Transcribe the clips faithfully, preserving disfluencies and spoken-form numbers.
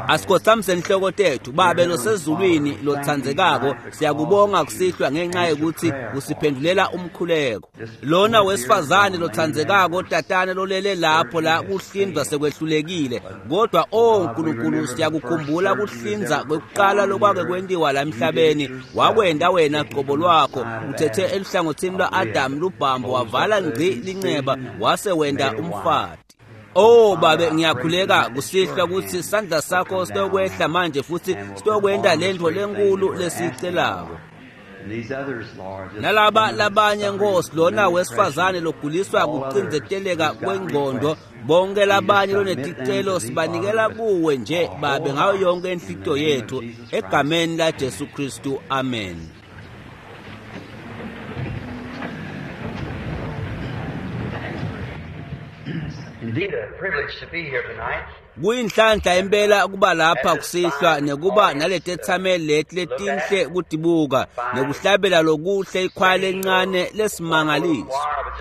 Asikhothamise inhloko tethu Babe losezulwini lotsandzekako, siyakubonga kusihlwa ngenxa yokuthi usiphendulela umkhuleko. Lona wesifazane lotsandzekako tatane lolele lapho la kuhlinzwa sekwehlulekile, kodwa o Nkulunkulu siyakukhumbula kuhlinza kwekuqala lokwake kwentiwa la emhlabeni, wakwenda wena qobo lwakho uthethe eluhlangothini lwa-Adamu lubhambo wavala ngci linceba wase wenda umfati. Oh Babe, ngiyakhuleka kusihlwa ukuthi sandla sakho sitokwehla manje futhi sitokwenta lentfo lenkulu lesiyicelako. Nalaba labanye Nkosi, lona wesifazane loguliswa kucindzeteleka kwengqondo, bonke labanye loneticelo sibanikela kuwe nje Babe ngayo yonke inhlitiyo yethu, egameni la Jesu Kristu, amen. Indeed, a privilege to be here tonight. Kuyinhlanhla impela kuba lapha kusihlwa nekuba naletethameli leti letinhle kutibuka nekuhlabela lokuhle ikhwaya lencane lesimangaliso.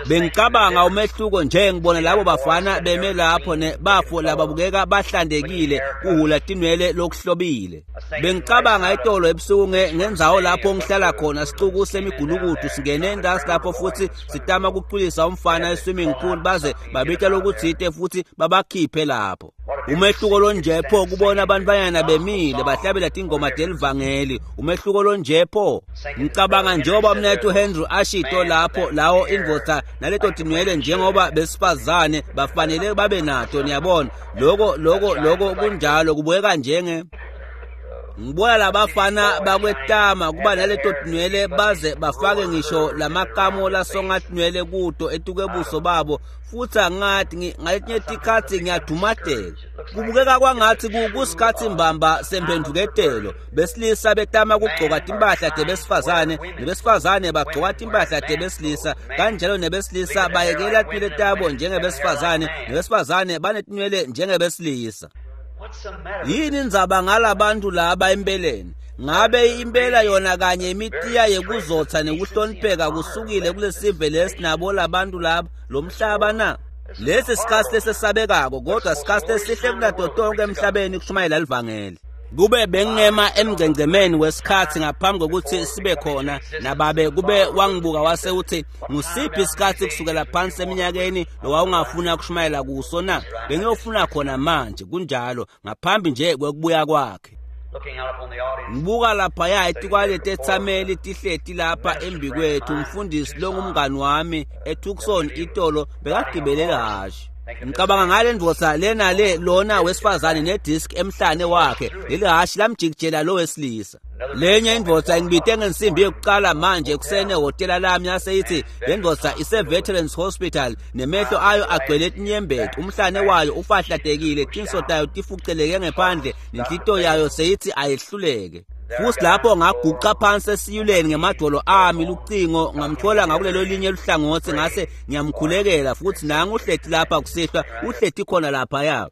Bengicabanga umehluko nje ngibona labo bafana beme lapho nebafo lababukeka bahlandekile kuhula tinwele lokuhlobile. Bengicabanga itolo ebusuku ngendzawo lapho ngihlala khona sicuku semigulukudu singene endasi lapho futhi sitama kuculisa umfana e-swimming pool baze babita lokutsite futhi babakhiphe lapho. Umehluko lonjepho kubona abantwanyana bemile bahlabela tingoma telivangeli. Umehluko lonjepho ngicabanga njengoba mnethu Henry ashito lapho lawo indvodza naleto tinwele njengoba besifazane bafanele babe nato, niyabona loko loko loko kunjalo kubukeka njenge ngibona labafana bakwetama kuba naleto tinwele baze bafake ngisho lamakamo lasongatinwele kuto etukebuso babo, futhi angathi ngaletinye tikhatsi ngiyadumateka. Kubukeka kwangathi kusikhatsi mbamba semphendvuketelo, besilisa betama kugcoka timpahla tebesifazane nebesifazane bagcoka timpahla tebesilisa, kanjalo nebesilisa bayekela tinwele tabo njengebesifazane nebesifazane banetinwele njengebesilisa. Yini indzaba ngalabantu laba empeleni? Ngabe impela yona kanye imitiya yekuzotsa nekuhlonipheka kusukile kulesive lesinabo labantu laba lomhlaba na? Lesi sikhatsi lesesabekako, kodwa sikhatsi lesihle kunato tonke emhlabeni kushumayela livangeli. Kube bengema emgcengcemeni wesikhatsi ngaphambi kokuthi sibe khona nababe kube wangibuka wase uthi ngusiphi isikhatsi kusukela phansi eminyakeni lowawungafuna kushumayela kuso na? Bengiyofuna khona manje, kunjalo, ngaphambi nje kwekubuya kwakhe. Ngibuka laphaya etikwaletethameli tihleti lapha embikwethu, umfundisi longumngani wami eTucson itolo bekagibele ihhashi. Ngicabanga ngale ndvodza lena le lona wesifazane nedisk emhlane wakhe, leli hhashi lamjikijela lo wesilisa. Lenye indvodza ingibite ngensimbi yokuqala manje ekuseni ehhotela lami yase ithi le ndvodza ise-Veterans Hospital nemehlo ayo agcwele tinyembeti, umhlane wayo ufahlatekile, tinso tayo tifuceleke ngephandle nenhlitiyo yayo seyithi ayehluleke. Futhi lapho ngaguqa phansi esiyuleni ngemadolo ami lucingo ngamthola ngakulelo linye luhlangothi ngase ngiyamkhulekela, futhi nangu uhleti lapha kusihlwa, uhleti khona laphaya.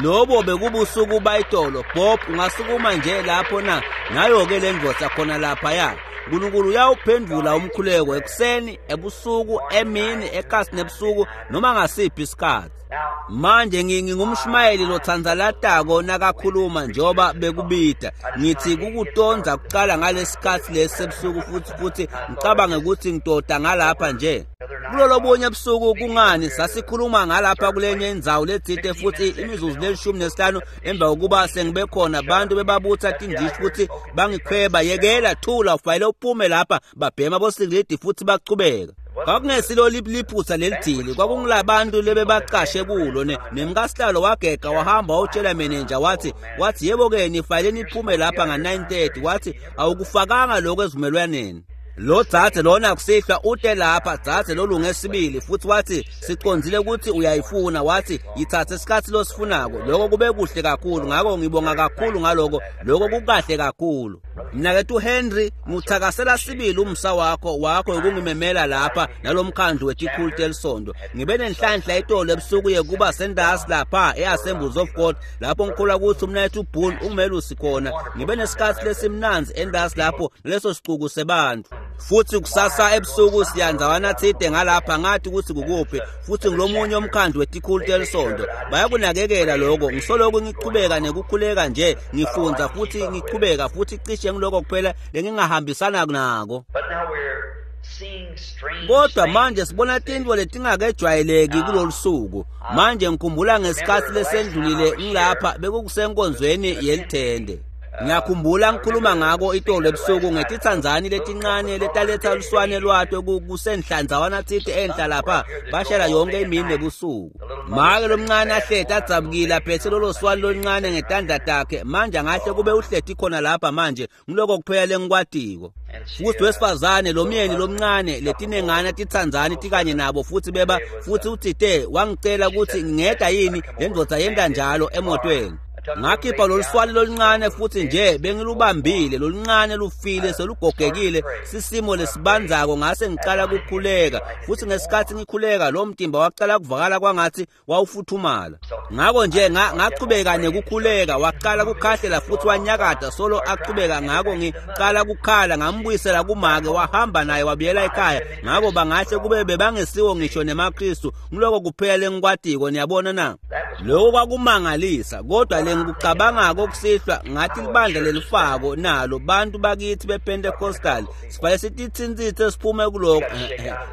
Lobo bekubusuku bayitolo. Bob, ungasukuma nje lapho na? Nayo-ke le ndvodza khona laphaya. Nkulunkulu uyawuphendvula umkhuleko ekuseni, ebusuku, emini, ekasi nebusuku, noma ngasiphi isikhatsi. Manje ngingumshumayeli lotsanzalatako nakakhuluma njengoba bekubida. Ngithi kukutonza kuqala ngalesikhatsi lesi sebusuku futhi futhi ngicabange ukuthi ngitoda ngalapha nje. Kulolobunye ebusuku kungani sasikhuluma ngalapha kulenye indzawo letsite futhi imizuzu lelishumi nesihlanu emva kokuba sengibe khona abantu bebabutha tindishi futhi bangikhweba, yekela, thula, ufanele uphume lapha, babhema bosikilidi futhi bachubeka. Kwakungesilo liphutha lelidili, kwakungilabantu lebebaqashe kulo nemkasihlalo wagega wahamba wawutshela menenja wathi wathi yebo-ke nifanele niphume lapha nga-nine thirty, wathi awukufakanga lokho ezivumelwaneni. Lo dzadze lona kusihlwa ute lapha, dzadze lolunge sibili, futhi wathi sicondzile ukuthi uyayifuna, wathi yithathe isikhatsi losifunako. Lokho kube kuhle kakhulu, ngako ngibonga kakhulu ngaloko, lokho kukahle kakhulu. Mnakethu Henry, ngikuthakasela sibili umsa wakho wakho ukungimemela lapha nalomkhandlu wetikhulu telisonto. Ngibe nenhlanhla itolo ebusuku yekuba sendasi lapha e-Assemblies of God lapho ngikholwa ukuthi umnakethu Boone ungumelusi khona. Ngibe nesikhatsi lesimnandzi endasi lapho naleso sicuku sebantu. Futhi kusasa ebusuku siyanzawana tsite ngalapha ngathi ukuthi kukuphi futhi ngilomunye umkhandlu wetikhulu telisonto bayakunakekela lokho. Ngisoloko ngichubeka nekukhuleka nje ngifundza futhi ngichubeka futhi cishe ngiloko kuphela lengingahambisana nako. Kodwa manje sibona tintfo letingakejwayeleki kulolu suku. Manje ngikhumbula ngesikhathi lesendlulile ngilapha bekukusenkonzweni yelithende. Ngiyakhumbula ngikhuluma ngako itolo ebusuku ngetitsandzani letincane letaletha luswane lwato kusenhlanzawana tsite enhla lapha bashela yonke imini nebusuku. Make lomncane ahleti adzabukile aphethe lolo swane loluncane ngetandla takhe. Manje angahle kube uhleti khona lapha manje ngiloko kuphela lengikwatiko. Futhi wesifazane lomyeni lomncane letinengana titsandzani tikanye nabo futhi beba futhi utsite wangicela ukuthi ngingeda yini le ndvodza yenta njalo emotweni. Ngakhipha loluswane loluncane futhi nje bengilubambile loluncane lufile selugogekile sisimo lesibandzako. Ngase ngiqala kukhuleka futhi ngesikhathi ngikhuleka lo mtimba waqala kuvakala kwangathi wawufuthumala. Ngako nje ngachubeka nekukhuleka waqala kukhahlela futhi wanyakada solo achubeka. Ngako ngiqala kukhala ngambuyisela kumake wahamba naye wabuyela ekhaya. Ngako bangahle kube bebangesiwo ngisho nemaKristu ngiloko kuphela lengikwatiko. Niyabona na lokho kwakumangalisa. Kodwa ngikucabangako kusihlwa ngathi libandla lelifako nalo bantu bakithi bePentecostal sifanele sititsintsitse siphume kuloko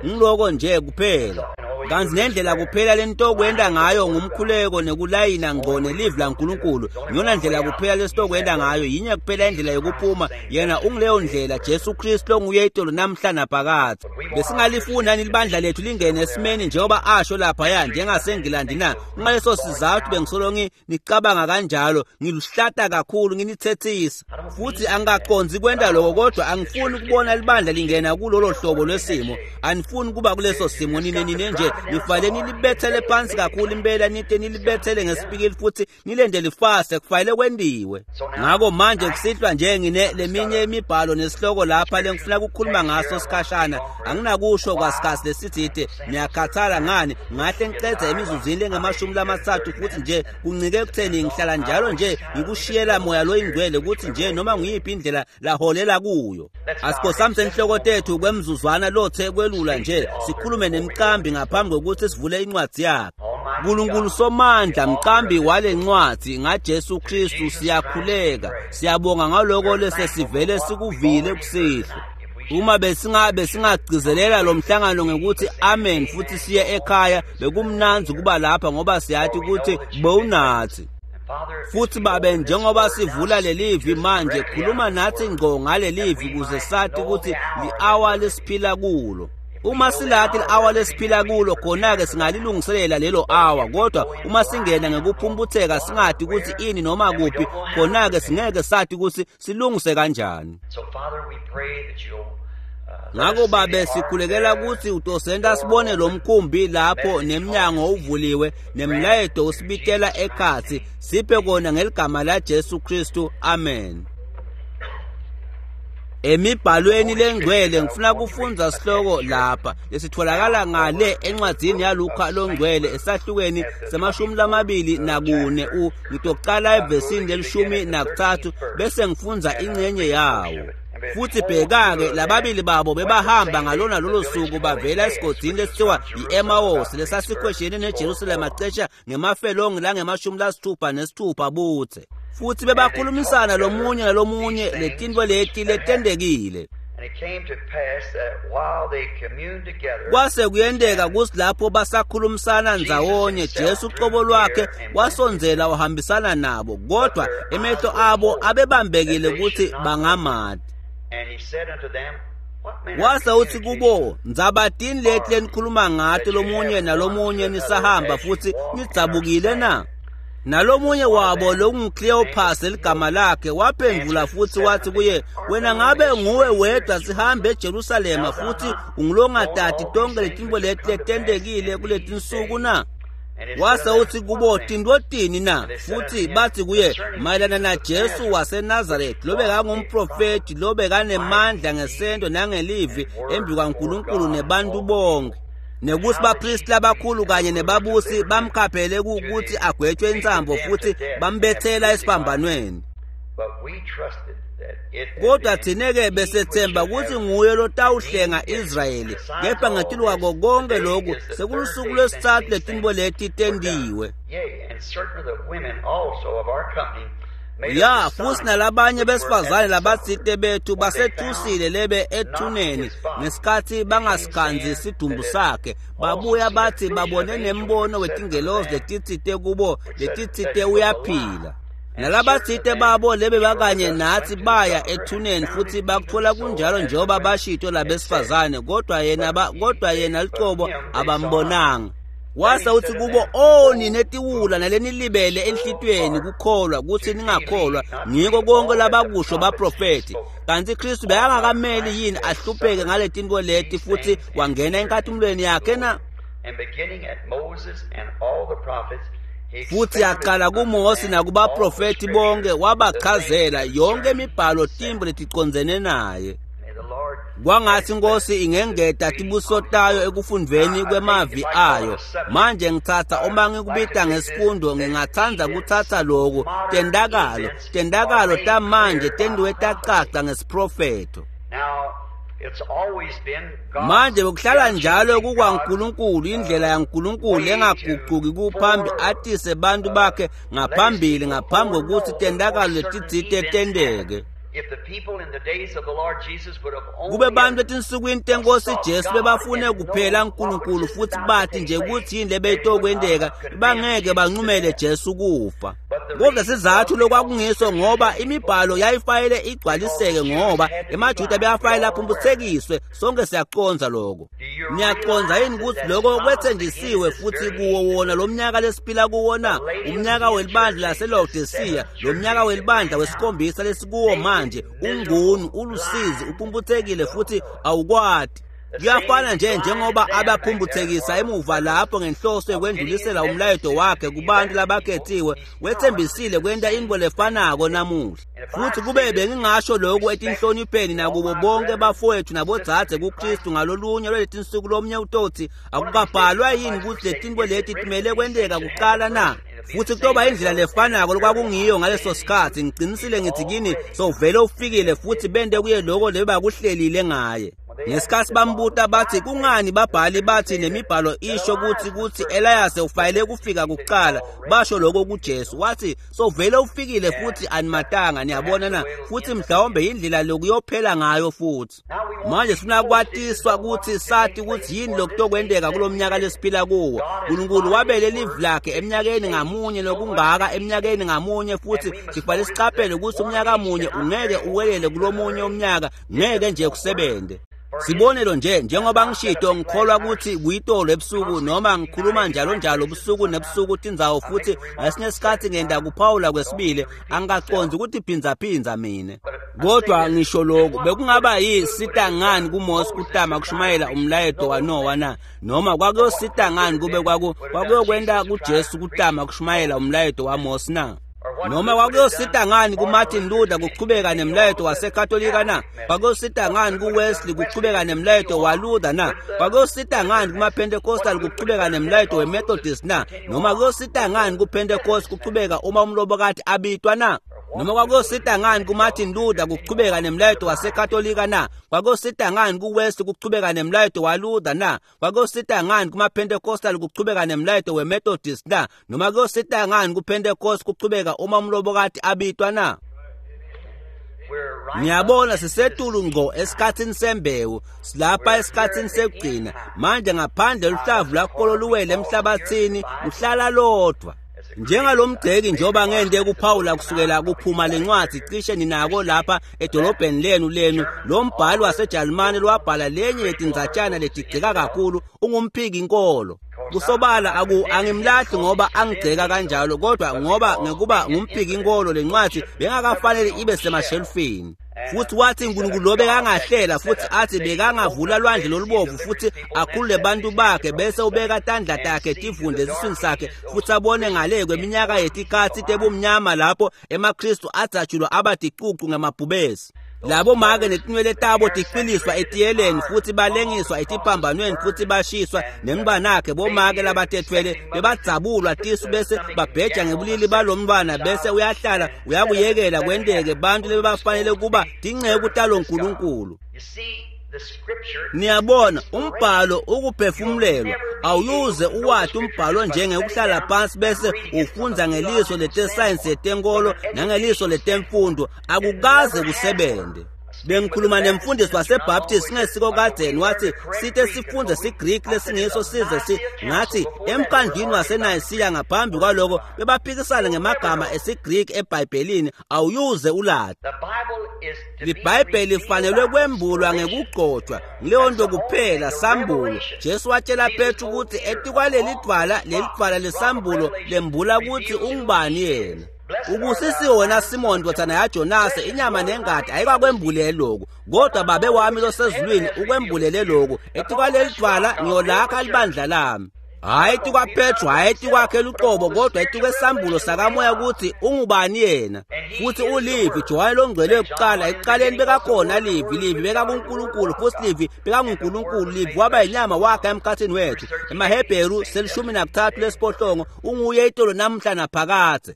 ngiloko nje kuphela. Kanti nendlela kuphela lentokwenda ngayo ngumkhuleko nekulayina ngqo nelivi laNkulunkulu. Ngiyona ndlela kuphela lesitokwenda ngayo, yinye kuphela indlela yokuphuma. Yena ungileyo ndlela, Jesu Kristu onguye itolo namhla naphakadze. Besingalifuni libandla lethu lingene esimeni njengoba asho laphaya njengaseNgilandi na. Ngaleso sizathu bengisolo ngicabanga kanjalo, ngiluhlata kakhulu nginithethisa futhi angikaqondzi kwenda lokho, kodwa angifuni ukubona libandla lingena kulolo hlobo lwesimo. Anifuni kuba kuleso simo nine nine nje nifanele nilibethele phansi kakhulu impela nite nilibethele ngesipikili futhi nilende lifase kufanele kwendiwe. Ngako manje kusihlwa nje ngine leminye imibhalo nesihloko lapha lengifuna ukukhuluma ngaso sikhashana. Anginakusho kwasikhathi lesitsite niyakhathala ngani ngahle ngicedze emizuzwini lengamashumi lamathathu futhi nje kuncike ekutheni ngihlala njalo nje ngikushiyela moya loyingcwele ukuthi nje noma nguyiphi indlela laholela kuyo. Asikhosamse inhloko tethu kwemzuzwana lothe kwelula nje sikhulume nemqambi ngaphambi kokuthi sivule incwadi yakhe. Nkulunkulu somandla mqambi wale ncwadi ngaJesu Kristu siyakhuleka siyabonga ngaloko lesesivele sikuvile kusihlwa. Uma besingabe singagcizelela lo mhlangano ngekuthi amen futhi siye ekhaya bekumnandzi kuba lapha ngoba siyathi ukuthi bewunathi. Futhi babe njengoba sivula lelivi manje khuluma nathi ngqo ngalelivi ukuze sathi ukuthi li-hour lesiphila kulo. Uma silathi li-hour lesiphila kulo khona-ke singalilungiselela lelo hour, kodwa uma singena ngekuphumputheka singathi ukuthi ini noma kuphi khona-ke singeke sathi ukuthi silungise kanjani. Ngako babe sikhulekela ukuthi utosenta sibone lo mkhumbi lapho nemnyango uvuliwe nemlayeto usibitela ekhatsi. Siphe kona ngeligama la Jesu Kristu, amen. Emibhalweni lengcwele ngifuna kufundza sihloko lapha lesitholakala ngale encwadzini yaLuka longcwele esahlukweni semashumi lamabili nakune u ngitocala evesini lelishumi nakuthathu bese ngifundza ingcenye yawo. Futhi bheka-ke lababili babo bebahamba ngalona lolo suku bavela esigodini lesithiwa i-Emawusi lesasikhweshene neJerusalema cishe ngemafelongi langemashumi lasithupha nesithupha buthe. Futhi bebakhulumisana lomunye nalomunye letintfo leti letendekile. Kwase kuyenteka kuthi lapho basakhulumisana ndzawonye Jesu uqobo lwakhe wasondzela wahambisana nabo, kodwa emehlo abo abebambekile ukuthi bangamati. Wase uthi kubo, ndzabatini leti lenikhuluma ngato lomunye nalomunye nisahamba futhi nidzabukile na? Nalomunye wabo lokunguCleopas eligama lakhe waphendvula futhi wathi kuye, wena ngabe nguwe wedwa sihambe eJerusalema futhi ungulongatati tonke letintfo leti letentekile kuletinsuku na? Wase uthi kubo, tintfo tini na? Futhi bathi kuye, mayelana naJesu waseNazaretha lobekangumprofethi lobekanemandla ngesento nangelivi embi kwaNkulunkulu nebantu bonke, nekuthi bapristi labakhulu kanye nebabusi bamkhaphele ukuthi agwetshwe insambo futhi bambethela esiphambanweni. Kodwa thina-ke besethemba ukuthi nguye lotawuhlenga Israyeli, kepha ngetulu kwako konke lokhu sekulusuku lwesithathu letintfo leti tentiwe. Ya, futhi nalabanye besifazane labatsite bethu basethusile lebe ethuneni ngesikhathi bangasikhanzi sidumbu sakhe, babuya bathi babone nembono wetingelozi letitsite kubo letitsite uyaphila. Nalabatsite babo lebe bakanye nathi baya ethuneni futhi bakuthola kunjalo njengoba bashito labesifazane, kodwa yena kodwa yena lucobo abambonanga. Wase uthi kubo, "O nine tiwula nalenilibele enhlitiyweni kukholwa ukuthi ningakholwa ngiko konke labakusho baprofeti. Kanti Kristu bekangakameli yini ahlupheke ngaletintfo leti futhi wangena enkatimulweni yakhe na?" Futhi yaqala kuMose nakubaprofeti bonke wabachazela yonke imibhalo tintfo leticondzene naye. Kwangathi Nkosi ingengeta tibuso tayo ekufundveni kwemavi ayo. Manje ngitsatsa uma ngikubita ngesifundo ngingatsandza kutsatsa loku tendakalo tendakalo tamanje tentiwe tacaca ngesiprofetho. Manje bekuhlala njalo kukwaNkulunkulu, indlela yaNkulunkulu engaguquki kuphambi atise bantu bakhe ngaphambili ngaphambi kokuthi tendakalo letitsite tenteke. Kube bantu etinsukwini tenkosi Jesu bebafune kuphela uNkulunkulu futhi bathi nje ukuthi yini lebeyitokwenteka, bangeke bancumele Jesu kufa. Kodwa sizathu lokwakungiso ngoba imibhalo yayifayele igcwaliseke, ngoba emaJuda beyafayele aphumputhekiswe. Sonke siyaconza lokho. Niyacondza yini ukuthi lokho kwethenjisiwe futhi kuwo wona lo mnyaka lesiphila kuwona, umnyaka welibandla laseLaodicea, lo mnyaka welibandla wesikhombisa lesikuwo manje, ungunu, ulusizi, uphumputhekile futhi awukwati. Kuyafana nje njengoba abaphumputhekisa emuva lapho ngenhloso yokwendlulisela umlayeto wakhe kubantu labakhethiwe, wethembisile kwenta intfo lefanako namuhla. Futhi kube bengingasho lokhu etinhlonipheni nakubo bonke bafowethu nabodzadze kuKristu ngalolunye lwaletinsuku lomnye utothi, akukabhalwa yini ukuthi letintfo leti timele kwenteka kuqala na? Futhi kutoba indlela lefanako lokwakungiyo ngaleso sikhathi. Ngicinisile ngithi kini, sowuvele ufikile futhi bente kuye loko lebakuhlelile ngaye. Ngesikhathi bambuta bathi kungani babhali bathi nemibhalo isho ukuthi ukuthi Elias ufayele kufika kuqala, basho lokho kuJesu. Wathi sovele ufikile futhi animatanga, niyabona na? Futhi mhlawumbe indlela lokuyophela ngayo futhi. Manje sifuna kwatiswa ukuthi sathi ukuthi yini lokutokwenteka kulomnyaka lesiphila kuwo. uNkulunkulu wabele live lakhe eminyakeni ngamunye lokungaka eminyakeni ngamunye, futhi sifanele siqaphele ukuthi umnyaka munye ungeke uwelele kulomunye umnyaka, ngeke nje kusebente. Sibonelo nje, njengoba ngishito ngikholwa ukuthi kuyitolo ebusuku noma ngikhuluma njalo njalo ubusuku nebusuku tindzawo, futhi ngesinye isikhathi ngenda kuphawula kwesibili, angikaconzi ukuthi phindza mina. Kodwa ngisho lokhu, bekungaba yisita ngani kuMose kutama kushumayela umlayeto waNowa na? Noma kwakuyosita ngani kube kwaku kwakuyokwenta kuJesu kutama kushumayela umlayeto waMose na? Noma kwakuyosita ngani kuMartin Luther kuchubeka nemlayeto waseKatolika na? Kwakuyosita ngani kuWesley kuchubeka nemlayeto waLuther na? Kwakuyosita ngani kumaPentecostal kuchubeka nemlayeto weMethodist na? Noma kuyosita ngani kuPentecost kuchubeka uma umlobokati abitwa na? Noma kwakuyosita ngani kuMartin Luther kuchubeka nemlayeto waseKatolika na? Kwakuyosita ngani kuWesley kuchubeka nemlayeto waLuther na? Kwakuyosita ngani kumaPentecostal kuchubeka nemlayeto weMethodist na? Noma kuyosita ngani kuPentecost kuchubeka uma umlobokati abitwa na? Ngiyabona sisetulu ngqo esikhathini sembewu, silapha esikhathini sekugcina. Manje ngaphandle luhlavu lwakolo luwele emhlabathini, luhlala lodwa. Njengalomgceki njengoba ngende kuphawula kusukela kuphuma lencwadi cishe ninako lapha edolobheni lenu lenu, lo mbhali waseJalimane lwabhala lenye yetindzatshana letigceka kakhulu, ungumphiki inkolo. Kusobala aku angimlahli ngoba angigceka kanjalo, kodwa ngoba ngekuba ngumphiki inkolo lencwadi bengakafanele ibe semashelfini. Futhi wathi uNkulunkulu lo bekangahlela futhi athi bekangavula lwandle lolubovu futhi akhulule bantu bakhe, bese ubeka tandla takhe tivunde esiswini sakhe futhi abone ngale kweminyaka yetikhatsi tebumnyama lapho emaKristu adzatshulwa abaticucu ngemabhubesi. Labo make netinwele tabo ticwiliswa etiyeleni futhi balengiswa etiphambanweni futhi bashiswa nemntwanakhe bomake labatethwele bebadzabulwa tisu bese babheja ngebulili balomntwana bese uyahlala uyakuyekela kwenteke bantu lebebafanele kuba tinceku talonkulunkulu. Niyabona umbhalo ukuphefumulelwa awuyuze uwati umbhalo njengekuhlala phansi bese ufundza ngeliso letesayensi yetenkolo nangeliso letemfundo akukaze kusebente. Bengikhuluma nemfundisi waseBaptist ngesiko kadzeni wathi sithe sifundze siGreek lesingiso size si ngathi emkhandlwini waseNayisiya ngaphambi kwaloko bebaphikisana ngemagama esiGreek eBhayibhelini awuyuze ulati. LiBhayibheli lifanelwe kwembulwa ngekugcotshwa leyo nto kuphela sambulo. Jesu watshela Petru ukuthi etikwaleli dvwala leli dvwala lesambulo lembula ukuthi ungubani yena. Ubusisiwe wena Simon ndvodzana yaJonase inyama nengati ayikakwembulele lokhu kodwa babe wami losezulwini ukwembulele lokhu etikwaleli dvwala ngiyolakha libandla lami. Hhayi etikwaPetru, hhayi etikwakhe luqobo kodwa etikwesambulo sakamoya ukuthi ungubani yena. Futhi uLivi, Johane longcwele yokuqala, ekuqaleni bekakhona Livi, Livi bekakuNkulunkulu futhi Livi bekanguNkulunkulu, Livi waba yinyama wakhe emkhathini wethu. EmaHebheru selishumi nakuthathu lesiphohlongo unguye itolo namhla naphakadze.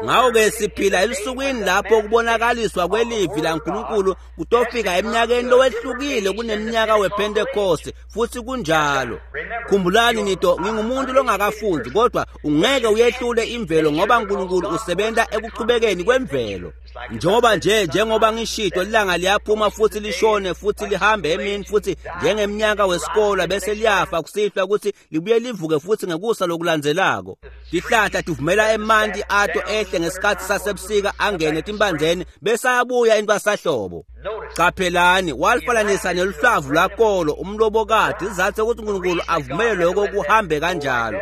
Ngakho-ke siphila elusukwini lapho kubonakaliswa kwelivi laNkulunkulu kutofika eminyakeni lowehlukile kuneminyaka wePhentekoste futhi kunjalo. Khumbulani nito ngingumuntu longakafundi kodwa ungeke uyehlule imvelo ngoba uNkulunkulu usebenta ekuchubekeni kwemvelo. Njengoba nje njengoba ngishito ilanga liyaphuma futhi lishone futhi lihambe emini futhi njengeminyaka wesikolo bese liyafa kusihlwa ukuthi libuye livuke futhi ngekusa lokulandzelako. Tihlahla tivumela emanti ato ehle ngesikhathi sasebusika angene etimbandzeni bese ayabuya intwasahlobo. Qaphelani walifananisa neluhlavu lwakolo umlobokati izathu ukuthi uNkulunkulu avumele lokho kuhambe kanjalo.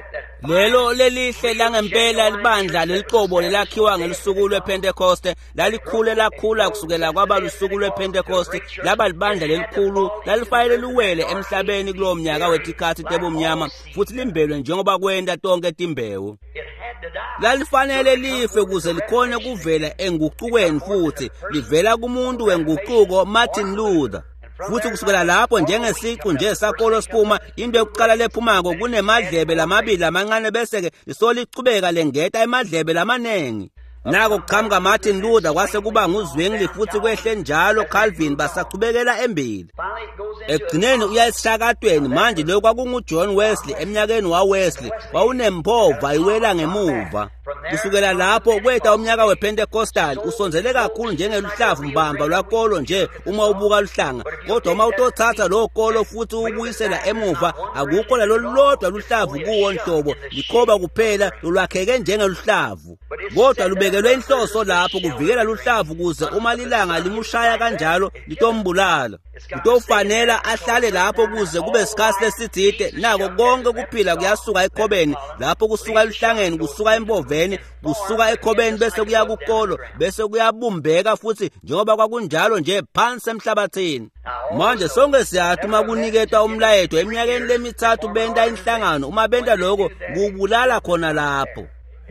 Lelo lelihle langempela libandla leliqobo lelakhiwa ngelusuku lwePhentekoste lalikhule lakhula kusukela kwaba lusuku lwePhentekoste laba libandla lelikhulu lalifanele liwele emhlabeni kulowo mnyaka wetikhathi tebumnyama futhi limbelwe njengoba kwenta tonke timbewu. Lalifanele life kuze likhone kuvela enguqukweni futhi livela kumuntu wenguquko Martin Luther. Futhi kusukela lapho njengesiqu nje sakolo siphuma into yokuqala lephumako kunemadlebe lamabili amancane bese-ke lisolichubeka lengeta emadlebe lamanengi. Nako kuqhamuka Martin Luther kwase kuba nguZwingli futhi kwehle njalo Calvin basachubekela embili. Ekugcineni uya esishakatweni manje lokho kwakunguJohn Wesley eminyakeni waWesley wawunempova iwela ngemuva. Kusukela lapho kweta umnyaka wePentecostal usondzele kakhulu njengeluhlavu mbamba lwakolo nje uma ubuka luhlanga kodwa uma utothatha lowo kolo futhi ubuyisela emuva akukho nalolulodwa luhlavu kuwo nhlobo likhoba kuphela lolwakheke njengeluhlavu kodwa lubekelwe inhloso lapho kuvikela luhlavu kuze uma lilanga limushaya kanjalo litombulala. Kutofanela ahlale lapho kuze kube sikhathi lesitsite nako konke kuphila kuyasuka ekhobeni lapho kusuka eluhlangeni kusuka emboveni kusuka ekhobeni bese kuya kukolo bese kuyabumbeka futhi njengoba kwakunjalo nje phansi emhlabathini. Manje sonke siyathi uma kuniketwa umlayeto eminyakeni lemithathu benta inhlangano uma benta lokho kubulala khona lapho.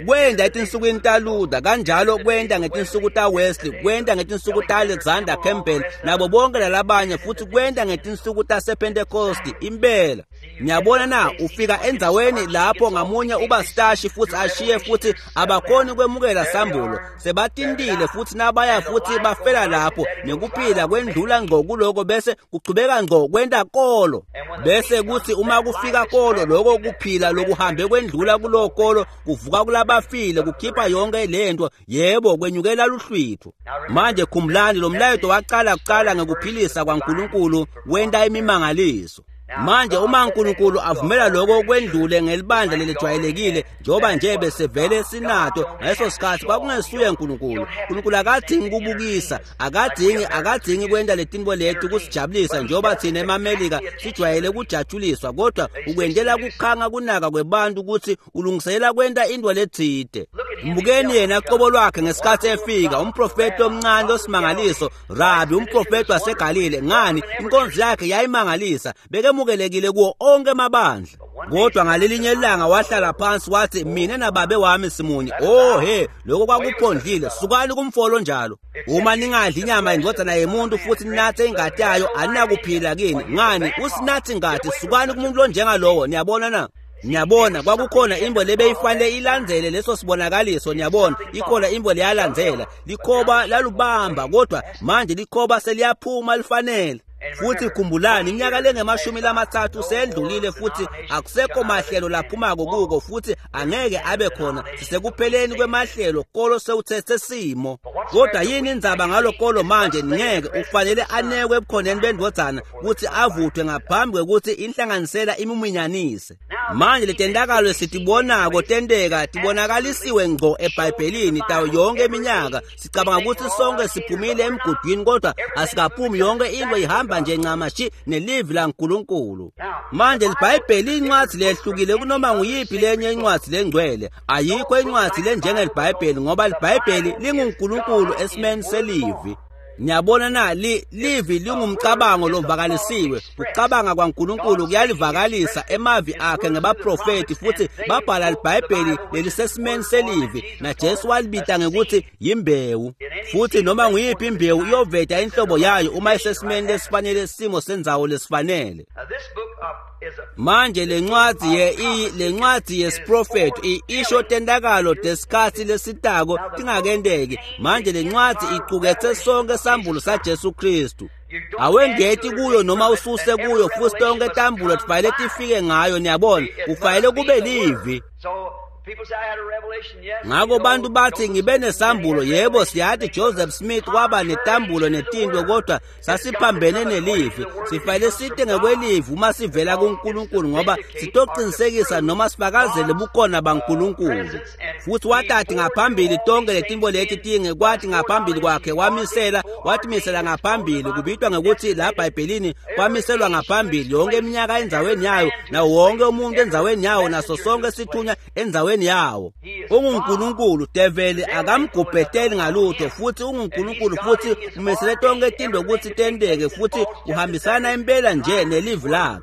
Kwenda etinsukwini taLuther kanjalo kwenda ngetinsuku taWesley kwenda ngetinsuku taAlexander Campbell nabo bonke lalabanye futhi kwenda ngetinsuku tasePentecost impela. Niyabona na ufika endzaweni lapho ngamunye uba stashi futhi ashiye futhi abakhoni kwemukela sambulo sebatintile futhi nabaya futhi bafela lapho nekuphila kwendlula ngqo kuloko bese kuchubeka ngqo kwenta kolo bese kuthi uma kufika kolo lokho kuphila lokuhambe kwendlula kulo kolo kuvuka kulabafile kukhipha yonke lento yebo kwenyukela luhlwitho. Manje khumbulani lo mlayeto waqala kuqala ngekuphilisa kwaNkulunkulu wenta imimangaliso. Manje uma uNkulunkulu avumela lokho kwendlule ngelibandla lelijwayelekile njengoba nje besevele sinato ngaleso sikhathi kwakungesuye uNkulunkulu. uNkulunkulu akadingi kubukisa akadingi akadingi kwenta letinto leti kusijabulisa njengoba thina emaMelika sijwayele kujatshuliswa kodwa ukwentela kukhanga kunaka kwebantu ukuthi ulungiselela kwenta into letsite. Mbukeni yena qobo lwakhe ngesikhathi efika umprofeti omncane osimangaliso Rabi umprofeti waseGalile ngani inkonzo yakhe yayimangalisa bekemukelekile kuwo onke amabandla. Kodwa ngalelinye ilanga wahlala phansi wathi mina nababe wami simunye. Oh he, lokho kwakuphondlile. Sukani kumfolo njalo. Uma ningadli inyama yendodana yemuntu futhi ninathe ingati yayo, aninakuphila kini. Ngani? Usinathi ingati. Sukani kumuntu lonjengalowo. Niyabona na? Niyabona kwakukhona imbo lebeyifanele ilandzele leso sibonakaliso. Niyabona ikhona imbo leyalandzela. Likhoba lalubamba, kodwa manje likhoba seliyaphuma lifanele. Futhi khumbulani iminyaka lengemashumi lamathathu sendlulile futhi akusekho mahlelo laphumako kuko, futhi angeke abe khona. Sisekupheleni kwemahlelo, kolo sewuthethe simo. Kodwa yini indzaba ngalo kolo manje? Ngeke ufanele anekwe ebukhoneni bendvodzana ukuthi avuthwe ngaphambi kwekuthi inhlanganisela imuminyanise. Manje letentakalo sitibonako tenteka tibonakalisiwe ngco eBhayibhelini tawo yonke iminyaka. Sicabanga ukuthi sonke siphumile emgudwini, kodwa asikaphumi. Yonke into ihamba nje ncamashi nelivi laNkulunkulu. Manje iBhayibheli incwadi lehlukile kunoma nguyiphi lenye incwadi lengcwele. Ayikho incwadi lenjengelibhayibheli, ngoba iBhayibheli linguNkulunkulu esimeni selivi. Niyabona na, li livi lingumcabango lovakalisiwe. Ukucabanga kwaNkulunkulu kuyalivakalisa emavi akhe ngebaprofeti, futhi babhala iBhayibheli lelisesimeni selivi, naJesu walibita ngekuthi yimbewu. Futhi noma nguyiphi imbewu iyoveta inhlobo yayo uma isesimeni lesifanele, simo sendzawo lesifanele. Manje lencwadi ye lencwadi yesiprofeto isho tentakalo tesikhatsi lesitako tingakenteki. Manje lencwadi icuketse sonke sambulo saJesu Kristu. Awengeti kuyo noma ususe kuyo, futhi tonke tambulo tifanele tifike ngayo. Niyabona, kufanele kube livi. Ngako bantu bathi ngibe nesambulo. Yebo, siyathi Joseph Smith waba netambulo netinto, kodwa sasiphambene nelivi. Sifanele site ngekwelivi uma sivela kuNkulunkulu, ngoba sitoqinisekisa noma sifakazele bukhona baNkulunkulu. Futhi watati ngaphambili tonke letinto leti tinge, kwathi ngaphambili kwakhe wamisela, watimisela ngaphambili. Kubitwa ngekuthi la eBhayibhelini kwamiselwa ngaphambili yonke iminyaka endzaweni yayo, nawo wonke umuntu endzaweni yawo, naso sonke sithunywa endzaweni yawo. UnguNkulunkulu, develi akamgubheteli ngalutho, futhi unguNkulunkulu, futhi umisele tonke tinto ukuthi tenteke, futhi uhambisana impela nje nelivi lakhe.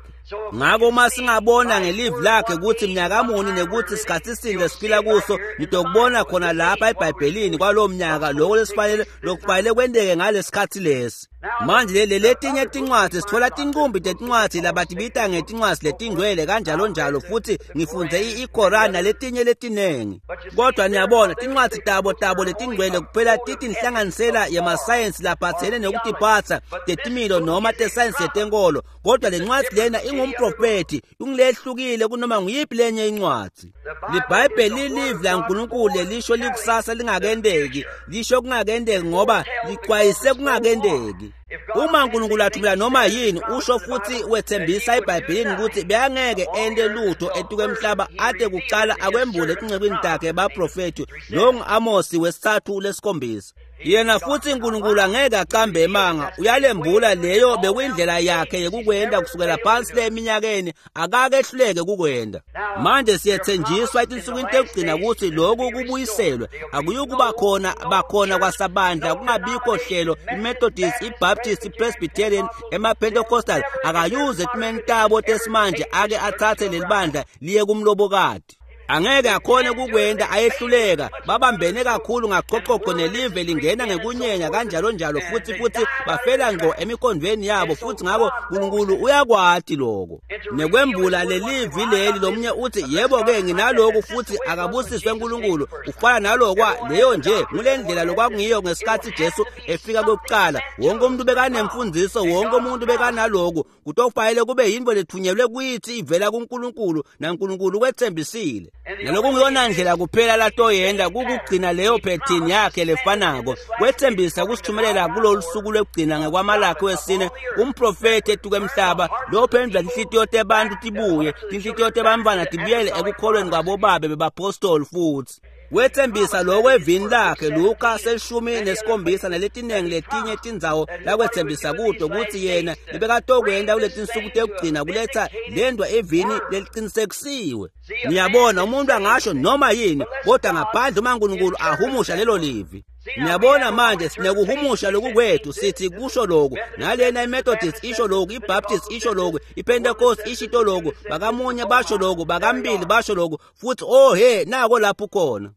Ngako uma singabona ngelivi lakhe ukuthi mnyaka muni nekuthi sikhathi sini lesiphila kuso, nitokubona khona lapha eBhayibhelini kwalowo mnyaka lokho lesifanele lokufanele kwenteke ngalesikhathi lesi. Manje le letinye tincwadzi sithola tincumbi tetincwadzi labatibita ngetincwadzi letingcwele kanjalo njalo, futhi ngifundze iKoran naletinye letinengi. Kodwa niyabona tincwadzi tabo tabo letingcwele kuphela tithi inhlanganisela yemasayensi laphathene nekutiphatsa tetimilo noma tesayensi yetenkolo, kodwa lencwadzi lena ingumprofeti, ingulehlukile kunoma nguyiphi lenye incwadzi. LiBhayibheli lilivi laNkulunkulu lelisho likusasa lingakenteki, lisho kungakenteki ngoba lixwayise kungakenteki. Uma uNkulunkulu athumela noma yini, usho futhi wethembisa eBhayibhelini ukuthi beyangeke ente lutho etuke emhlaba ade kucala akwembule etincekwini takhe baprofeti. Lo ngu-Amosi wesithathu lesikhombisa. Yena futhi uNkulunkulu angeke acambe emanga, uyalembula leyo bekuyindlela yakhe yekukwenda kusukela phansi le eminyakeni, akake ehluleke kukwenda. Manje siyethenjiswa etinsukwini tekugcina ukuthi lokhu kubuyiselwe. Akuyukuba khona bakhona kwasabandla, kungabikho hlelo iMethodist, iBaptist, iPresbyterian, emaPentecostal akayuze etimeni tabo tesimanje ake athathe leli bandla liye kumlobokati. Angeke akhone kukwenda, ayehluleka. Babambene kakhulu ngachochocho nelive lingena ngekunyenya kanjalo njalo, futhi futhi bafela ngqo emikhondweni yabo, futhi ngako uNkulunkulu uyakwati lokho nekwembula lelivi leli. Lomunye uthi yebo ke nginaloku, futhi akabusiswe uNkulunkulu, ufana nalokwa leyo nje ngulendlela lokwakungiyo ngesikhathi Jesu efika kokuqala. Wonke umuntu bekanemfundiso, wonke umuntu bekanaloku, kutofanele kube yinto lethunyelwe kuyithi ivela kuNkulunkulu, naNkulunkulu wethembisile. Naloku ngiyona ndlela kuphela latoyenda kukugcina leyo phethini yakhe lefanako. Wethembisa kusithumelela kulolu suku lwekugcina ngekwamalakhi wesine umprofeti etuke emhlaba lophendula tinhlitiyo tebantu tibuye, tinhlitiyo tebantfwana tibuyele ekukholweni kwabobabe bebapostoli. Futhi wethembisa lokho evini lakhe Luka selishumi nesikhombisa naletinengi letinye tindzawo lakwethembisa kuto ukuthi yena lebekatokwenda kuletinsuku tekugcina kuletha lendwa evini leliqinisekisiwe. Niyabona, umuntu angasho noma yini, kodwa ngaphandle uma uNkulunkulu ahumusha lelo livi. Niyabona manje sinekuhumusha lokukwethu sithi kusho lokhu nalena iMethodist isho lokhu, iBaptist isho lokhu, iPentecost ishito lokhu, bakamunye basho lokhu, bakambili basho lokhu, futhi oh he nako lapho khona.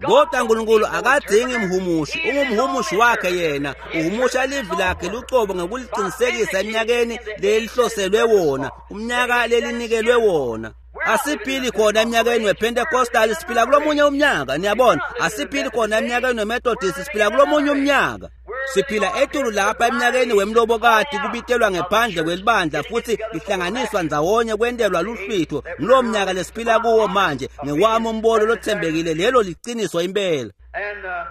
Kodwa uNkulunkulu akadzingi mhumushi, ungumhumushi wakhe yena, uhumusha livi lakhe lucobo ngokuliqinisekisa eminyakeni lelihloselwe wona, umnyaka lelinikelwe wona. Asiphili khona eminyakeni wePentecostal, siphila kulomunye umnyaka, niyabona. Asiphili khona eminyakeni weMethodist, siphila kulomunye umnyaka. Siphila etulu lapha eminyakeni wemlobokati, kubitelwa ngephandle kwelibandla futhi lihlanganiswa ndzawonye kwentelwa luhlwitho. Ngulowo mnyaka lesiphila kuwo manje, ngewami umbono lothembekile, lelo liciniso impela.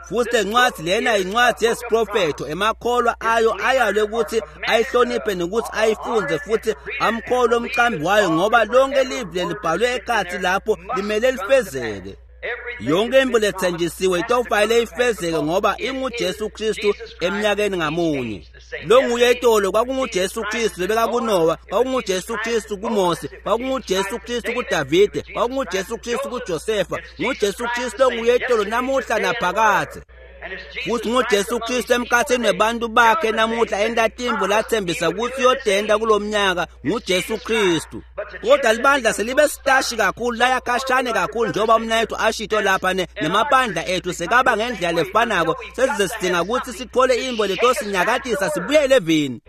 Futhi lencwadi lena incwadi yesiprofetho, emakholwa ayo ayalwe ukuthi ayihloniphe nokuthi ayifunze futhi amkholwe umqambi wayo, ngoba lonke livi lelibhalwe ekhathi lapho limele lifezeke. Yonke into lethenjisiwe itofanele ifezeke ngoba inguJesu Kristu eminyakeni ngamunye. Lo nguye itolo kwakunguJesu Kristu bekakuNowa, kwakunguJesu Kristu kuMose, kwakunguJesu Kristu kuDavide, kwakunguJesu Kristu kuJosefa, nguJesu Kristu onguye itolo namuhla naphakadze. Futhi nguJesu Kristu emkhathini webantu bakhe namuhla entatimbo lathembisa ukuthi uyodenda kulomnyaka, nguJesu Kristu. Kodwa libandla selibe sitashi kakhulu, laya khashane kakhulu, njengoba umnayethu ashito lapha ne nemabandla ethu sekaba ngendlela lefanako, sesize sidinga ukuthi sithole imbo letosinyakatisa sibuyele evini.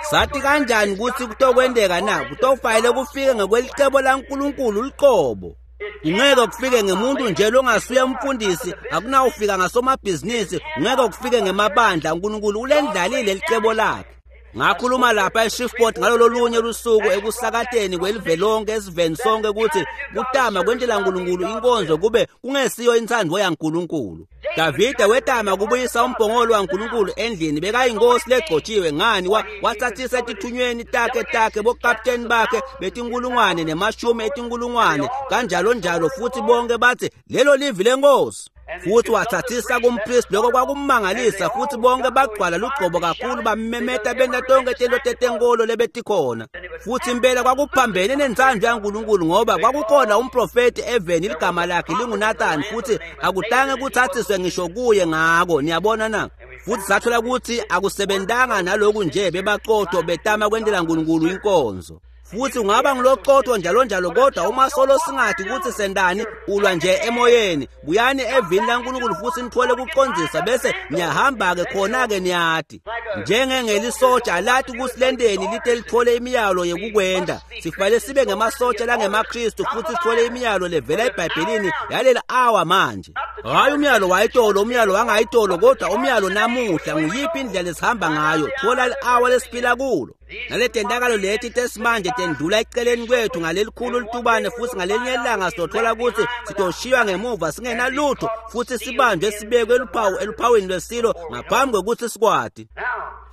Sathi kanjani ukuthi kutokwendeka na? Kutofanele kufike ngokwelicebo laNkulunkulu luqobo. Ungeke kufike ngemuntu nje longasuye umfundisi, akunawufika ngasomabhizinisi, ungeke kufike ngemabandla. uNkulunkulu ulendlalile licebo lakhe. Ngakhuluma lapha eShreveport ngalolo lunye lusuku ekusakateni kwelive lonke esiveni sonke ukuthi kutama kwentela uNkulunkulu inkonzo kube kungesiyo intsandvo yaNkulunkulu. Davide wetama kubuyisa umbhongolo waNkulunkulu endlini, bekayinkosi legcotshiwe ngani, wathathisa etithunyweni takhe takhe bokapteni bakhe betinkulungwane nemashumi etinkulungwane kanjalo njalo, futhi bonke bathi lelo livi lenkosi. Futhi wathathisa kumpristi, lokho kwakummangalisa, futhi bonke bagcwala lugcobo kakhulu bamemeta benta tonke tento tetenkolo lebetikhona. Futhi impela kwakuphambene nentsandvo yaNkulunkulu, ngoba kwakukhona umprofeti eveni ligama lakhe linguNathani, futhi akutange kuthathiswe ngisho kuye ngako. Niyabona na? Futhi sathola ukuthi akusebentanga naloku nje, bebaqotho betama kwentela uNkulunkulu inkonzo. Futhi ungaba ngiloqotho njalo njalo, kodwa uma solo singathi ukuthi sendani, ulwa nje emoyeni. Buyani evini laNkulunkulu futhi nithole kuqondisa, bese niyahamba-ke khona-ke niyati. Njengengelisotsha lathi ukuthi lendeni lite lithole imiyalo yekukwenda, sifanele sibe ngemasotsha langemaKristu futhi sithole imiyalo levela eBhayibhelini yaleli awa manje. Hayi umyalo wayitolo, umyalo wangayitolo, kodwa umyalo namuhla nguyiphi indlela esihamba ngayo. Thola li-awa lesiphila kulo. Naletentakalo leti tesimanje tendlula eceleni kwethu ngalelikhulu litubane, futhi ngalenye ilanga sizothola ukuthi sitoshiywa ngemuva singenalutho, futhi sibanjwe sibekwe eluphawu eluphawini lwesilo ngaphambi kokuthi sikwati.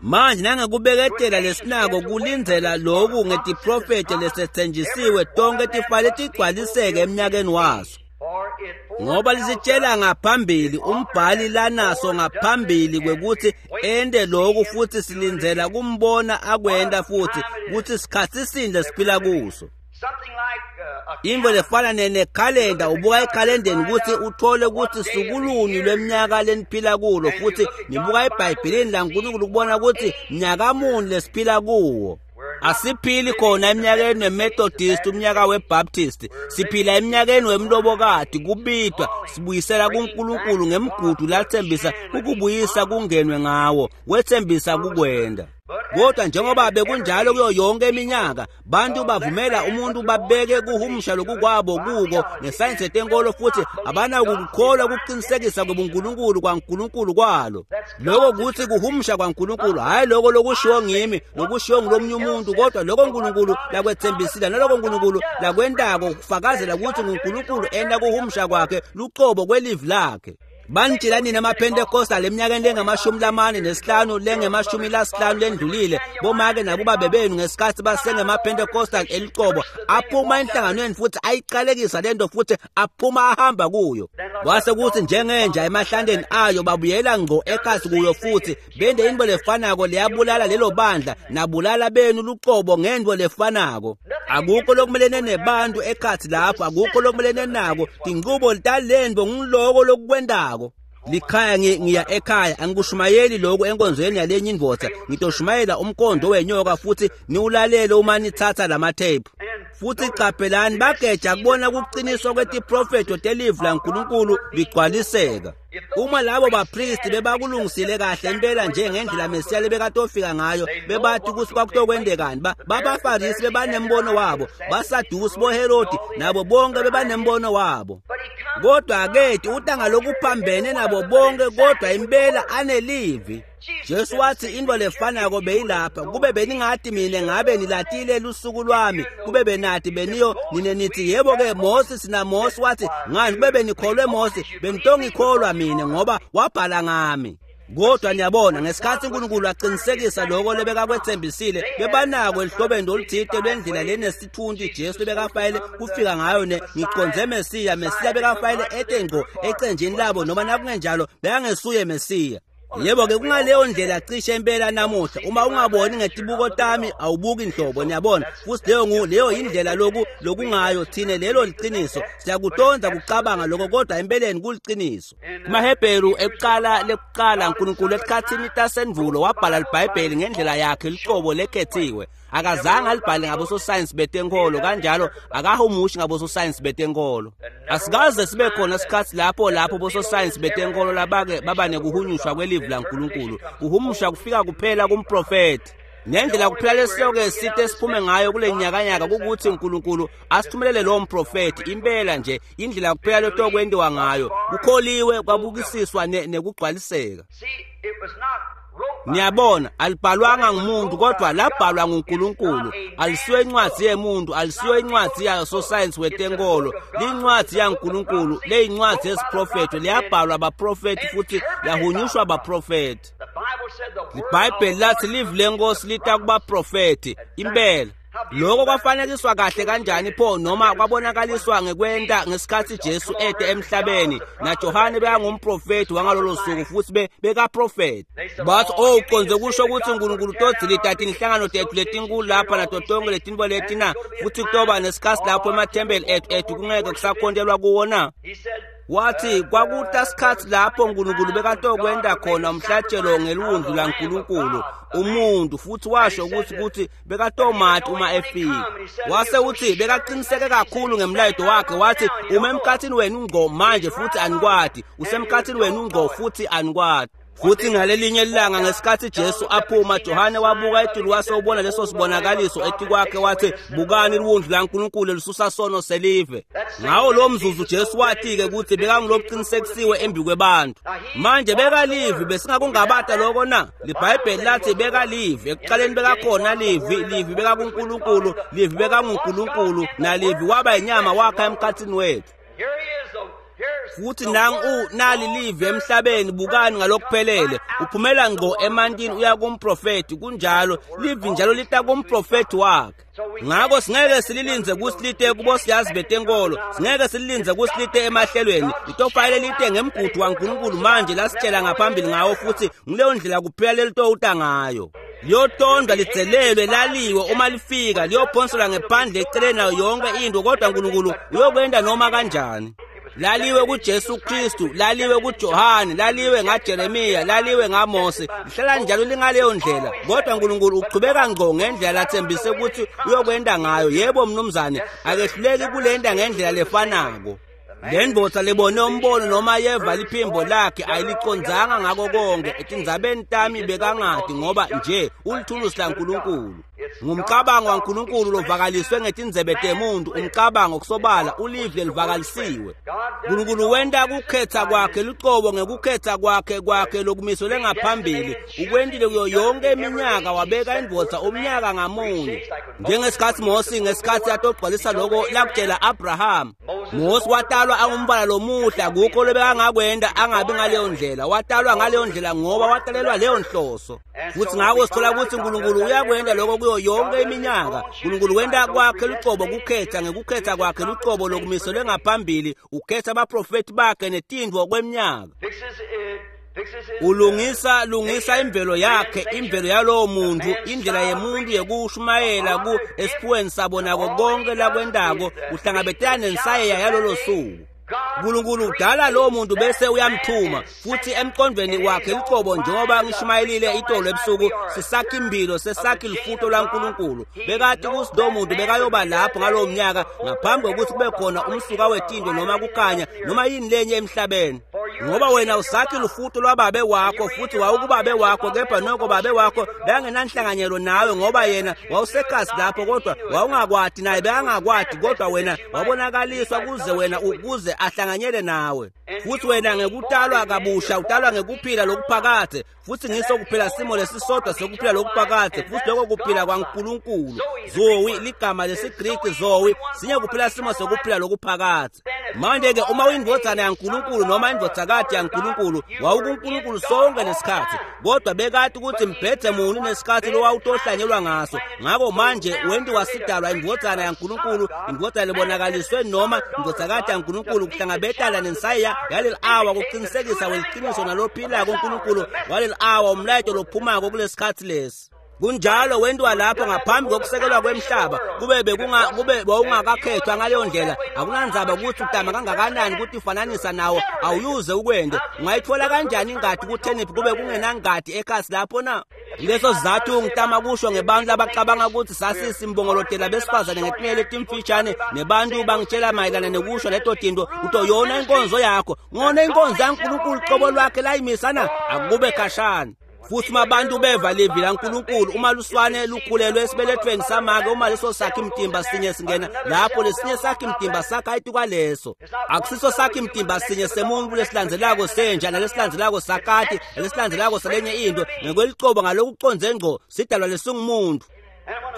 Manje nangekubeketela lesinako kulindzela loku ngetiprofetho lesethenjisiwe tonke tifale tigcwaliseke eminyakeni waso. Ngoba lisitshela ngaphambili umbhali lanaso ngaphambili kwekuthi ende lokhu, futhi silindzela kumbona akwenda futhi kuthi sikhathi sindle siphila kuso. Into lefana nekhalenda, ubuka ekhalendeni ukuthi uthole ukuthi sukulunye lweminyaka leniphila kulo, futhi nibuka eBhayibhelini laNkulunkulu ukubona ukuthi mnyaka muni lesiphila kuwo. Asiphili khona eminyakeni weMethodist, umnyaka weBaptist, siphila eminyakeni wemlobokati, kubitwa sibuyisela kuNkulunkulu ngemgudu lathembisa ukubuyisa kungenwe ngawo, wethembisa kukwenda. Kodwa njengoba bekunjalo kuyo yonke iminyaka, bantu bavumela umuntu babeke kuhumusha lokukwabo kuko ngesayensi yetenkolo, futhi abanakukukholwa ukuqinisekisa kwebuNkulunkulu kwaNkulunkulu kwalo. Lokho kuthi kuhumusha kwaNkulunkulu, hhayi lokho lokushiwo ngimi lokushiwo ngulomunye umuntu, kodwa lokho uNkulunkulu lakwethembisile nalokho uNkulunkulu lakwentako kufakazela ukuthi nguNkulunkulu enta kuhumusha kwakhe luqobo kwelivi lakhe. Banitshela nini amaPentecostal eminyakeni lengamashumi lamane nesihlanu lengemashumi lasihlanu lendlulile, bomake nabobabe benu ngesikhathi basengemaPentecostal eliqobo aphuma enhlanganweni futhi ayiqalekisa lento futhi aphuma ahamba kuyo. Kwase kuthi njengenja emahlandeni ayo babuyela ngqo ekhasi kuyo futhi bende into lefanako leyabulala lelo bandla nabulala benu luqobo ngento lefanako. Akukho lokumelene nebantu ekhathi lapho, akukho lokumelene nako, tinqubo talento ngiloko lokukwendako. Likhaya ngiya ekhaya, angikushumayeli lokhu enkonzweni yalenye indvodza, ngitoshumayela umkhondo wenyoka futhi niwulalele uma nithatha lamathephu. Futhi qaphelani bageja kubona kuqiniswa kwetiprofetho telivi laNkulunkulu ligcwaliseka. Uma labo bapristi bebakulungisile kahle impela njengendlela Mesiya lebekatofika ngayo, bebathi ukuthi kwakutokwendekani. Babafarisi bebanembono wabo, baSadusi, boHerodi nabo bonke bebanembono wabo. Kodwa aketi uta ngalokuphambene nabo bonke, kodwa impela anelivi. Jesu wathi into lefanako beyilapha, kube beningathi mina ngabe nilatile lusuku lwami, kube benathi beniyo nine nithi yebo ke Moses na Mose wathi ngani kube benikholwe Mose benitongikholwa mina ngoba wabhala ngami. Kodwa niyabona ngesikhathi uNkulunkulu aqinisekisa lokho lebekakwethembisile, bebanako elihlobeni oluthile lwendlela lenesithunzi Jesu lebekafayele kufika ngayo ne ngiqonze Mesiya. Mesiya bekafayele ete ngqo ecenjini labo, noma nakungenjalo bekangesuye Mesiya. Yebo ke kungaleyo ndlela cishe impela namuhla. Uma ungaboni ngetibuko tami awubuki inhlobo, niyabona. Futhi leyo ngu leyo indlela loku lokungayo thine, lelo liqiniso. Siyakutonda kucabanga lokho, kodwa empeleni kuliqiniso. KumaHebheru ekuqala lekuqala uNkulunkulu esikhathini tasenvulo wabhala iBhayibheli ngendlela yakhe liqobo lekhethiwe. Akazange alibhale ngabososayensi betenkolo, kanjalo akahumushi ngabososayensi betenkolo. Asikaze sibe khona isikhathi lapho lapho bososayensi betenkolo labake baba nekuhunyushwa kwelivi laNkulunkulu. Kuhumusha kufika kuphela kumprofeti. Nendlela kuphela lesiyoke sithe siphume ngayo kule nyakanyaka kukuthi uNkulunkulu asithumelele lo mprofeti. Impela nje indlela kuphela letokwentiwa ngayo kukholiwe kwabukisiswa nekugcwaliseka. Niyabona, alibhalwanga ngumuntu kodwa labhalwa nguNkulunkulu. Alisiyo incwadi yemuntu, alisiyo incwadi yasosayensi wetenkolo, lincwadi yaNkulunkulu, leyincwadi yesiprofetho, liyabhalwa abaprofeti futhi yahunyushwa abaprofeti. IBhayibheli lathi livi lenkosi lita kubaprofeti. Impela lokho kwafanekiswa kahle kanjani pho, noma kwabonakaliswa ngekwenta ngesikhathi Jesu ete emhlabeni. NaJohane bekangumprofeti wangalolo suku futhi bekaprofeti. Bathi oh uqonze kusho ukuthi uNkulunkulu todzilita tinhlangano tethu letinkulu lapha nato tonke letinto leti na, futhi kutoba nesikhathi lapho emathempeli ethu ethu kungeke kusakhontelwa kuwo na? Wathi kwakuta sikhathi lapho uNkulunkulu bekatokwenta khona umhlatshelo ngelwundlu laNkulunkulu umuntu, futhi washo ukuthi ukuthi bekatomati uma efika. Wase uthi bekaqiniseke kakhulu ngemlayeto wakhe, wathi uma emkhathini wenu ngqo manje futhi anikwati, usemkhathini wenu ngqo futhi anikwati. Futhi ngalelinye ilanga ngesikhathi Jesu aphuma, Johane wabuka etulu wase ubona leso sibonakaliso etikwakhe, wathi bukani liwundlu laNkulunkulu lisusa sono selive. Ngawo lo mzuzu Jesu wathi ke ukuthi bekangulokuqinisekisiwe embi kwebantu. Manje bekalivi, besingakungabata lokho na? LiBhayibheli lathi bekalivi, ekuqaleni bekakhona livi, livi bekakuNkulunkulu, livi bekanguNkulunkulu, nalivi waba inyama wakha emkhathini wethu. Futhi nangu nali live emhlabeni, bukani ngalokuphelele uphumela ngqo emantini uya kumprofeti. Kunjalo, live njalo lita kumprofeti wakhe. Ngakho singeke sililinze kusilite kubo siyazi betenkolo, singeke sililinze kusilite emahlelweni. Litofayele lite ngemgudu waNkulunkulu manje lasitshela ngaphambili ngawo, futhi ngileyo ndlela kuphela lelitowuta ngayo. Liyotondwa lidzelelwe laliwe uma lifika, liyophonselwa ngephandle eceleni nayo yonke into, kodwa uNkulunkulu uyokwenda noma kanjani. Laliwe kuJesu Kristu, laliwe kuJohane, laliwe ngaJeremiya, laliwe ngaMose, lihlala njalo lingaleyo ndlela. Kodwa uNkulunkulu uqhubeka ngqo ngendlela lathembise ukuthi uyokwenda ngayo. Yebo mnumzane, akehluleki kulenda ngendlela lefanako. Le ndvodza lebone umbono noma yeva liphimbo lakhe ayilicondzanga ngako konke. Etindzabeni tami bekangadi ngoba nje ulithulusi laNkulunkulu. Ngumcabango waNkulunkulu lovakaliswe ngetindzebe temuntu, umcabango kusobala ulive livakalisiwe. uNkulunkulu wenta kukhetha kwakhe lucobo ngekukhetha kwakhe kwakhe lokumiselwe ngaphambili. Ukwentile kuyo yonke iminyaka, wabeka indvodza umnyaka ngamunye. Njengesikhathi Mose ngesikhathi atogcwalisa lokho lakutshela Abraham. Mose watalwa angumbala lomuhle, akukho lobekangakwenda angabi ngaleyo ndlela. Watalwa ngaleyo ndlela ngoba watalelwa leyo nhloso. Futhi ngakho sithola ukuthi uNkulunkulu uyakwenda lokho kuyo yonke iminyaka. uNkulunkulu wenta kwakhe lucobo kukhetha ngekukhetha kwakhe lucobo lokumiselwe ngaphambili, ukhetha abaprofeti bakhe netindvo kweminyaka. Ulungisa lungisa imvelo yakhe, imvelo yalowo muntu, indlela yemuntu yekushumayela ku esiphuweni sabo nako konke lakwentako kuhlangabetana nensayeya yalolo suku. Nkulunkulu udala lowo muntu bese uyamthuma futhi emqondweni wakhe licobo njengoba ngishumayelile itolo ebusuku sisakhi impilo sesakhi lifuto laNkulunkulu bekati ukuthi lowo muntu bekayoba lapho ngalowo mnyaka ngaphambi kokuthi kube khona umsuka wetinto noma kukhanya noma yini lenye emhlabeni ngoba wena usakhi lufuto lwababe wakho futhi wawukubabe wakho kepha noko babe wakho bekangenanhlanganyelo nawe ngoba yena wawusekhasi lapho kodwa wawungakwati naye bekangakwati kodwa wena wabonakaliswa kuze wena ukuze ahlanganyele nawe futhi wena ngekutalwa kabusha utalwa ngekuphila lokuphakade futhi ngiso kuphela simo lesisodwa sokuphila lokuphakade futhi lokho kuphila kwaNkulunkulu zoe ligama lesiGriki zoe sinye kuphela simo sokuphila lokuphakade manje-ke uma uyindvodzana yaNkulunkulu noma indvodzakati yaNkulunkulu wawukuNkulunkulu sonke lesikhathi kodwa bekati ukuthi mbhedze muni nesikhathi lowawutohlanyelwa ngaso ngako manje wentiwa sidalwa indvodzana yaNkulunkulu indvodzana lebonakaliswe noma indvodzakati yaNkulunkulu kuhlangabetana nensayiya yaleli awa kuqinisekisa weliqiniso nalophilako uNkulunkulu waleli awa umlayeto lophumako kulesikhathi lesi kunjalo wentiwa lapho ngaphambi kokusekelwa kwemhlaba kube bekunga kube bowungakakhethwa ngaleyo ndlela akunandzaba ukuthi utama kangakanani ukuthi ufananisa nawo awuyuze ukwende ungayithola kanjani ingadi kutheniphi kube kungenangadi ekhasi lapho na leso sizathu ngitama kusho ngebantu labacabanga ukuthi sasisimbongolotela besifazane ngetinwele letimfishane nebantu bangitshela mayelana nekusho leto tinto uto yona inkonzo yakho ngona inkonzo yaNkulunkulu qobo lwakhe layimisana akube khashana futhi uma abantu beva livi laNkulunkulu uma luswane lukhulelwe esibelethweni samake uma leso sakhi mtimba sinye singena lapho lesinye sakhi mtimba sakha etikwaleso akusiso sakhi mtimba sinye semuntu lesilandzelako senja nalesilandzelako sakati nalesilandzelako salenye into ngekwelicobo ngalokuconze ngco sidalwa lesingumuntu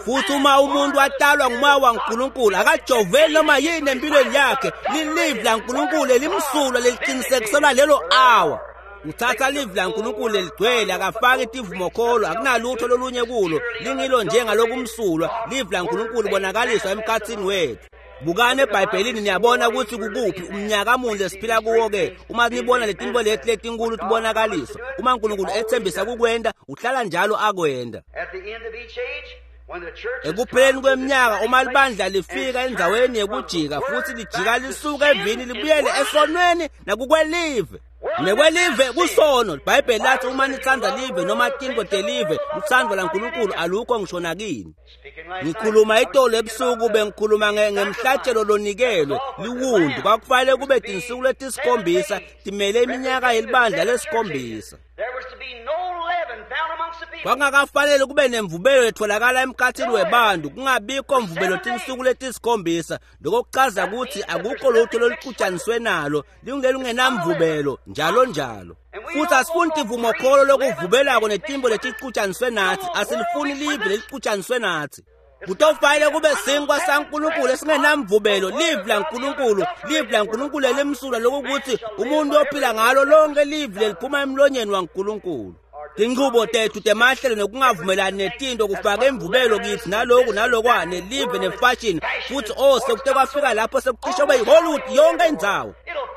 futhi uma umuntu atalwa ngumoya waNkulunkulu akajoveli noma yini empilweni yakhe lilivi laNkulunkulu elimsulwa leliqinisekiselwa lelo awa uthatha livi laNkulunkulu leligcwele akafaki tivumokholo akunalutho lolunye kulo lingilo njengalokumsulwa livi laNkulunkulu bonakaliswa emkhathini wethu bukani ebhayibhelini niyabona ukuthi kukuphi umnyaka muni lesiphila kuwo-ke uma nibona letinto leti letinkulu tibonakaliswa uma uNkulunkulu ethembisa kukwenda uhlala njalo akwenda At the end of each age, when the church has ekupheleni come to the kweminyaka uma place libandla lifika and endzaweni turned from yekujika the futhi word lijika back to lisuka sin evini and libuyele worship. esonweni nakukwelive nekwelive kusono libhayibheli lathi uma nitsandza live noma tintfo telive lutsandvo laNkulunkulu alukho ngisho nakini Speaking last ngikhuluma night, I was itolo speaking ebusuku about the bengikhuluma nge- ngemhlatshelo lonikelwe liwundu kwakufanele kube tinsuku letisikhombisa timele iminyaka yelibandla lesikhombisa There was to be no leaven found amongst the people. kwakungakafanele kube nemvubelo letholakala emkhathini webantu kungabikho mvubelo tinsuku letisikhombisa lokho kuchaza ukuthi akukho lutho loluxutshaniswe nalo lingelungenamvubelo njalo njalo futhi asifuni tivumokholo lokuvubelako netimbo letixutshaniswe nathi asilifuni live lelixutshaniswe nathi kutofanele kube sinkwa saNkulunkulu esingenamvubelo livi laNkulunkulu livi laNkulunkulu elimsulwa lokukuthi umuntu ophila ngalo lonke livi leliphuma emlonyeni waNkulunkulu tinchubo tethu temahlelo nokungavumelani netinto kufaka imvubelo kithi naloku nalokwa nelive nefashion futhi oh sekute kwafika lapho sekucishe kube yihollywood yonke indzawo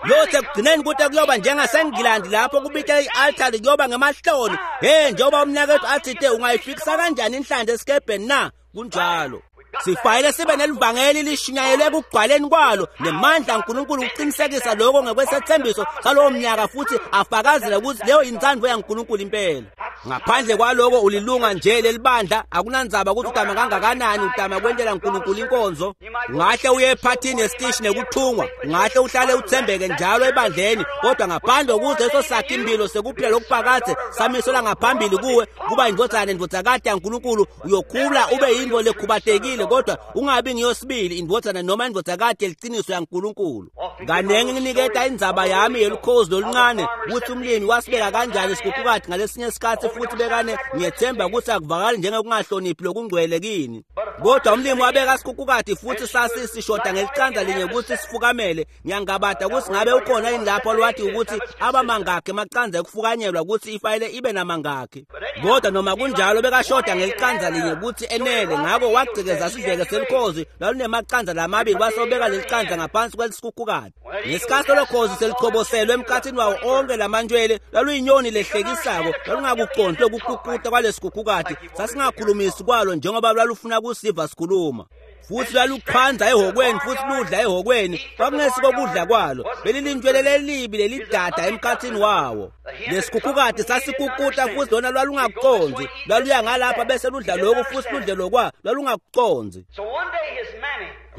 yothi ekugcineni kute kuyoba njengasengilandi lapho kubitela i-altari kuyoba ngemahloni he njengoba umnakethu athite ungayifikisa kanjani inhlanzi esikebheni na kunjalo sifanele sibe nelivangeli lishunyayelwe ekugcwaleni kwalo nemandla aNkulunkulu ukuqinisekisa lokho ngekwesethembiso salowo mnyaka futhi afakazele ukuthi leyo yintsandvo yaNkulunkulu impela ngaphandle kwaloko ulilunga nje lelibandla akunandzaba ukuthi utama kangakanani utama kwentela uNkulunkulu inkonzo ungahle uye ephathini yesitishi nekuthungwa ungahle uhlale uthembeke njalo ebandleni kodwa ngaphandle kokuze leso sakhe impilo sekuphila lokuphakadze samiselwa ngaphambili kuwe kuba indvodzana nendvodzakati yaNkulunkulu uyokhula ube yintfo lekhubatekile kodwa ungabi ngiyosibili indvodzana noma indvodzakati yeliciniso yaNkulunkulu kanengi nginiketa indzaba yami yelukhozi loluncane ukuthi umlimi wasibeka kanjani isikhuphukati ngalesinye isikhathi futhi bekane ngiyethemba ukuthi akuvakali njengokungahloniphi lokungcwele kini kodwa umlimi wabeka isikhuphukati futhi sasisishoda ngelicanza linye ukuthi sifukamele ngiyangabada ukuthi ngabe ukhona yini lapho lwathi ukuthi abamangakhi emacanza ekufukanyelwa ukuthi ifayile ibe namangakhi kodwa noma kunjalo bekashoda ngelicanza linye ukuthi enele ngakho wagcekeza sidleke selukhozi lwalunemaqanza lamabili wasobeka lelicanza ngaphansi kwelisikhukhukati ngesikhathi lolokhozi selichoboselwe emkhathini wawo onke lamantshwele lwaluyinyoni lehlekisako lwalungakuqondi lokuququta kwalesikhukhukati sasingakhulumisi kwalo njengoba lwalufuna kusiva sikhuluma Futhi lwaluqhanza ehhokweni futhi ludla ehhokweni, kwakungesiko kudla kwalo, belilintshwele lelibi lelidada emkhathini wawo. Lesikhukhukati sasikukuta futhi lona lwalungakuconzi, lwaluya ngalapha bese ludla lokhu futhi ludle lokwa, lwalungakuconzi.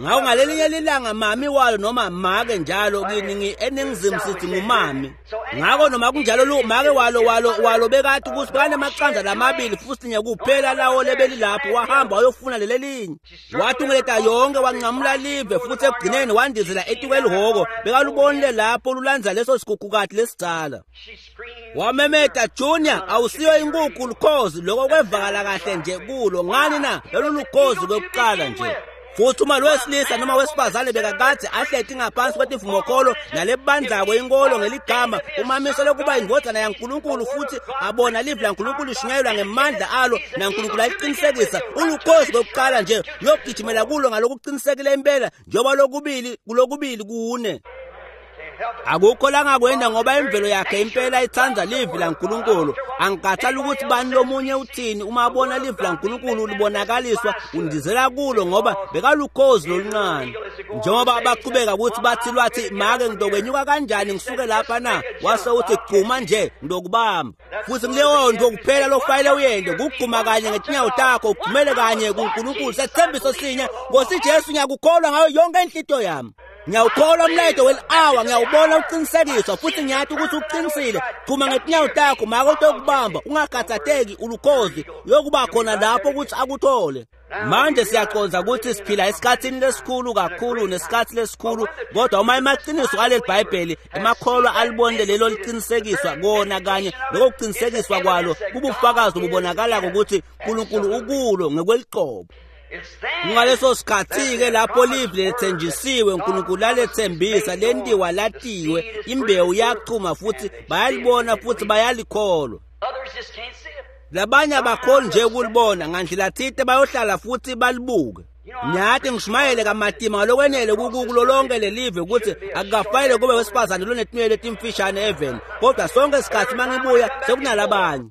Ngako ngalelinye lilanga mami walo noma make njalo kini eningizimu sithi ngumami. Ngako noma kunjalo lo make walo walo walo bekathi ukuthi banemaqanda lamabili futhi nye kuphela lawo lebelilapho, wahamba wayofuna lelelinye. Wathungeleta yonke wanqamula live futhi ekugcineni wandizela etikwelihhoko, bekalubonile lapho lulandza leso sikhukhukati lesidzala. Wamemeta, "Junior, awusiyo inkukhu lukhozi." Lokho kwevakala kahle nje kulo. Ngani na? Lolu lukhozi kwekuqala nje. Futhi uma lwesilisa noma wesifazane bekakade ahleti ngaphansi kwetivumokholo nalebandzako inkolo ngeligama umamisele kuba indvodzana yaNkulunkulu futhi abona livi laNkulunkulu lishunyayelwa ngemandla alo naNkulunkulu aliqinisekisa, ulukhozi kwekuqala nje uyogijimela kulo ngalokuqinisekile impela njengoba lokubili kulokubili kune. Akukho langakwenda ngoba imvelo yakhe impela itsandza livi laNkulunkulu. Angikhathali ukuthi bani lomunye uthini, uma abona livi laNkulunkulu libonakaliswa undizela kulo ngoba bekalukhozi loluncane. Njengoba abaqhubeka ukuthi bathi lwathi make ngidokwenyuka kanjani ngisuke lapha na, wase uthi gquma nje ngidokubamba. Futhi kuleyo nto kuphela lokufanele uyende kugquma kanye ngetinyawo takho ugqumele kanye kuNkulunkulu. Sethembiso sinye, Nkosi Jesu, ngiyakukholwa ngayo yonke inhlitiyo yami. Ngiyawukholwa umlayeto weli-awa, ngiyawubona uqinisekiswa futhi ngiyathi ukuthi uqinisile. Gquma ngetinyawo takho make utokubamba, ungakhathatheki, ulukhozi uyokuba khona lapho ukuthi akuthole. Manje siyaqonda ukuthi siphila esikhathini lesikhulu kakhulu nesikhathi lesikhulu, kodwa uma emaqiniso aleli Bhayibheli emakholwa alibonile lelo liqinisekiswa kona kanye lokho kuqinisekiswa kwalo kubufakazi obubonakalako ukuthi uNkulunkulu ukulo ngekweliqobo. Ngaleso sikhathi-ke lapho livi lethenjisiwe uNkulunkulu alethembisa lentiwa latiwe, imbewu yachuma futhi bayalibona futhi bayalikholwa. Labanye abakhoni nje ukulibona, ngandlela thite bayohlala futhi balibuke. Ngiyathi ngishumayele kamatima ngalokwenele kulo lonke lelive ukuthi akukafanele kube wesifazane lonetinwele letimfishane eveni, kodwa sonke isikhathi mangibuya sekunalabanye.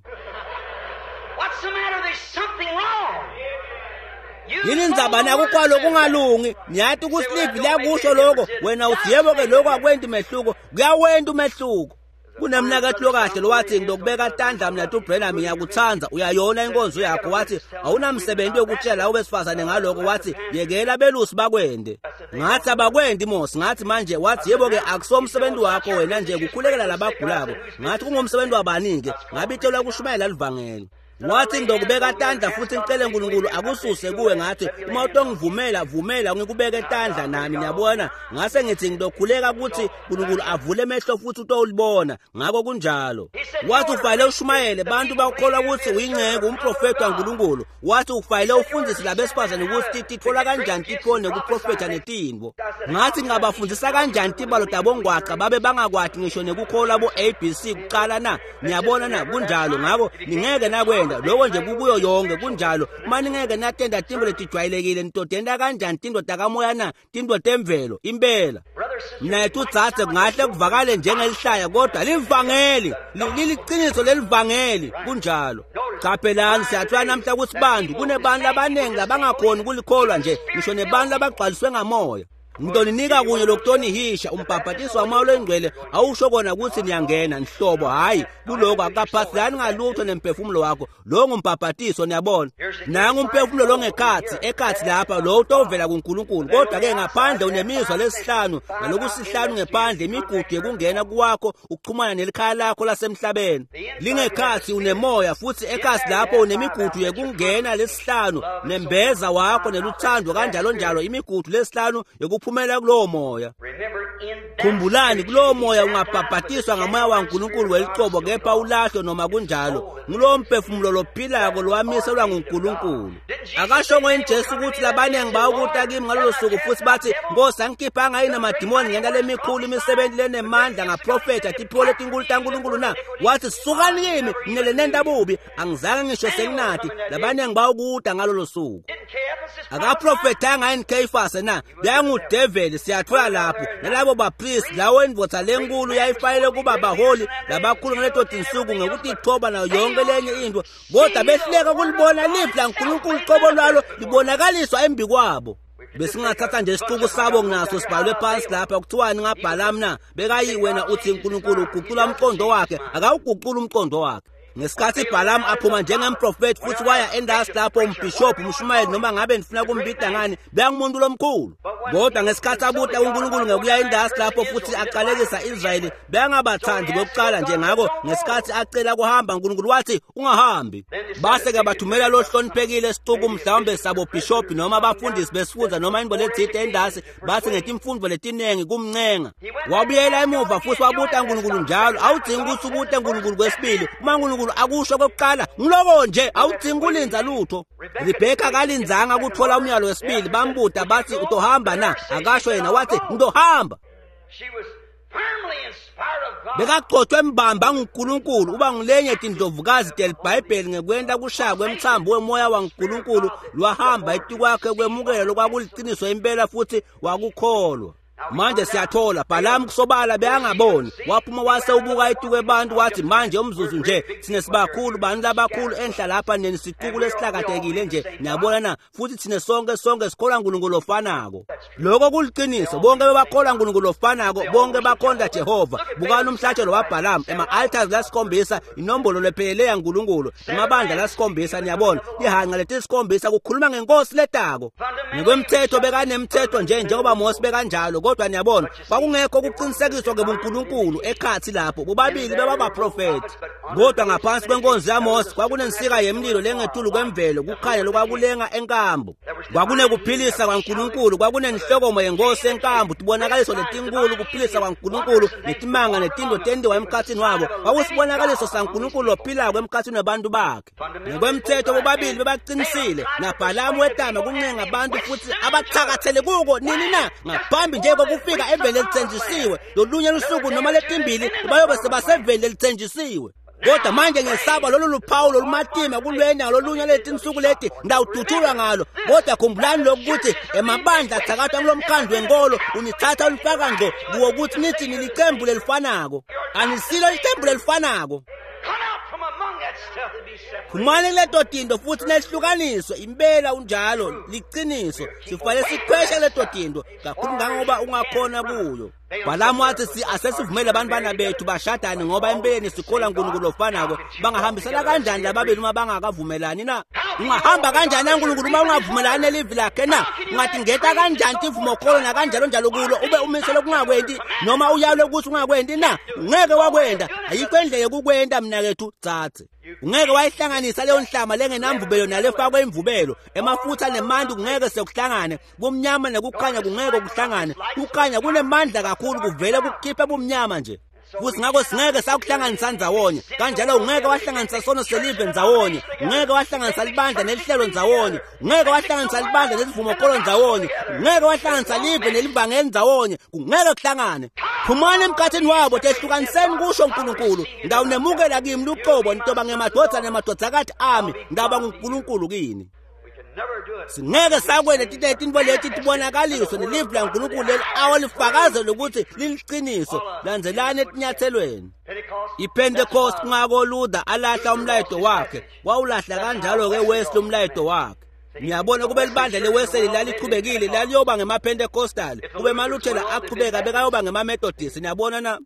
Yini indzaba nakukwalo kungalungi? Ngiyathi ukuthi livi liyakusho lokho, wena uthi yebo-ke lokho akwenti umehluko, kuyawenta umehluko. Kunemnakethu lokahle lowathi ngidokubeka tandla mina tuBrenham ngiyakuthanda, uyayona inkonzo yakho. Wathi awunamsebenzi wokutshela labo besifazane ngalokho, wathi yekela belusi bakwende. Ngathi abakwendi Mose, ngathi manje, wathi yebo-ke akusomsebenzi wakho wena nje kukhulekela labagulako. Ngathi kungumsebenzi wabani-ke? Ngabitshelwa kushumayela livangeli. Wathi ngidokubeka tandla futhi ngicele uNkulunkulu akususe kuwe. Ngathi uma utongivumela vumela ngikubeke tandla nami, niyabona. Ngase ngithi ngidokhuleka ukuthi uNkulunkulu avule emehlo futhi utolibona. Ngakho kunjalo. Wathi ufanele ushumayele bantu bakholwa ukuthi uyingceke umprofeti waNkulunkulu. Wathi ufanele ufundise labesifazane ukuthi titfola kanjani titfo nekuprofetha netinto. Ngathi ngingabafundisa kanjani tibalo tabongwaqa babe bangakwati ngisho nekukholwa bo A B C kuqala na? Niyabona na? Kunjalo. Ngakho ningeke nakwenda lokho nje kukuyo yonke kunjalo. Uma ningeke natenda tinto letijwayelekile nitodenda kanjani tinto takamoya na? Tinto temvelo impela. Mnethu utsatse kungahle kuvakale njengelihlaya kodwa livangeli liliqiniso lelivangeli kunjalo. Qaphelani siyathola namhla ukuthi bantu kunebantu abaningi labangakhoni kulikholwa nje ngisho nebantu labagcwaliswe ngamoya. Ngitoninika kunye lokutonihisha umbhabhatiso wamoya longcwele awusho kona ukuthi niyangena nhlobo, hayi kuloko akaphathelani ngalutho nemphefumulo wakho. Lo ngumbhabhatiso, niyabona. Nangu umphefumulo longekhathi ekhathi lapha lo utovela kuNkulunkulu, kodwa ke ngaphandle unemizwa lesihlanu nalokusihlanu ngephandle imigudu yekungena kuwakho ukuxhumana nelikhaya lakho lasemhlabeni. Lingekhathi unemoya futhi ekhathi lapho unemigudu yekungena lesihlanu nembeza wakho neluthando kanjalo njalo, imigudu lesihlanu yokuphumela kulowo moya. Khumbulani kulowo moya ungabhabhatiswa ngamoya waNkulunkulu welicobo kepha ulahlwe noma kunjalo. Ngulowo mphefumulo lophilako lowamiselwa nguNkulunkulu. Akashongo yini Jesu ukuthi labaningi bawukuta kimi ngalolo suku futhi bathi Nkosi angikhiphanga yini amadimoni ngenta lemikhulu imisebenzi lenemandla ngaprofetha tiphiwo letinkulu taNkulunkulu na? Wathi sukani kimi nine lenenta bubi, angizange ngisho senginathi. Labaningi bawukuta ngalolo suku. Akaprofethanga yini Kheyifase na? Beyangudeveli siyathola lapho nalabo bapriest lawo indvodza lenkulu yayifanele kuba baholi labakhulu ngaleto tinsuku ngekutithoba nayo yonke lenye into, kodwa behluleka kulibona livi laNkulunkulu qobo lwalo libonakaliswa embi kwabo. Besingathatha nje isixuku sabo nginaso sibhalwe phansi lapha kuthiwani ngaBhalamu na? Bekayi wena uthi uNkulunkulu uguqula umqondo wakhe, akawuguqula umqondo wakhe. Ngesikhathi Bhalamu aphuma njengemprofeti futhi waya endasi lapho umbhishobhu umshumayeli noma ngabe nifuna kumbida ngani beyangumuntu lomkhulu. Kodwa ngesikhathi abuta uNkulunkulu ngekuya endasi lapho futhi aqalekisa Israyeli beyangabathandi kokuqala nje. Ngakho ngesikhathi acela kuhamba uNkulunkulu wathi ungahambi. Base ke bathumela lo hloniphekile isixuku mhlawumbe sabo bishop noma abafundisi besifunda noma into lethite endasi bathi ngetimfundo letinengi kumncenga. Wabuyela emuva futhi wabuta uNkulunkulu njalo. Awudingi ukuthi ubute uNkulunkulu kwesibili uma uNkulunkulu akusho kokuqala ngiloko nje, awudingi kulinza lutho. Rebheka kalinzanga ukuthola umyalo wesibili. Bambuta bathi utohamba na? Akasho yena wathi ngizohamba. Bekagcotshwe embamba nguNkulunkulu uba ngulenye tindlovukazi telibhayibheli ngekwenta kushaya kwemthambo wemoya waNkulunkulu lwahamba etikwakhe kwemukela lokwakuliciniso impela futhi wakukholwa. Manje siyathola Bhalamu kusobala beyangaboni, waphuma wase ubuka etukwe bantu wathi manje umzuzu nje sine sibakhulu bantu labakhulu enhla lapha neni sicuku lesihlakatekile nje niyabona na, futhi thine sonke sonke sikholwa uNkulunkulu ofanako. Lokho kuliqiniso, bonke bebakholwa uNkulunkulu ofanako, bonke bakhonza Jehova. Bukani umhlatshelo waBhalamu, ema-altars lasikhombisa, inombolo lephelele yaNkulunkulu, emabandla lasikhombisa, niyabona ihanqa letisikhombisa kukhuluma ngenkosi letako. Ngokwemthetho bekanemthetho nje njengoba Mose bekanjalo, kodwa niyabona kwakungekho ukuqinisekiswa ngebuNkulunkulu ekhathi lapho bobabili bebabaprofeti. Kodwa ngaphansi kwenkonzo yaMose kwakunensika yemlilo lengetulu kwemvelo, kukhanya lokwakulenga enkambu, kwakunekuphilisa kwaNkulunkulu, kwakunenhlokomo yenkosi enkambu, tibonakaliso letinkulu, kuphilisa kwaNkulunkulu netimanga netinto tendiwa emkhathini wabo. Kwakusibonakaliso saNkulunkulu ophilako emkhathini wabantu bakhe. Ngokwemthetho bobabili bebaqinisile, naBhalamu wetama kuncenga abantu futhi abathakathele kuko nini na ngaphambi nje kokufika eveni elithenjisiwe. Lolunye lusuku noma letimbili bayobe sebaseveni lelithenjisiwe. Kodwa manje ngesaba lolu luphawu lolumatima kulwenya lolunye letinsuku leti ndawudutshulwa ngalo. Kodwa khumbulani lokuthi emabandla athakathwa kulomkhandlu wenkolo unithatha ulifaka ngqo kuwo ukuthi nithi nilicembu lelifanako. Anisilo licembu lelifanako. Phumani leto tinto futhi nehlukaniswe impela unjalo liqiniso. Sifanele sikhweshe leto tinto kakhulu ngangoba ungakhona kuyo. Bhalamu wathi si asesivumele abantwana bethu bashadane ngoba empeleni sikholwa uNkulunkulu ofanako. Bangahambisana kanjani lababili uma bangakavumelani na? Ungahamba kanjani naNkulunkulu uma ungavumelani nelivi lakhe na? Ungatingeta kanjani tivumokholo nakanjalo njalo kulo ube umisele kungakwenti noma uyalwe ukuthi ungakwenti na? Ungeke wakwenda, ayikho indlela yokukwenta mnakethu tsatse. Ungeke wayihlanganisa leyo nhlama lengenamvubelo nalefakwe imvubelo. Emafutha nemanti kungeke sekuhlangane, kumnyama nekukhanya kungeke kuhlangane. Kukhanya kunemandla kakhulu kuvele kukhiphe bumnyama nje. Futhi ngakho singeke sakuhlanganisa ndzawonye. Kanjalo ungeke wahlanganisa sono selive ndzawonye, ungeke wahlanganisa libandla nelihlelo ndzawonye, ungeke wahlanganisa libandla nesivumokholo ndzawonye, ungeke wahlanganisa live nelivangeli ndzawonye, kungeke kuhlangane. Phumani emkhathini wabo, tehlukaniseni kusho uNkulunkulu. Ndawunemukela kimi luqobo, nitoba ngemadvodzana nemadvodzakati ami, ndaba nguNkulunkulu kini. Singeke sakwena tintfo leti tibonakaliswe nelivi laNkulunkulu leli awalifakazele ukuthi liliqiniso. Landzelani etinyathelweni. IPentecost kungako Luther alahla umlayeto wakhe, wawulahla kanjalo-ke Wesley umlayeto wakhe. Ngiyabona kube libandla leWesley lalichubekile laliyoba ngemaPentecostal, kube emaLuthela aqhubeka bekayoba ngemaMethodist. Niyabona na?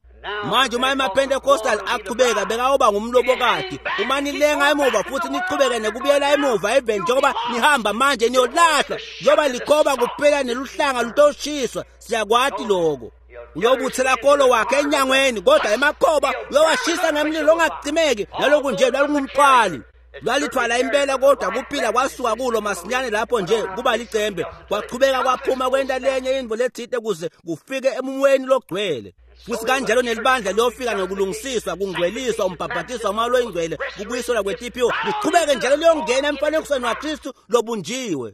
Manje uma emaPentecostal aqhubeka bekayoba ngumlobokati. Uma nilenga emuva futhi nichubeke nekubuyela emuva eveni njengoba nihamba manje niyolahlwa, njengoba likhoba kuphela neluhlanga lutoshiswa. Siyakwati lokho. Uyobuthela kolo wakhe enyangweni, kodwa emakhoba uyowashisa ngemlilo ongacimeki. Naloku nje lwalungumqali lwalithwala impela, kodwa kuphila kwasuka kulo masinyane lapho nje kuba licembe kwachubeka kwaphuma kwenta lenye intfo lethite kuze kufike emumweni logcwele. Futhi kanjalo nelibandla liyofika ngokulungisiswa, kungcweliswa, umbhabhatiswa umoya loyingcwele, kubuyiselwa kwetiphiwo, lichubeke njalo liyongena emfanekisweni waKristu lobunjiwe.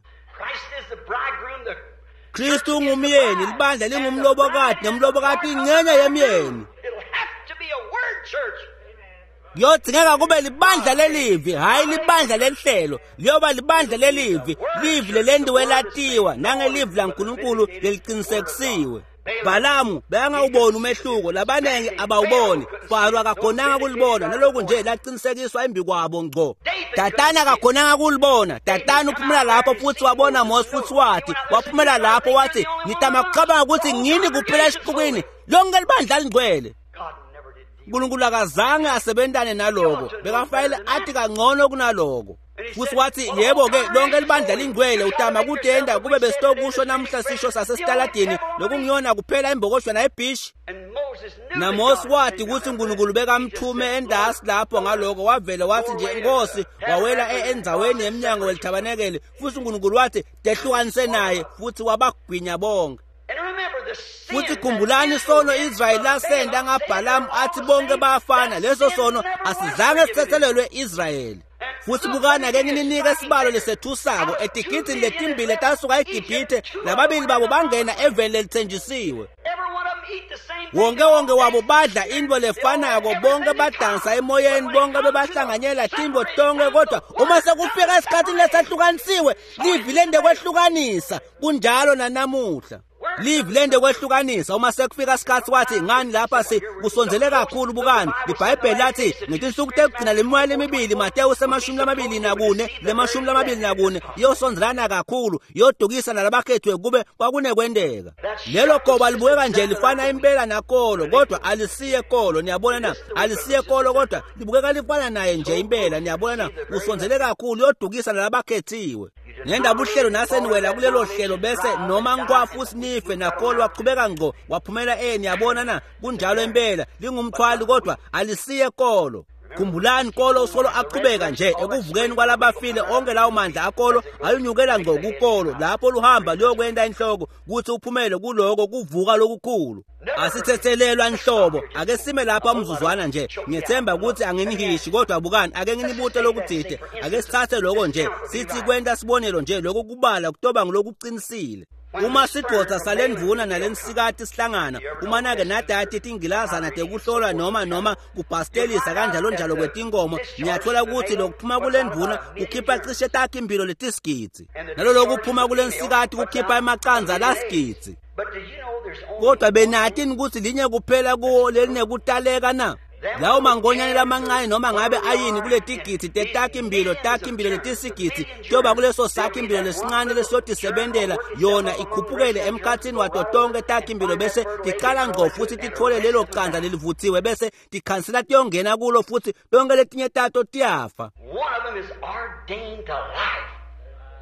Kristu ungumyeni, libandla lingumlobokati, nemlobokati ingcenye yemyeni. Kuyodingeka kube libandla lelivi, hhayi libandla lelihlelo. Liyoba libandla lelivi, livi lelentiwe latiwa nangelivi laNkulunkulu leliqinisekisiwe. Bhalamu bekangawuboni umehluko, labanengi abawuboni. Faro akakhonanga kulibona, naloku nje laqinisekiswa embi kwabo ngco. Datana akakhonanga kulibona. Datana uphumela lapho futhi wabona Mose futhi wathi, waphumela lapho wathi, ngitama kucabanga ukuthi ngini kuphela esixukwini lonke libandla lingcwele. uNkulunkulu akazange asebentane naloko, bekafanele athi kangcono kunaloko. Futhi wathi, yebo-ke lonke libandla lingcwele utama kutenda kube besitokusho namuhla sisho sasesitaladini lokungiyona kuphela imbokoshwana ebhishi. NaMose wathi ukuthi uNkulunkulu bekamthume endasi lapho ngaloko, wavele wathi nje Nkosi, wawela endzaweni yemnyango welithabanekele, futhi uNkulunkulu wathi tehlukanise naye, futhi wabagwinya bonke. Futhi khumbulani isono Israyeli lasenda ngaBhalamu athi bonke bayafana, leso sono asizange sithethelelwe Israyeli. Futhi bukana ke ngininike isibalo lesethusako etigidini letimbili tasuka eGibhithe, lababili babo bangena eveni lelithenjisiwe. Wonke wonke wabo badla into lefanako, bonke badansa emoyeni, bonke bebahlanganyela timbo tonke, kodwa uma sekufika esikhathini lesahlukanisiwe, livi lende kwehlukanisa. Kunjalo nanamuhla. Livi lende kwehlukanisa. Uma sekufika isikhathi wathi ngani lapha si kusondzele kakhulu. Bukani iBhayibheli lathi ngetinsuku tekugcina lemimoya lemibili, Mateyu semashumi lamabili nakune lemashumi lamabili nakune, iyosondzelana kakhulu, iyodukisa nalabakhethiwe kube kwakunekwenteka. Lelo goba libukeka nje lifana impela nakolo, kodwa alisiye kolo. Niyabona na? Alisiye kolo, kodwa libukeka lifana naye nje impela. Niyabona na? Usondzele kakhulu, iyodukisa nalabakhethiwe. Ngendaba uhlelo naseniwela kulelo hlelo bese noma ngikwafu sinife nakolo waqhubeka ngqo waphumela eh niyabona na? Kunjalo impela, lingumthwali kodwa alisiye kolo. Khumbulani kolo usolo aqhubeka nje ekuvukeni kwalabafile, onke lawo mandla akolo ayunyukela ngqo kukolo lapho luhamba luyokwenta inhloko kuthi uphumele kuloko kuvuka lokukhulu. Asithethelelwa nhlobo. Ake sime lapha umzuzwana nje. Ngiyethemba ukuthi anginihishi, kodwa bukani ake nginibute lokuthide. Ake sithathe lokho nje sithi kwenta sibonelo nje, lokho kubala kutoba ngilokuqinisile. Uma sidvodza salendvuna nalensikati sihlangana, uma nake nadati tingilazana tekuhlolwa noma noma kubhastelisa kanjalo njalo kwetinkomo, niyathola ukuthi lokuphuma kulendvuna kukhipha cishe takhe impilo letisigidzi, nalolo kuphuma kulensikati kukhipha emacandza lasigidzi. Kodwa benatini ukuthi linye kuphela kuwo lelinekutaleka na? Lawo mangonyane lamancane noma ngabe ayini kuletigidzi tetakhi impilo, takhi impilo letisigidzi, kuyoba kuleso sakhi impilo lesincane lesiyotisebentela yona ikhuphukele emkhathini wato tonke takhi impilo, bese ticala ngqo futhi titfole lelo candza lelivuthiwe, bese tikhansela tiyongena kulo futhi tonke letinye tato tiyafa.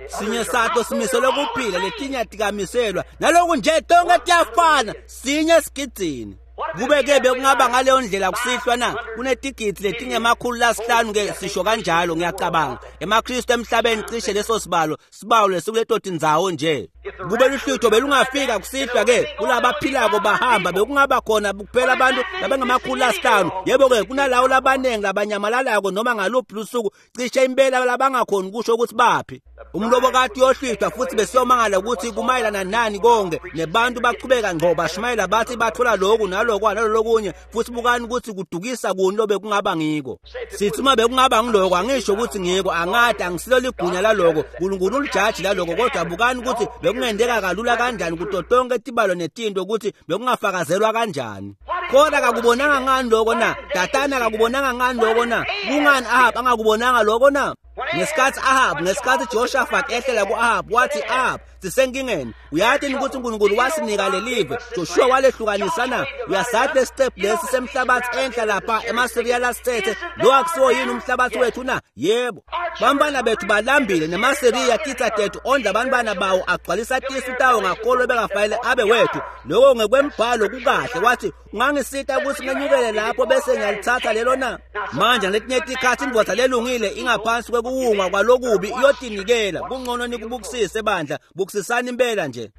Sinye sato simiselwe kuphila, letinye atikamiselwa. Naloku nje tonke tiyafana, sinye esigidzini. Kube-ke bekungaba ngaleyo ndlela kusihlwa na? Kunetigidzi letingemakhulu lasihlanu ke sisho kanjalo ngiyacabanga. EmaKristu emhlabeni cishe leso sibalo, sibalo lesikuleto tindzawo nje. Kube luhlutho belungafika kusihlwa ke kulabaphilako bahamba, bekungaba khona kuphela abantu labangamakhulu lasihlanu. Yebo-ke kunalawo labanengi labanyamalalako noma ngaluphi lusuku, cishe impela labangakhoni kusho ukuthi baphi. Umlobokati uyohlwithwa futhi besiyomangala ukuthi kumayelana nani konke, nebantu bachubeka ngqo bashumayela bathi bathola lokhu nalokho nalolokunye, futhi bukani ukuthi kudukisa kuni lobe kungaba ngiko. Sithi uma bekungaba ngiloko, angisho ukuthi ngiko, angadi angisilo ligunya laloko, uNkulunkulu ulijaji laloko, kodwa bukani ukuthi bekungenteka kalula kanjani kuto tonke tibalo netinto ukuthi bekungafakazelwa kanjani. Kodwa akakubonanga ngani lokho na? Datana akakubonanga ngani lokho na? Kungani Ahab angakubonanga lokho na? Ngesikhathi Ahab, ngesikhathi Jehoshaphat ehlela ku-Ahab, wathi Ahab, sisenkingeni. Uyathi ukuthi uNkulunkulu wasinika lelive, Joshua walehlukanisa na? Uyasathi lesiqephu lesi semhlabathi enhla lapha emaSiriya lasithethe, lo akusiwo yini umhlabathi wethu na? Yebo. Bantwana bethu balambile nemaSiriya titsa tethu ondla abantwana bawo agcwalisa tisu tawo ngakolo bekafanele abe wethu. Lokho ngekwembhalo kukahle. Wathi ungangisita ukuthi ngenyukele lapho bese ngiyalithatha lelo na? Manje ngaletinye tikhathi indvodza lelungile ingaphansi kwekuwungwa kwalokubi iyotinikela. Kungcono nikubukisise bandla, bukisisani impela nje.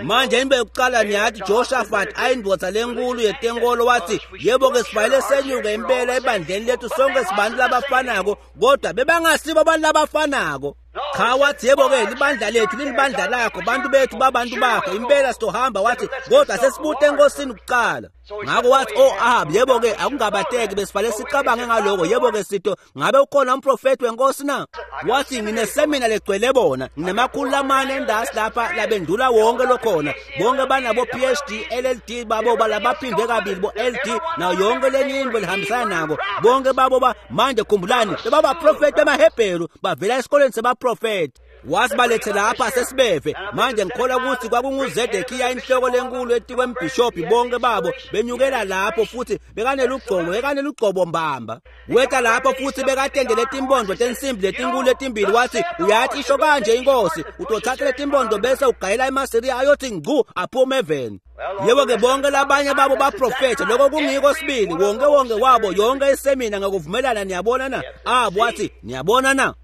Manje into yokuqala niyathi Jehoshaphat ayindvodza lenkulu yetenkolo wathi, yebo-ke sifanele senyuke impela ebandleni lethu sonke sibantu labafanako, kodwa bebangasibo abantu labafanako. Cha, wathi yebo-ke libandla lethu lilibandla lakho, bantu bethu babantu bakho, impela sitohamba. Wathi kodwa sesibute enkosini kuqala. Ngakho wathi oh Ahab, yebo-ke akungabateki, besifanele sicabange ngaloko. Yebo-ke sito ngabe ukhona umprofethi wenkosi na? Wathi nginesemina legcwele bona, nginemakhulu lamane endasi lapha labendula wonke lokhona, bonke banabo P H D, L L D babo balabaphindwe kabili bo L D nayo yonke lenye into lihambisana nako, bonke babo ba manje khumbulani bebabaprofethi bemaHebheru bavela esikoleni sebaprofethi. Wasibalethe lapha sesibeve. Manje ngikholwa ukuthi kwakunguZedekiya inhloko lenkulu etikwembhishobhi, bonke babo benyukela lapho futhi bekanelugcobo bekanelugcobo mbamba. Weta lapho futhi bekatendele timbondo tensimbi letinkulu letimbili. Wathi uyathi isho kanje inkosi, utothatha letimbondo bese ugayela emaSiriya ayothi ngcu aphume eveni. Yebo-ke bonke labanye babo baprofetha lokho kungiko sibili, wonke wonke wabo yonke isemina ngokuvumelana. Niyabona na? Abo wathi niyabona na?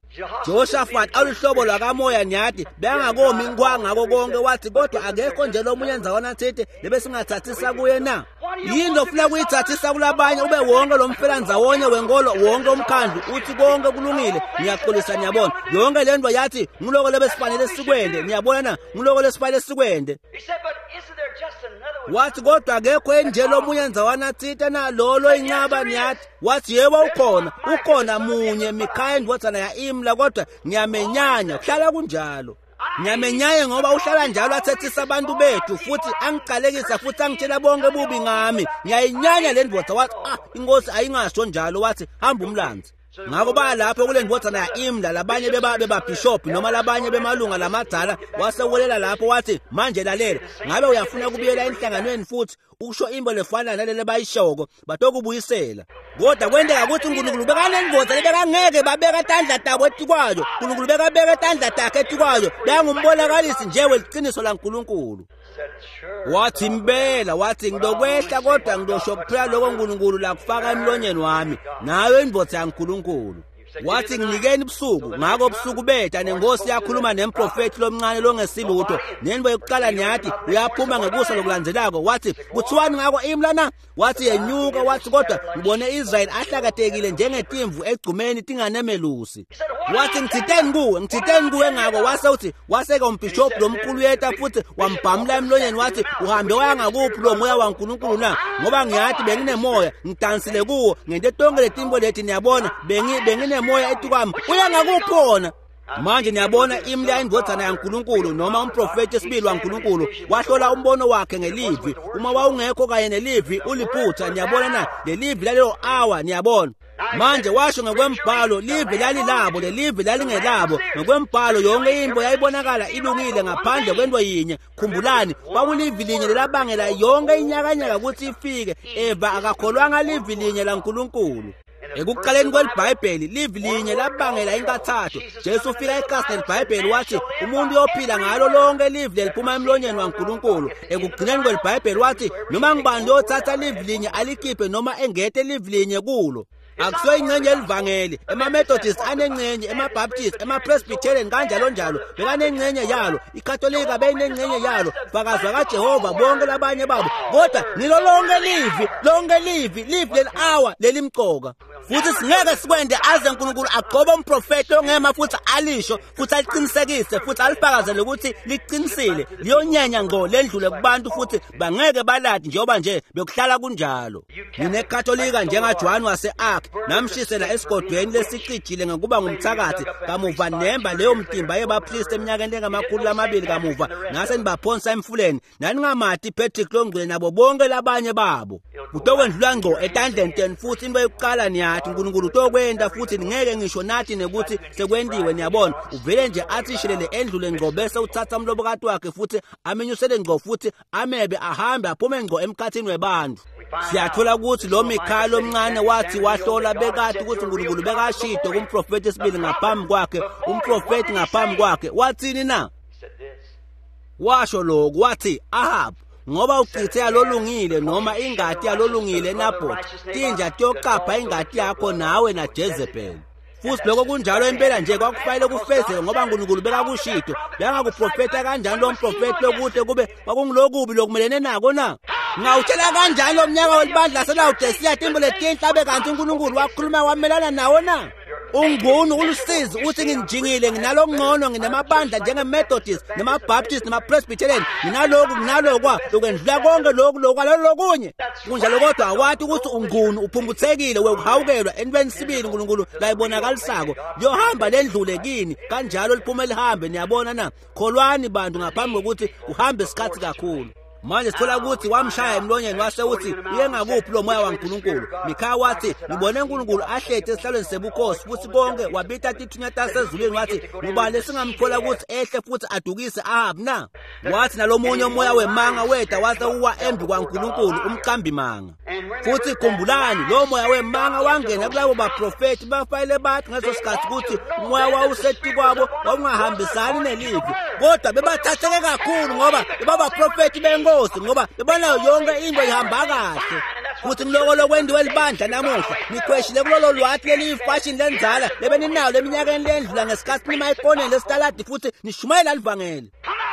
Jehoshaphat aluhlobo lwakamoya nyathi bengakomi ngwa ngako konke. Wathi kodwa akekho nje lomunye ndzawana thithi lebesingathathisa kuye na? Yini ofuna kuyithathisa kulabanye ube wonke lo mfelandzawonye wenkolo, wonke umkhandlu uthi konke kulungile? Ngiyaxolisa, niyabona yonke le nto yathi nguloko lebesifanele sikwende. Niyabona na? Nguloko lesifanele sikwende. Wathi kodwa akekho nje lomunye ndzawana thite na lolo inqaba nyathi. Wathi yebo ukhona, ukhona munye, Mikhaya indvodzana ya Imla, kodwa ngiyamenyanya kuhlala kunjalo. Ngiyamenyanya ngoba uhlala njalo athethisa abantu bethu futhi angicalekisa futhi angitshela bonke bubi ngami. Ngiyayinyanya le ndvodza. Wathi ah inkosi ayingasho njalo. Wathi hamba umlanzi. Ngakho baya lapho kule ndvodzana ya Imla, labanye beba bebabhishobhi noma labanye bemalunga lamadzala. Wasewelela lapho wathi manje lalela, ngabe uyafuna kubuyela enhlanganweni futhi usho imbo lefana nalele bayishoko batokubuyisela. Kodwa kwenteka ukuthi uNkulunkulu bekanendvodza lebekangeke babeka tandla tabo etikwayo. uNkulunkulu bekabeka tandla takhe etikwayo, bekangumbonakalisi nje weliqiniso laNkulunkulu. Wathi impela, wathi ngidokwehla kodwa ngidosho kuphela lokho uNkulunkulu lakufaka emlonyeni wami, nayo indvodza yaNkulunkulu. Wathi nginikeni ubusuku. Ngakho ubusuku betha nenkosi yakhuluma nemprofethi lomncane longesilutho. Nento yokuqala niyathi uyaphuma ngekusa lokulandzelako. Wathi kuthiwani ngako Imla na? Wathi yenyuka. Wathi kodwa ngibone Israel ahlakatekile njengetimvu egcumeni tinganemelusi. Wathi ngithiteni kuwe, ngithiteni kuwe ngako. Wase uthi waseke umbhishobhi lomkhulu yeta futhi wambhamula emlonyeni. Wathi uhambe waya ngakuphi lo moya waNkulunkulu na? Ngoba ngiyathi benginemoya ngidansile kuwo ngente tonke letimbo lethi niyabona bengi bengine moya etukwami, uya ngakuphona. Manje niyabona Imla indvodzana yaNkulunkulu noma umprofethi esibili waNkulunkulu wahlola umbono wakhe ngelivi. Uma wawungekho kanye nelivi uliphutha. Niyabona na? Lelivi lalelo hour. Niyabona manje washo ngokwembhalo livi lalilabo, lelivi lalingelabo. Ngokwembhalo yonke into yayibonakala ilungile ngaphandle kwento yinye. Khumbulani kwakulivi linye lelabangela yonke inyakanyaka ukuthi ifike. Eva akakholwanga livi linye laNkulunkulu. Ekuqaleni kweliBhayibheli livi linye labangela inkathatho. Jesu ufika ekhasini leliBhayibheli wathi umuntu uyophila ngalo lonke livi leliphuma emlonyeni waNkulunkulu. Ekugcineni kweliBhayibheli wathi noma ngubani uyothatha livi linye alikhiphe noma engete livi linye kulo. Akusiyo ingxenye yelivangeli. EmaMethodist anengxenye, emaBaptist, emaPresbyterian kanjalo njalo bekanengxenye yalo, iKatolika beyinengxenye yalo, fakazi kaJehova bonke labanye babo. Kodwa ngilo lonke livi, lonke livi, livi leli hour lelimcoka. Futhi singeke sikwende aze uNkulunkulu agcobe umprofethi ongema futhi alisho futhi aliqinisekise futhi alifakazele ukuthi liqinisile. Liyonyanya ngqo lendlule kubantu futhi bangeke baladi njengoba nje bekuhlala kunjalo. NineKatolika njengaJohn wase-Arc namshisela esigodweni lesicijile ngokuba ngumthakathi. Kamuva nemba leyo mtimba yebapriest eminyakeni engamakhulu amabili kamuva nase nibaphonsa emfuleni. Naningamati Patrick Longcwele nabo bonke labanye babo. Kutokwendlula ngqo etandleni tenu futhi into yokuqala niyathi uNkulunkulu utokwenda futhi ningeke ngisho nathi nekuthi sekwendiwe. Niyabona uvele nje athi shelele endlule ngqo bese uthatha umlobokati wakhe futhi amenyusele ngqo futhi amebe ahambe aphume ngqo emkhathini webantu. Siyathola ukuthi lo Mikhaya lomncane wathi wahlola bekade ukuthi uNkulunkulu bekashido kumprofethi esibili ngaphambi kwakhe, umprofethi ngaphambi kwakhe. Wathini na? Washo lokhu wathi Ahab, ngoba uchithe yalolungile noma ingati yalolungile Naboth, tinja tiyoqapha ingati yakho nawe na Jezebel. Futhi lokho kunjalo impela nje kwakufanele kufezeke ngoba uNkulunkulu bekakushito. Bengakuprofetha kanjani lo mprofethi lokude kube kwakungilokubi lokumelene nako na? Ngawutshela kanjani lo mnyaka welibandla laseLawodisiya timbo letinhle abe kanti uNkulunkulu wakhuluma wamelana nawo na? Ungunu ulusizi uthi nginjingile nginalokungcono nginamabandla njenge-Methodist nama-Baptist nama-Presbyterian nginaloku nginalokwa lokwendlula konke loku lokwalolo lokunye kunjalo kodwa awathi ukuthi ungunu uphumputhekile wekuhawukelwa entweni sibili uNkulunkulu layibonakalisako liyohamba lendlule kini kanjalo liphume lihambe. Niyabona na? Kholwani bantu ngaphambi kokuthi uhambe isikhathi kakhulu. Manje sithola ukuthi wamshaya emlonyeni wase uthi uye ngakuphi lo moya waNkulunkulu. Mikhaya wathi ngibone uNkulunkulu ahleti esihlalweni sebukhosi futhi konke wabita tithunywa tasezulwini wathi ngubani lesingamthola ukuthi ehle futhi adukise Ahabu na? Wathi nalomunye umoya wemanga weda wase uwa embi kwaNkulunkulu umqambi manga. Futhi khumbulani lo moya wemanga wangena kulabo baprofethi bafanele bathi ngaleso sikhathi ukuthi umoya wawusetu kwabo wawungahambisani nelivi kodwa bebathatheke kakhulu ngoba bebabaprofethi benkosi ngoba bebanayo yonke into ihamba kahle. Futhi ngiloko lokwendiwe libandla namuhla nikhweshile kulolo lwathi leliyifashini lenzala lebeninalo eminyakeni lendlula ngesikhathi nima ekoneni lesitaladi futhi nishumayela livangeli.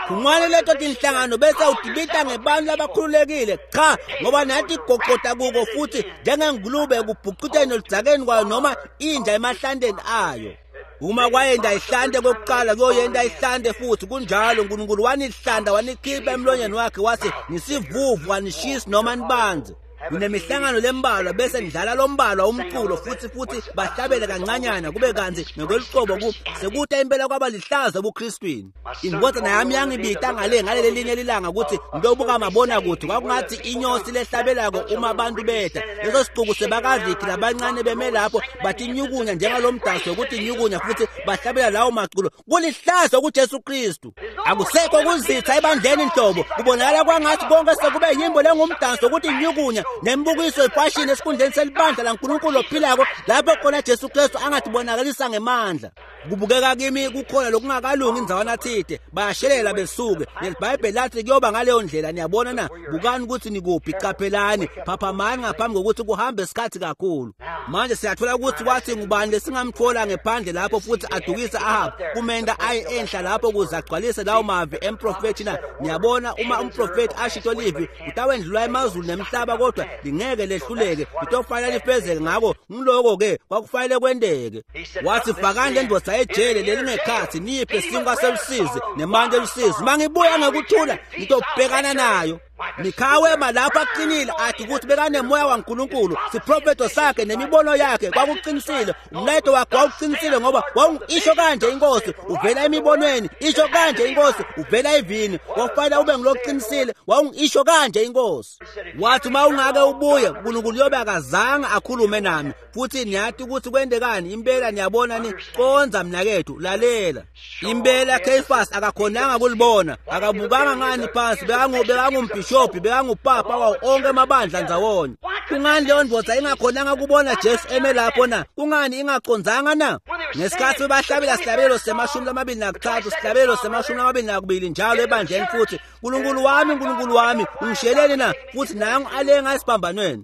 Phumani leto tinhlangano bese udibita ngebantu labakhululekile cha ngoba nathi igoqoda kuko futhi njengengulube ekubhucuteni oludzakeni kwayo noma inja emahlandeni ayo. Uma kwayenda ihlante kokuqala kuyoyenda ihlante futhi kunjalo. uNkulunkulu wanihlanda wanikhipha emlonyeni wakhe wathi nisivuvu wanishisi noma nibanzi. Ninemihlangano lembalwa bese nidlala lombalwa umculo futhi futhi bahlabele kancanyana kube kanzi ngokweluqobo ku sekuta impela kwaba lihlazo ebuKristwini. Indodana yami yangibita ngale ngaleli linye lilanga ukuthi ngiyobuka mabona kuthi kwakungathi inyosi lehlabelako uma abantu beda leso sicuku sebakazikhi labancane beme lapho bathi nyukunya njengalomdanso ukuthi nyukunya futhi bahlabela lawo maculo. Kulihlazo kuJesu Kristu. Akusekho kuzitha ebandleni inhlobo kubonakala kwangathi konke sekube yimbo lengumdanso ukuthi nyukunya nembukiso ifashini esikhundleni selibandla laNkulunkulu ophilako lapho khona Jesu Kristu angathibonakalisa ngemandla. Kubukeka kimi kukhona lokungakalungi indzawana thide bayashelela besuke neliBhayibheli lathi kuyoba ngaleyo ndlela. Niyabona na? Bukani ukuthi nikuphi, qaphelani, phaphamani ngaphambi kokuthi kuhambe isikhathi kakhulu. Manje siyathola ukuthi wathi ngubani lesingamthola ngephandle lapho futhi adukise Ahabu kumenda aye enhla lapho ukuze agcwalise lawo mavi emprofethi na? Niyabona uma umprofethi ashito livi utawendlula emazulu nemhlaba kodwa lingeke lehluleke litofanele lifezeke. Ngako ngiloko ke kwakufanele kwendeke. Wathi fakani le ndoda ejele lelingekhathi niyiphe sinkwa selusizi nemandla elusizi mangibuya ngekuthula ngitobhekana nayo. Mikhaya wema lapho aqinile athi ukuthi bekanemoya waNkulunkulu siprofeto sakhe nemibono yakhe kwakuqinisile umlayeto wakhe wawuqinisile ngoba wawungisho kanje inkosi uvela emibonweni isho kanje inkosi uvela evini wakufanele ube ngiloqinisile wawungisho kanje inkosi. Wathi uma ungake ubuye uNkulunkulu yobe akazange akhulume nami futhi niyathi ukuthi kwendekani impela. Niyabona ni konza mnakethu lalela impela Caiaphas akakhonanga kulibona akabukanga ngani phansi bekangumbi bishop bekangupapa wawo onke amabandla ndzawonye. Kungani leyo ndoda ingakhonanga kubona Jesu eme lapho na? Kungani ingacondzanga na? Ngesikhathi bahlabela sihlabelo semashumi lamabili nakuthathu sihlabelo semashumi lamabili nakubili njalo ebandleni futhi uNkulunkulu wami uNkulunkulu wami ungisheleni na? Futhi nangu alenga esiphambanweni.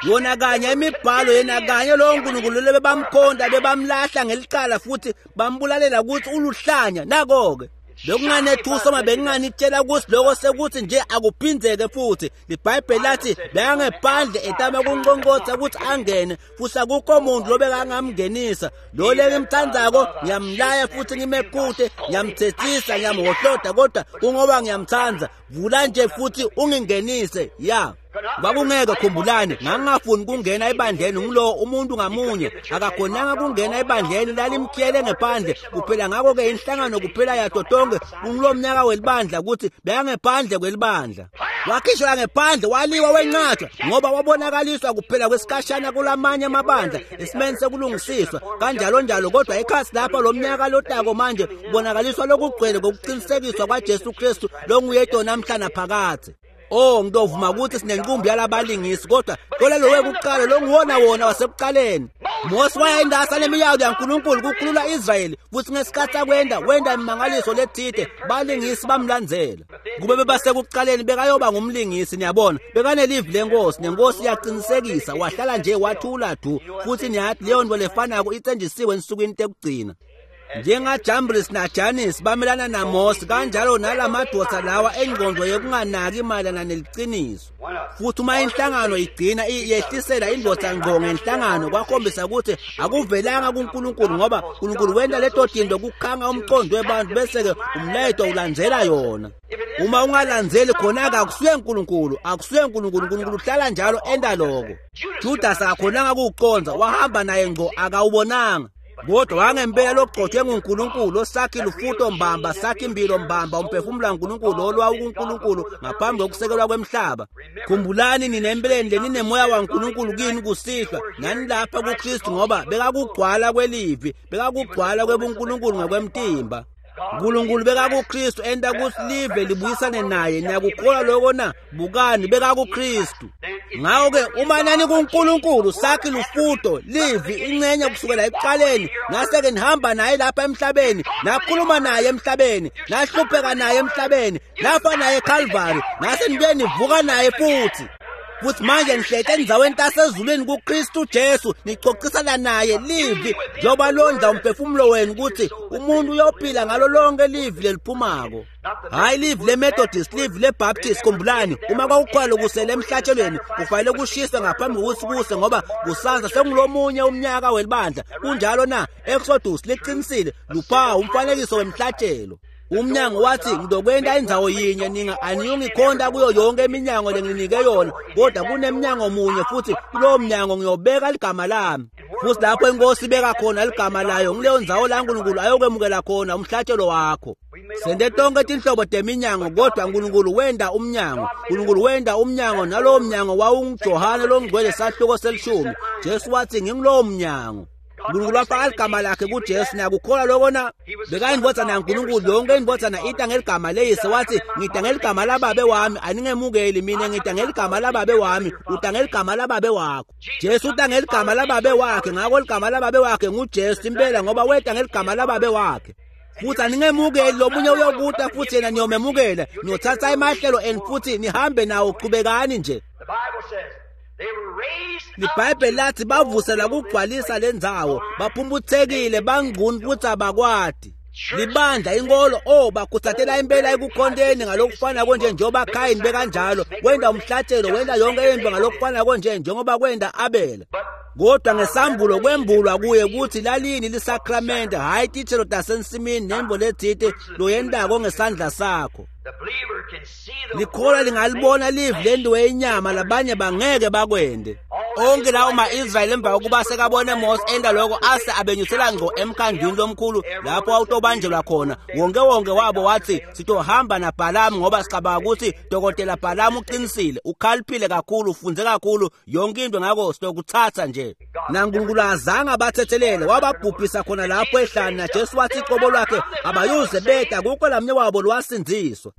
Yona kanye imibhalo yena kanye lo nkulunkulu lebebamkhonda bebamlahla ngelicala futhi bambulalela ukuthi uluhlanya. Nako-ke bekunganethusa uma bekunganitshela ukuthi lokho sekuthi nje akuphinzeke futhi. LiBhayibheli lathi bekangephandle etama kunqonqotha ukuthi angene futhi akukho muntu lobekangamngenisa. Lo lengimthandzako ngiyamlaya futhi ngimekute ngiyamthethisa ngiyamhohloda kodwa kungoba ngiyamthanda vula nje futhi ungingenise. Ya kwakungeke khumbulani ngangingafuni kungena ebandleni ngilo umuntu ngamunye akakhonanga kungena ebandleni lalimkhiyele ngephandle kuphela. Ngakho-ke inhlangano kuphela yato tonke kungulo mnyaka welibandla ukuthi bekangephandle kwelibandla wakhishwa ngephandle waliwa wenqatshwa ngoba wabonakaliswa kuphela kwesikhashana kulamanye amabandla esimeni sekulungisiswa kanjalo njalo. Kodwa ekhasi lapha lo mnyaka lotako manje kubonakaliswa lokugcwele kokuqinisekiswa kwaJesu Kristu longuye namhla naphakadze. Oh ngidovuma ukuthi sinenqumbi yalabalingisi kodwa kolelo wekuqala longuwona wona wasekuqaleni. Mose wayendasa lemiyalo yaNkulunkulu kukhulula Israyeli futhi ngesikhathi akwenda wenda imimangaliso lethide balingisi bamlandzela. Kube bebasekuqaleni bekayoba ngumlingisi. Niyabona bekanelivi lenkosi nenkosi iyaqinisekisa wahlala nje wathula du futhi niyathi leyo nto lefanako itsenjisiwe ensukwini tekugcina. NjengaJambres naJanis bamelana naMose, kanjalo nalamadoda lawa engqondo yokunganaki mayelana neliciniso. Futhi uma inhlangano igcina yehlisela indoda ngqo ngenhlangano, kwakhombisa ukuthi akuvelanga kuNkulunkulu, ngoba uNkulunkulu wenta leto tinto kukhanga umqondo webantu bese-ke umlayeto ulandzela yona. Uma ungalandzeli khona-ke akusuye uNkulunkulu, akusuye uNkulunkulu. uNkulunkulu uhlala njalo enta loko. Judas akakhonanga kuwucondza, wahamba naye ngqo akawubonanga. Kodwa wangempela logcotshwe nguNkulunkulu, osakhi lufuto mbamba, sakhi impilo mbamba, umphefumulo kaNkulunkulu olwa kuNkulunkulu ngaphambi kokusekelwa kwemhlaba. Khumbulani nina empeleni leninemoya waNkulunkulu kini kusihlwa, nani lapha kuKristu, ngoba bekakugcwala kwelivi, bekakugcwala kwebuNkulunkulu ngokwemtimba. uNkulunkulu bekakuKristu enta kutsi live libuyisane naye. Niyakukholwa lokho na? Bukani, bekakuKristu. Ngakho-ke uma nani kuNkulunkulu sakhi lufuto livi incenye kusukela ekuqaleni, nase-ke nihamba naye lapha emhlabeni, nakhuluma naye emhlabeni, nahlupheka naye emhlabeni, nafa naye eKalvari, nase nibuye nivuka naye futhi. Futhi manje nihlete endzaweni tasezulwini kuKristu Jesu, nicocisana naye livi, njengoba londla umphefumulo wenu ukuthi umuntu uyophila ngalo lonke livi leliphumako. Hhayi livi leMethodist, livi leBaptist. Khumbulani, uma kwakukhona kusele emhlatshelweni kufanele kushiswe ngaphambi kokuthi kuse, ngoba kusanza sengulomunye umnyaka welibandla. Kunjalo na? Exodus liqinisile, luphawu umfanekiso wemhlatshelo. Umnyango wathi ngizokwenta indzawo yinye, ninga aniyungikhonta kuyo yonke iminyango lenginike yona, kodwa kunemnyango munye, futhi kulowo mnyango ngiyobeka ligama lami. Futhi lapho inkosi ibeka khona ligama layo, ngileyo ndzawo la uNkulunkulu ayokwemukela khona umhlatshelo wakho. Sente tonke tinhlobo teminyango, kodwa uNkulunkulu wenta umnyango. uNkulunkulu wenta umnyango, nalowo mnyango wawunguJohane longcwele sahluko selishumi. Jesu wathi ngingulowo mnyango. uNkulunkulu wafaka ligama lakhe kuJesu. Niyakukholwa lokho na? Bekayindvodzana yaNkulunkulu. Yonke indvodzana ita ngeligama leyise. Wathi ngita ngeligama lababe wami, aningemukeli mina, ngita ngeligama lababe wami, uta ngeligama lababe wakho. Jesu uta ngeligama lababe wakhe, ngakho ligama lababe wakhe nguJesu impela, ngoba weta ngeligama lababe wakhe. Futhi aningemukeli, lomunye uyokuta futhi yena niyomemukela, niyothatha emahlelo enu futhi nihambe nawo. Qhubekani nje. LiBhayibheli lathi bavuselwa kugcwalisa lendzawo, baphumputhekile, bangcuni futhi abakwati. Libandla inkolo, oh, bakhuthathela impela ekukhonteni ngalokufana konje njengoba Khayini bekanjalo, wenda umhlatshelo, wenda yonke into ngalokufana konje njengoba kwenda Abela. Kodwa ngesambulo kwembulwa kuye ukuthi lalini lisakramente, hhayi tithelo tasensimini nembo lethite loyentako ngesandla sakho. Likholwa lingalibona livi lentiwe inyama, labanye bangeke bakwende. Onke lawo ma-Israyeli emva kokuba sekabone Mose enta lokho, ase abenyusela ngqo emkhandlwini lomkhulu lapho wawutobanjelwa khona. Wonke wonke wabo wathi sitohamba naBhalamu, ngoba sicabanga ukuthi Dokotela Bhalamu uqinisile, ukhaliphile kakhulu, ufunze kakhulu yonke into, ngakho sitokuthatha nje. NaNkulunkulu azange abathethelele, wababhubhisa khona lapho ehlane. NaJesu wathi iqobo lwakhe abayuze beda, kukho lamnye wabo lwasindziswa.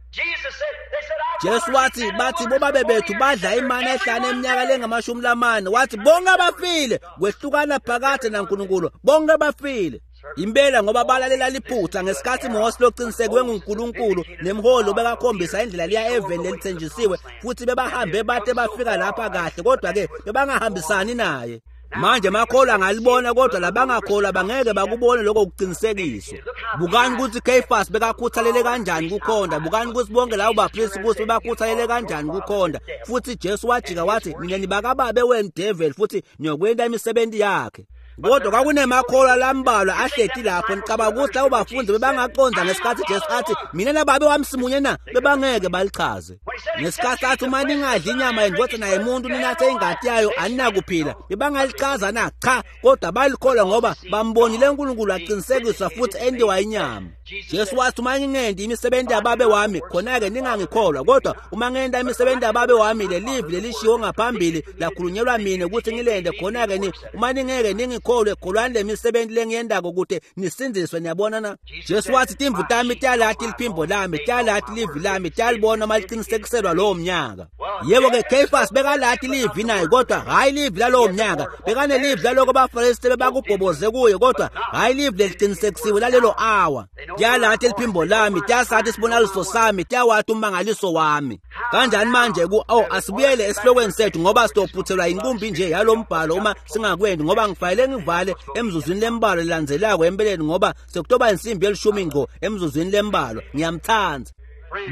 Jesu wathi bathi bobabe bethu badla imana ehlane eminyaka lengamashumi lamane, wathi bonke abafile kwehlukana phakade naNkulunkulu, bonke bafile. Impela ngoba balalela liphutha ngesikhathi Mose loqinisekwe nguNkulunkulu nemholi bekakhombisa indlela liya eveni lelithenjisiwe, futhi bebahambe bate bafika lapha kahle, kodwa ke bebangahambisani naye. Manje makholwa angalibona, kodwa labangakholwa bangeke bakubone lokho kuqinisekiswa. Bukani ukuthi Caiaphas bekakhuthalele kanjani kukhonda, bukani ukuthi bonke labo bapristi ukuthi bebakhuthalele kanjani kukhonda. Futhi Jesu wajika wathi nina nibakababe wenu devil, futhi niyokwenta imisebenzi yakhe. Kodwa kwakunemakholwa lambalwa ahleti lapho. Nicabanga ukuthi labo bafundi bebangaqonda ngesikhathi Jesu athi mina nababe wami simunye na? Bebangeke balichaze. Ngesikhathi athi uma ningadli inyama yendvodzana yemuntu ninathe ingati yayo aninakuphila, bebangalichaza na? Cha, kodwa balikholwa ngoba bambonile uNkulunkulu aqinisekiswa futhi entiwa inyama. Jesu wathi uma ngingenti imisebenzi yababe wami, khona-ke ningangikholwa, kodwa uma ngenta imisebenzi yababe wami, lelivi lelishiwo ngaphambili lakhulunyelwa mina ukuthi ngilende, khona-ke ni uma ningeke ningikholwe, kholwani le misebenzi lengiyendako ukuthi nisindziswe. Niyabona na? Jesu wathi timvu tami tiyalati liphimbo lami, tiyalati livi lami, tiyalibona uma liqinisekiselwa lowo mnyaka. Yebo-ke Caiaphas bekalati livi naye, kodwa hhayi livi lalowo mnyaka. Bekanelivi laloko abaFarisi bebakubhoboze kuye, kodwa hhayi livi leliqinisekisiwe lalelo awa. Tiyalati liphimbo lami, tiyasati isibonakaliso sami, tiyawati ummangaliso wami. Kanjani manje ku oh asibuyele esihlokweni sethu ngoba sitophuthelwa inkumbi nje yalombhalo uma singakwendi, ngoba ngifanele ngivale emzuzwini lembalwa lelandzelako empeleni, ngoba sekutoba insimbi yelishumi ngqo emzuzwini lembalwa. Ngiyamthanda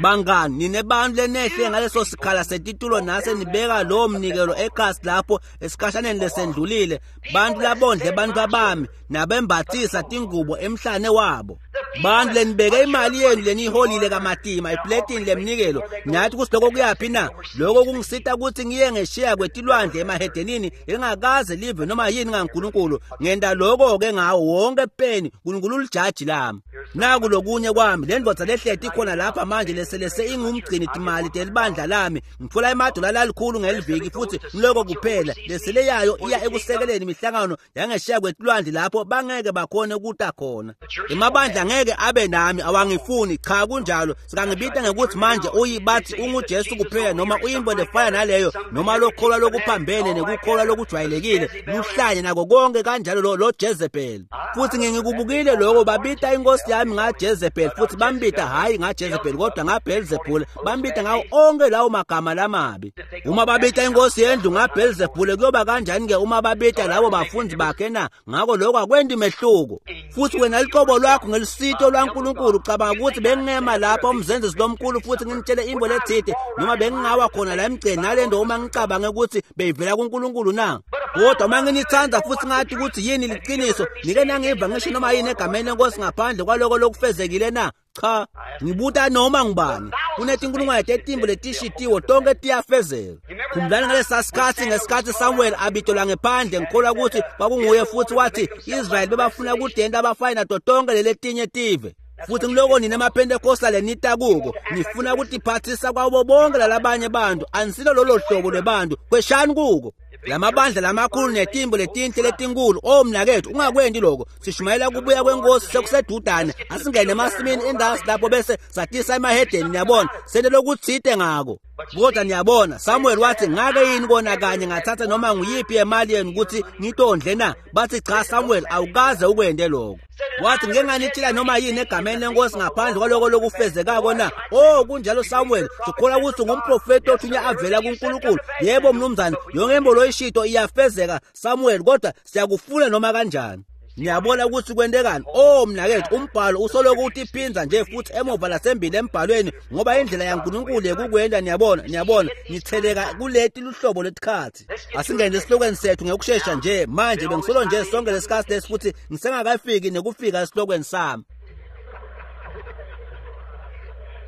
bangani, nine bantu lenehle ngaleso sikhala setitulo nase nibeka lowo mnikelo ekhasi lapho esikhashaneni lesendlulile, bantu labondle bantu abami nabembathisa tingubo emhlane wabo, bantu lenibeke imali yenu leniyiholile kamatima epletini lemnikelo, nathi kuthi lokho kuyaphi na? Lokho kungisita ukuthi ngiye ngeshiya kwetilwandle emahedenini engakaze live noma yini ngaNkulunkulu. Ngenda lokho-ke ngawo wonke peni, uNkulunkulu ulijaji lami. Naku lokunye kwami, le ndvodza lehleti ikhona lapha manje leselese ingumgcini timali telibandla lami, ngithola emadola lalikhulu ngeliviki, futhi ngiloko kuphela lesele yayo iya ekusekeleni imihlangano yangeshiya kwetilwandle lapho bangeke bakhone ukuta khona. Emabandla ngeke abe nami, awangifuni. Cha, kunjalo. Sikangibita ngekuthi manje uyibathi unguJesu kuphela, noma uyimbo lefana naleyo, noma lokholwa lokuphambene nekukholwa lokujwayelekile luhlanye nako konke kanjalo lo, lo Jezebel. Futhi ngingikubukile lokho, babita inkosi yami ngaJezebel, futhi bambita hayi ngaJezebel kodwa ngaBelzebul, bambita ngawo onke lawo magama lamabi. Uma babita inkosi yendlu ngaBelzebul, kuyoba kanjani ke uma babita labo bafundi bakhe na? Ngakho lokho akwendi mehluko. Futhi wena liqobo lwakho ngelisito lwaNkulunkulu ucabanga ukuthi bengingema lapha umzenzisi lomkhulu futhi nginitshele imbo lethide, noma bengingawa khona la emgceni nalento uma ngicabange ukuthi beyivela kuNkulunkulu na? Kodwa uma nginithanda futhi ngathi ukuthi yini liqiniso, nike nangiva ngisho noma yini egameni lenkosi ngaphandle kwaloko lokufezekile na? Cha, ngibuta noma ngubani. Kunetinkulungwane tetimbo letishitiwo tonke tiyafezeka. Khumbulani ngalesa sikhathi, ngesikhathi Samuel abitolwa ngephandle, ngikholwa ukuthi kwakunguye, futhi wathi Israyeli bebafuna kudenta abafana nato tonke leletinye tive. Futhi ngiloko nina emaPentecostal lenita kuko, nifuna ukutiphathisa kwabo bonke lalabanye bantu, anisilo lolo hlobo lwebantu, kweshani kuko. Lamabandla lamakhulu netimbo letinhle letinkulu, oh mnakethu, ungakwendi lokho. Sishumayela kubuya kwenkosi sekusedudane, asingene emasimini endasi lapho bese satisa emahedeni, niyabona, sente lokuthite ngako. Kodwa niyabona, Samuel wathi ngake yini kona kanye ngathatha noma nguyiphi imali yenu ukuthi ngitondle na? Bathi cha Samuel, awukaze ukwende lokho. Wathi ngeke nganitshela noma yini egameni lenkosi ngaphandle kwaloko lokufezekako na? Oh kunjalo Samuel, sikholwa ukuthi ngumprofeti othunywa avela kuNkulunkulu. Yebo mnumzane, yonke imbo loyishito iyafezeka Samuel, kodwa siyakufuna noma kanjani. Niyabona ukuthi kwentekani? Oh mnakethu, umbhalo usoloko utiphinza nje futhi emuva lasembili embhalweni, ngoba indlela yaNkulunkulu yekukwenda. Niyabona, niyabona, nitheleka kuleti luhlobo letikhathi. Asingene esihlokweni sethu ngekushesha nje manje, bengisolo nje sonke lesikhathi lesi futhi ngisengakafiki nekufika esihlokweni sami.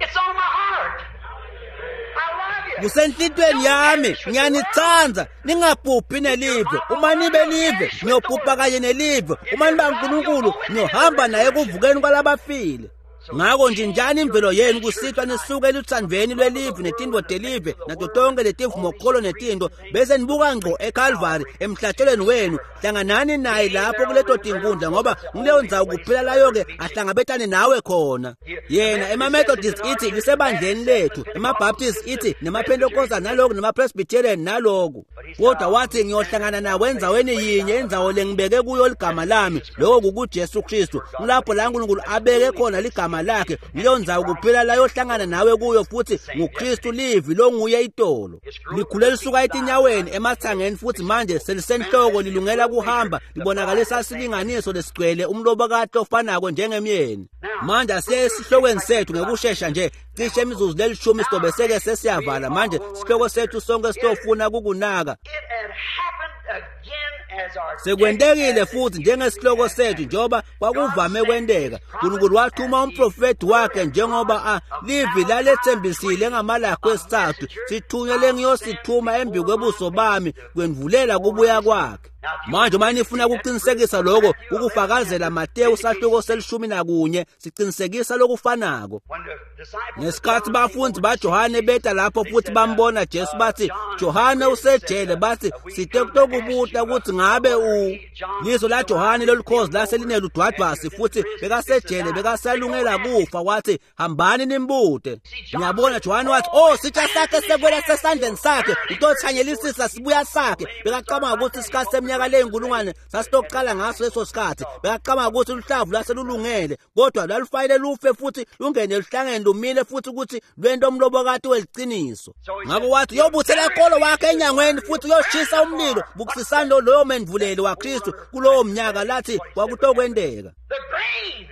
It's on my heart. I love you. Kusenhlitweni yami, ngiyanithanda, ningabhubhi nelive. Uma nibe live, niyobhubha kanye nelive. Uma niba uNkulunkulu, niyohamba naye ekuvukeni kwalabafile. Ngakho nje njani imvelo yenu kusithwa nisuke eluthandweni lwelive netinto telive nato tonke letivumokholo netinto, bese nibuka ngqo eCalvary emhlatshelweni wenu. Hlanganani naye lapho kuleto tinkundla, ngoba kuleyo ndzawo kuphela layo-ke ahlangabetane nawe khona. Yena ema-Methodist ithi lisebandleni lethu, ema-Baptist ithi nema-Pentecostal naloku, nema-Presbyterian naloku. Kodwa wathi ngiyohlangana nawe endzaweni yinye, indzawo lengibeke kuyo ligama lami, lokho kukuJesu Kristu. Kulapho la uNkulunkulu abeke khona ligama lakhe, kuleyo ndzawo kuphela layohlangana nawe kuyo, futhi nguKristu livi longuye itolo. Likhule lisuka etinyaweni emathangeni, futhi manje selisenhloko lilungela kuhamba, libonakalisa silinganiso lesigcwele umlobokati ofanako njengemyeni. Manje asiye esihlokweni sethu ngekushesha nje, cishe imizuzu lelishumi sizobe seke sesiyavala. Manje sihloko sethu sonke sitofuna kukunaka. It had happened again as our Sekwentekile futhi njengesihloko sethu, njengoba kwakuvame kwenteka. uNkulunkulu wathuma umprofeti wakhe njengoba a livi lalethembisile ngamalakho esithathu, sithunywe lengiyosithuma embi kwebuso bami kwendvulela kubuya kwakhe. Manje uma nifuna ukuqinisekisa lokho, ukufakazela Mateyu sahluko selishumi nakunye siqinisekisa lokufanako. When the disciples Ngesikhathi bafundi baJohane beta lapho futhi bambona Jesu, bathi Johane usejele, bathi site kutokubuta ukuthi ngabe u liso la Johane lolukhozi lase lineludwadvasi, futhi bekasejele, bekasalungela kufa. Wathi hambani nimbute. Ngiyabona Johane wathi oh sitsha sakhe sekwela sesandleni sakhe, utothanyelisisa sibuya sakhe. Bekacabanga ukuthi isikhathi seminyaka leyinkulungwane sasitokuqala ngaso leso sikhathi. Bekacabanga ukuthi luhlavu lwaselulungele, kodwa lwalufanele lufe futhi lungene eluhlangeni lumile futhi ukuthi lwento umlobokati weliciniso. Ngakho wathi uyobuthela kolo wakhe enyangweni futhi uyoshisa umlilo. Bukisisani lo loyo mendvuleli waKristu kulowo mnyaka lathi kwakutokwenteka. The grain.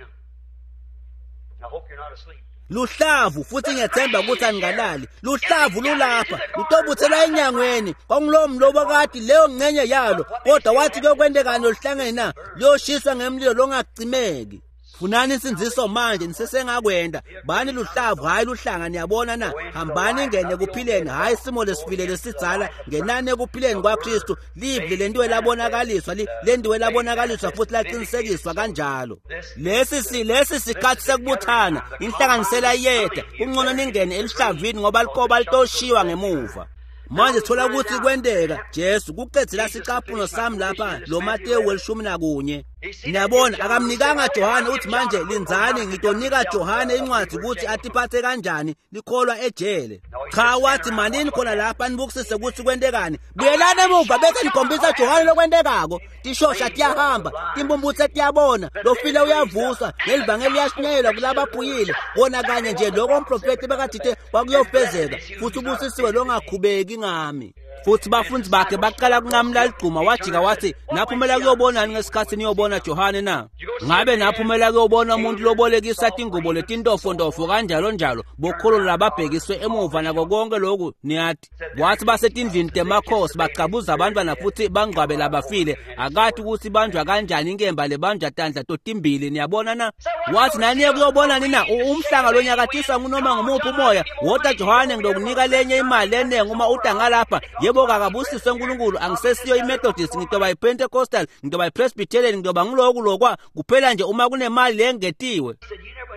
I hope you're not asleep. Luhlavu futhi ngiyethemba ukuthi aningalali. Luhlavu lulapha lutobuthelwa enyangweni kwakungulowo mlobokati leyo ngcenye yalo, kodwa wathi kuyokwenteka oluhlangeni na luyoshiswa ngemlilo longacimeki. Funani insindziso manje nisesengakwenda. Bani luhlavu hayi luhlanga, niyabona na? Hambani ingene ekuphileni hayi isimo lesifile lesidzala, ngenani ekuphileni kwaKristu. Live lentiwe labonakaliswa, lentiwe labonakaliswa futhi laqinisekiswa kanjalo. Lesi si lesi sikhathi sekubuthana, inhlanganisela iyeda, kungcono ningene eluhlavini ngoba likoba litoshiwa ngemuva. Manje thola ukuthi kwenteka Jesu kuqedzela sicaphuno sami lapha lo Mateyu welishumi nakunye. Niyabona akamnikanga Johane uthi manje lindzani ngitonika Johane incwadi ukuthi atiphathe kanjani likholwa ejele. Cha wathi manini khona lapha nibukisise ukuthi kwentekani. Buyelani emuva bese nikhombisa Johane lokwentekako. Tishosha tiyahamba, timbumbutse tiyabona, lofile uyavuswa, nelivangeli liyashunyayelwa kulabaphuyile. Kona kanye nje lokho umprofeti bekathithe kwakuyofezeka futhi ubusisiwe longakhubeki ngami. Futhi bafundi bakhe baqala kunqamula ligquma. Wajika wathi naphumela kuyobonani ngesikhathi niyobona Johane na? Ngabe naphumela kuyobona umuntu lobolekisa tingubo letintofontofo kanjalo njalo bokholo lababhekiswe emuva nako konke lokhu niyathi. Wathi basetindlini temakhosi bacabuza abantwana futhi bangcwabela abafile. Akathi ukuthi banjwa kanjani inkemba lebanjwa tandla totimbili, niyabona na? Wathi naniye kuyobonani na? Umhlanga lonyakatiswa ngunoma ngumuphi umoya. Wota Johane ngilokunika lenye imali enengi uma uta ngalapha. Yebo kakabusiswe uNkulunkulu, angisesiyo iMethodist, ngitoba iPentecostal, ngitoba iPresbyterian, ngitoba ngiloku lokwa, kuphela nje uma kunemali lengetiwe.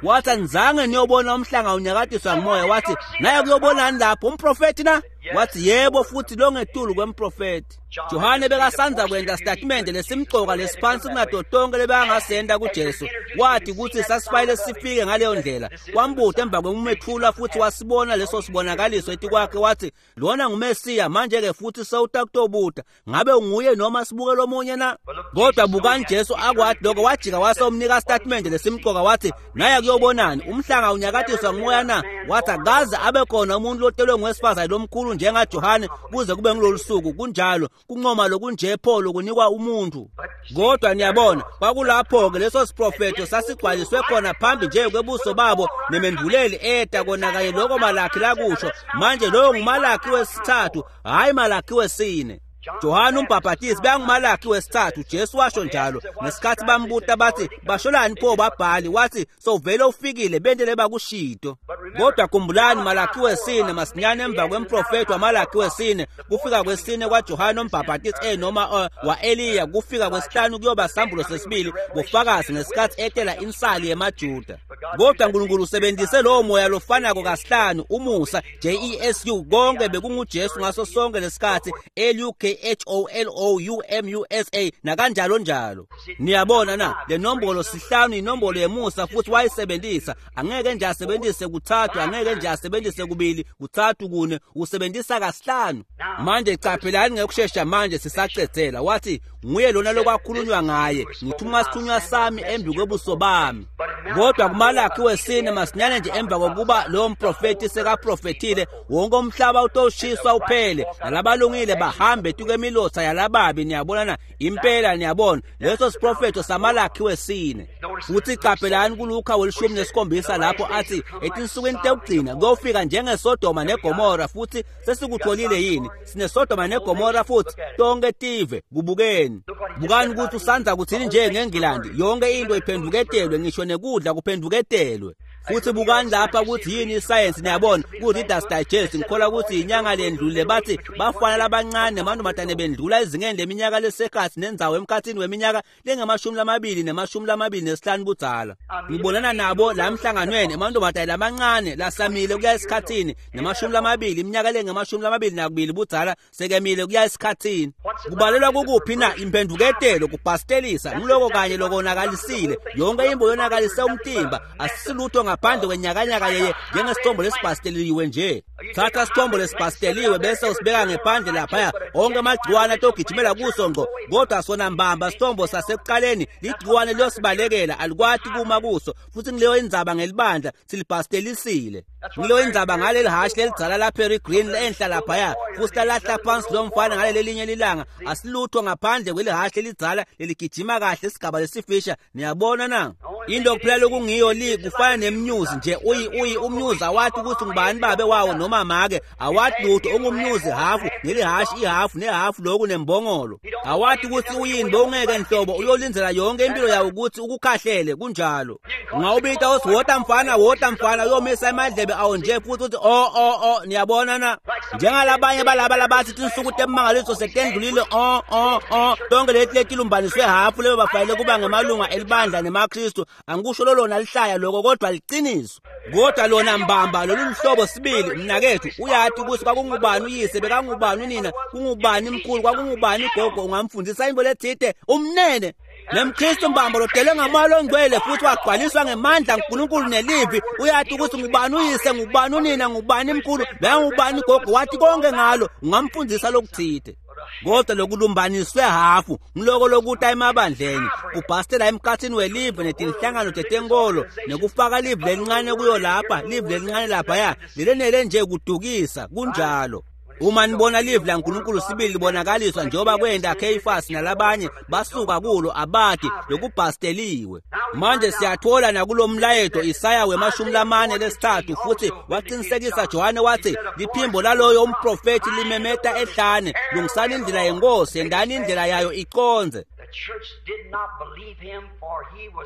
Wathi anizange niyobona umhlanga unyakatiswa ngumoya. Wathi naye kuyobonani lapho umprofeti na? Wathi yebo futhi longetulu kwemprofeti. Johane bekasanza kwenta statement lesimcoka lesiphansi kunato tonke lebangasenda kuJesu. Wathi ukuthi sasifanele sifike ngaleyo ndlela. Wambuta emva kwemethula futhi wasibona leso sibonakaliso etikwakhe wathi lona nguMesiya manje ke futhi sewutakutobuta ngabe unguye noma sibuke lomunye na? Kodwa bukani Jesu akwathi lokho wajika wasomnika statement lesimcoka wathi naye kuyobonani umhlanga unyakatiswa ngumoya na? Wathi akaze abe khona umuntu lotelwe ngowesifazane lomkhulu njengaJohane kuze kube ngilolu suku. Kunjalo kuncoma lokunje pho lokunikwa umuntu. Kodwa niyabona kwakulapho-ke leso siprofetho sasigcwaliswe khona phambi nje kwebuso babo nemendvuleli eta kona kanye lokho Malakhi lakusho. Manje lowo nguMalakhi wesithathu hhayi Malakhi wesine. Johane umbhaphatisi bekanguMalakhi wesithathu, Jesu washo njalo. Ngesikhathi bambuta bathi basholani pho babhali, wathi sowuvele ufikile bentele bakushito. Kodwa khumbulani Malakhi wesine masinyane emva kwemprofeti waMalakhi wesine kufika kwesine kwaJohane umbhaphatisi eh noma uh, wa-Eliya kufika kwesihlanu kuyoba sambulo sesibili bufakazi ngesikhathi etela insali yemaJuda. Kodwa uNkulunkulu usebenzise lowo moya lofanako kasihlanu umusa J E S U konke bekunguJesu ngaso sonke lesikhathi L U K H O L O U M U S A nakanjalo njalo. Niyabona na le nombolo sihlanu inombolo yemusa futhi wayisebenzisa. Angeke nje asebenzise kuthathu, angeke nje asebenzise kubili, kuthathu kune, usebenzisa kasihlanu. Manje qaphelani ngekushesha manje sisacedzela. Wathi nguye lona lokwakhulunywa ngaye, ngithuma isithunywa sami embi kwebuso bami. Kodwa kuMalakhi wesine masinyane nje emva kokuba lowo mprofeti sekaprofethile wonke umhlaba utoshiswa uphele nalabalungile bahambe tukwemilotha yalababi. Niyabona na? Impela niyabona leso siprofetho saMalakhi wesine. Futhi qaphelani kuLuka welishumi nesikhombisa lapho athi etinsukwini tekugcina kuyofika njengeSodoma neGomora. Futhi sesikutholile yini? SineSodoma neGomora futhi tonke tive. Kubukeni, bukani ukuthi usanza kuthini nje ngeNgilandi, yonke into iphenduketelwe, ngisho nekudla kuphenduketelwe. Futhi bukani lapha ukuthi yini isayensi. Niyabona ku-Reader's Digest ngikholwa ukuthi inyanga lendlule bathi bafana labancane namantombazane bendlula ezingeni leminyaka lesekhathi nendzawo emkhathini weminyaka lengamashumi lamabili nemashumi lamabili nesihlanu budzala. Ngibonana nabo la emhlanganweni emantombazane lamancane lasamile kuya esikhathini nemashumi lamabili iminyaka lengamashumi lamabili nakubili budzala sekemile kuya esikhathini. Kubalelwa kukuphi na? Imphenduketelo, kubhastelisa ngiloko kanye lokonakalisile yonke imbo yonakalise umtimba. Asisilutho ngaphandle kwenyakanyaka yeye njengesithombo lesibhasteliwe nje. Thatha sithombo lesibhasteliwe bese usibeka ngephandle laphaya, onke amagciwane atogijimela kuso ngqo, kodwa sona mbamba sithombo sasekuqaleni ligciwane liyosibalekela, alikwati kuma kuso. Futhi ngileyo indzaba ngelibandla, silibhastelisile. Ngileyo indzaba ngaleli hashi lelidzala la Perry Green enhla laphaya, futhi lalahla phansi lo mfana ngaleli linye lilanga, asilutho ngaphandle kwelihhashi lelidzala leligijima kahle isigaba lesifisha. Niyabona na? Into kuphela lokungiyo li kufana nemnyuzi nje, uyi uyi umnyuzi awathi ukuthi ngubani babe wawo noma make, awathi lutho, ungumnyuzi hafu nelihhashi ihafu nehafu lokhu nembongolo, awathi ukuthi uyini, bowungeke nhlobo uyolindzela yonke impilo yawo ukuthi ukukhahlele. Kunjalo. Ungawubita uthi wota mfana, wota mfana, uyomisa emadlebe awo nje futhi uthi o o o. Niyabona na? Njengalabanye balaba labathi tinsuku temangaliso setendlulile, o o o, tonke leti letilumbaniswe hafu lebe bafanele kuba ngemalunga elibandla nemaKristu. Angikusho lolona lihlaya lokho, kodwa liqiniso. Kodwa lona mbamba lolu luhlobo sibili, mnakethu, uyathi ukuthi kwakungubani uyise, bekangubani unina, kungubani mkhulu, kwakungubani gogo, ungamfundisa into lethite umnene. NemKristu mbamba lotelwe ngamoya longcwele futhi wagcwaliswa ngemandla uNkulunkulu nelivi, uyathi ukuthi ngubani uyise, ngubani unina, ngubani mkhulu, bekangubani gogo, wathi konke ngalo, ungamfundisa lokuthite. Kodwa lokulumbaniswe hafu ngiloko lokuta emabandleni, kubhastela emkhathini welive netinhlangano tetenkolo, nekufaka live lelincane kuyo lapha, live lelincane laphaya, lelenele nje kudukisa. Kunjalo. Uma nibona live laNkulunkulu sibili libonakaliswa njengoba kwenda Kheyifasi nalabanye basuka kulo, abati lokubhasteliwe. Manje siyathola nakulomlayeto Isaya wemashumi lamane lesithathu, futhi waqinisekisa Johane wathi liphimbo laloyo umprofethi limemeta ehlane, lungisani indlela yenkosi, yendani indlela yayo iconze.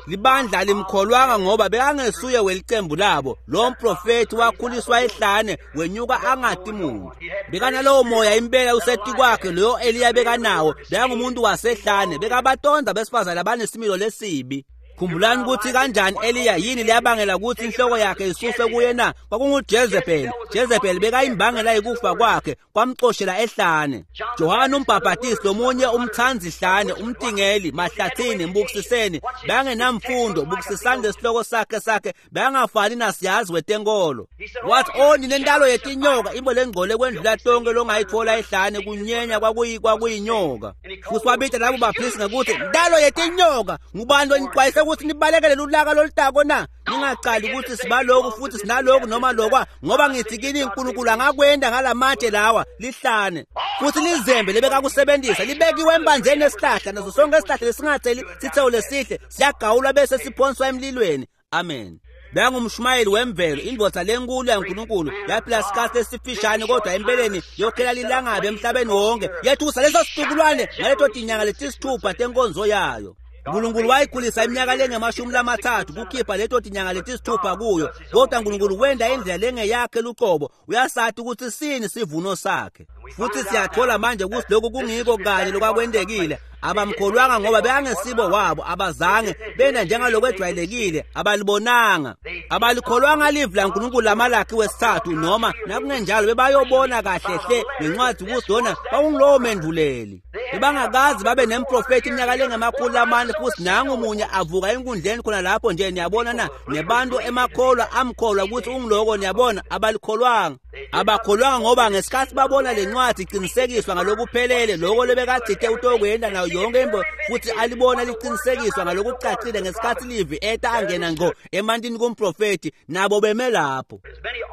Libandla limkholwanga ngoba bekangesuye welicembu labo. Lo mprofethi wakhuliswa ehlane, wenyuka angati muntu. Bekanalowo moya impela useti kwakhe loyo Eliya bekanawo, bekangumuntu wasehlane, bekabatonda besifazane abanesimilo lesibi. Khumbulani ukuthi kanjani Eliya, yini leyabangela ukuthi inhloko yakhe isuswe kuye na? KwakunguJezebel. Jezebel bekayimbangela yikufa kwakhe, kwamcoshela ehlane. Johane umbhaphatisi, lomunye umthanzi hlane, umtingeli, mahlathini, mbukisiseni, bangenamfundo, bukisisani lesihloko sakhe sakhe, bangafani nasiyazi wetenkolo. Wathi, "Oh ninentalo yetinyoka, imbo lengcole kwendlula tonke longayithola ehlane, kunyenya kwakuyi kwakuyinyoka." Futhi wabita labo baphilisi ngekuthi ntalo yetinyoka, ngubani lonixwayise ukuthi nibalekele lulaka lolutako na? Ningaqali ukuthi sibaloku futhi sinaloku noma lokwa, ngoba ngithi kini uNkulunkulu angakwenda ngalamatshe lawa lihlane. Futhi lizembe lebekakusebenzisa libekiwe embanzeni esihlahla, naso sonke isihlahla lesingatheli sithelo lesihle siyagawulwa bese siphonswa emlilweni. Amen. Bengumshumayeli wemvelo, indvodza lenkulu yaNkulunkulu, yaphila isikhathi esifishane kodwa empeleni yokhela lilangabi emhlabeni wonke, yethusa leso situkulwane ngaleto tinyanga letisithupha tenkonzo yayo. uNkulunkulu wayikhulisa iminyaka lengemashumi lamathathu kukhipha leto tinyanga letisithupha kuyo, kodwa uNkulunkulu wenda indlela lengeyakhe luqobo, uyasathi ukuthi sini sivuno sakhe. Futhi siyathola manje ukuthi lokhu kungiko kanye lokwakwendekile. Abamkholwanga ngoba bekangesibo wabo, abazange bena njengalokwejwayelekile, abalibonanga, abalikholwanga live laNkulunkulu laMalakhi wesithathu, noma nakungenjalo bebayobona kahle hle ngencwadi ukuthi lona kwakungulowo menduleli. Bebangakazi babe nemprofethi iminyaka lengemakhulu lamane, futhi nangu munye avuka enkundleni khona lapho nje. Niyabona na? Nebantu emakholwa amkholwa ukuthi ungiloko. Niyabona, abalikholwanga, abakholwanga ngoba ngesikhathi babona lencwadi iqinisekiswa ngalokuphelele lokho lebekathithe utokwenda nayo yonke imbo, futhi alibona liqinisekiswa ngalokucacile ngesikhathi livi eta angena ngqo emantini kumprofethi, nabo beme lapho.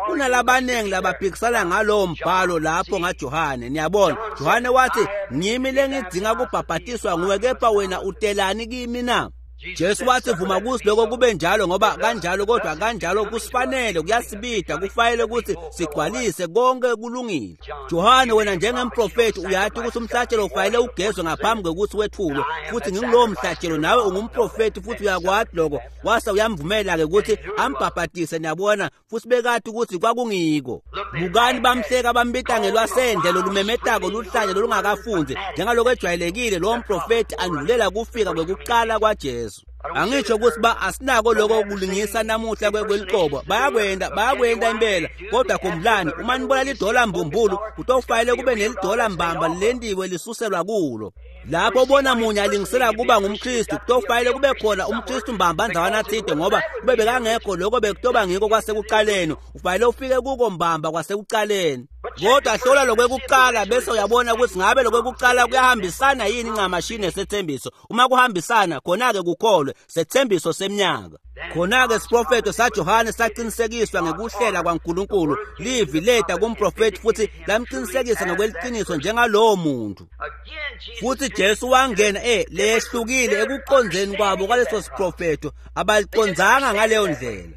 Kunalabaningi labaphikisana ngalowo mbhalo lapho ngaJohane. Niyabona, Johane wathi, ngimi lengidzinga kubhabhatiswa nguwe, kepha wena utelani kimi na? Jesu wathi, vuma kusi lokho kube njalo, ngoba kanjalo kodwa kanjalo kusifanele, kuyasibida, kufanele ukuthi sigcwalise konke kulungile. Johane, wena njengemprofethi uyathi ukuthi umhlatshelo ufanele ugezwe ngaphambi kokuthi wethulwe, futhi ngingulowo mhlatshelo, nawe ungumprofethi futhi uyakwati lokho. Wase uyamvumela-ke ukuthi ambhabhatise, niyabona, futhi bekathi ukuthi kwakungiko. Bukani, bamhleka bambita ngelwasendle lolumemetako luhlanye lolungakafunzi, njengalokho ejwayelekile lowo mprofethi andulela kufika kwekuqala kwaJesu. Angisho ukuthi ba asinako lokho kulingisa namuhla kweliqobo, bayakwenda bayakwenda impela, kodwa khumbulani, uma nibona lidola mbumbulu kutofanele kube nelidola mbamba lentiwe lisuselwa kulo. Lapho ubona munye alingisela kuba ngumKristu, kutofanele kube khona umKristu mbamba ndzawana tsite, ngoba kube bekangekho lokho bekutoba ngiko kwasekuqaleni. Ufanele ufike kuko mbamba kwasekuqaleni. Kodwa hlola lokwekuqala bese uyabona ukuthi ngabe lokwekuqala kuyahambisana yini ncamashi nesethembiso. Uma kuhambisana, khona-ke kukholwe sethembiso semnyaka. Khona-ke siprofetho saJohane saqinisekiswa ngekuhlela kwaNkulunkulu. Livi leta kumprofethi futhi lamqinisekisa ngokweliciniso njengalowo muntu. Futhi Jesu wangena eh lehlukile ekuqondzeni kwabo kwaleso siprofetho, abaliqondzanga ngaleyo ndlela.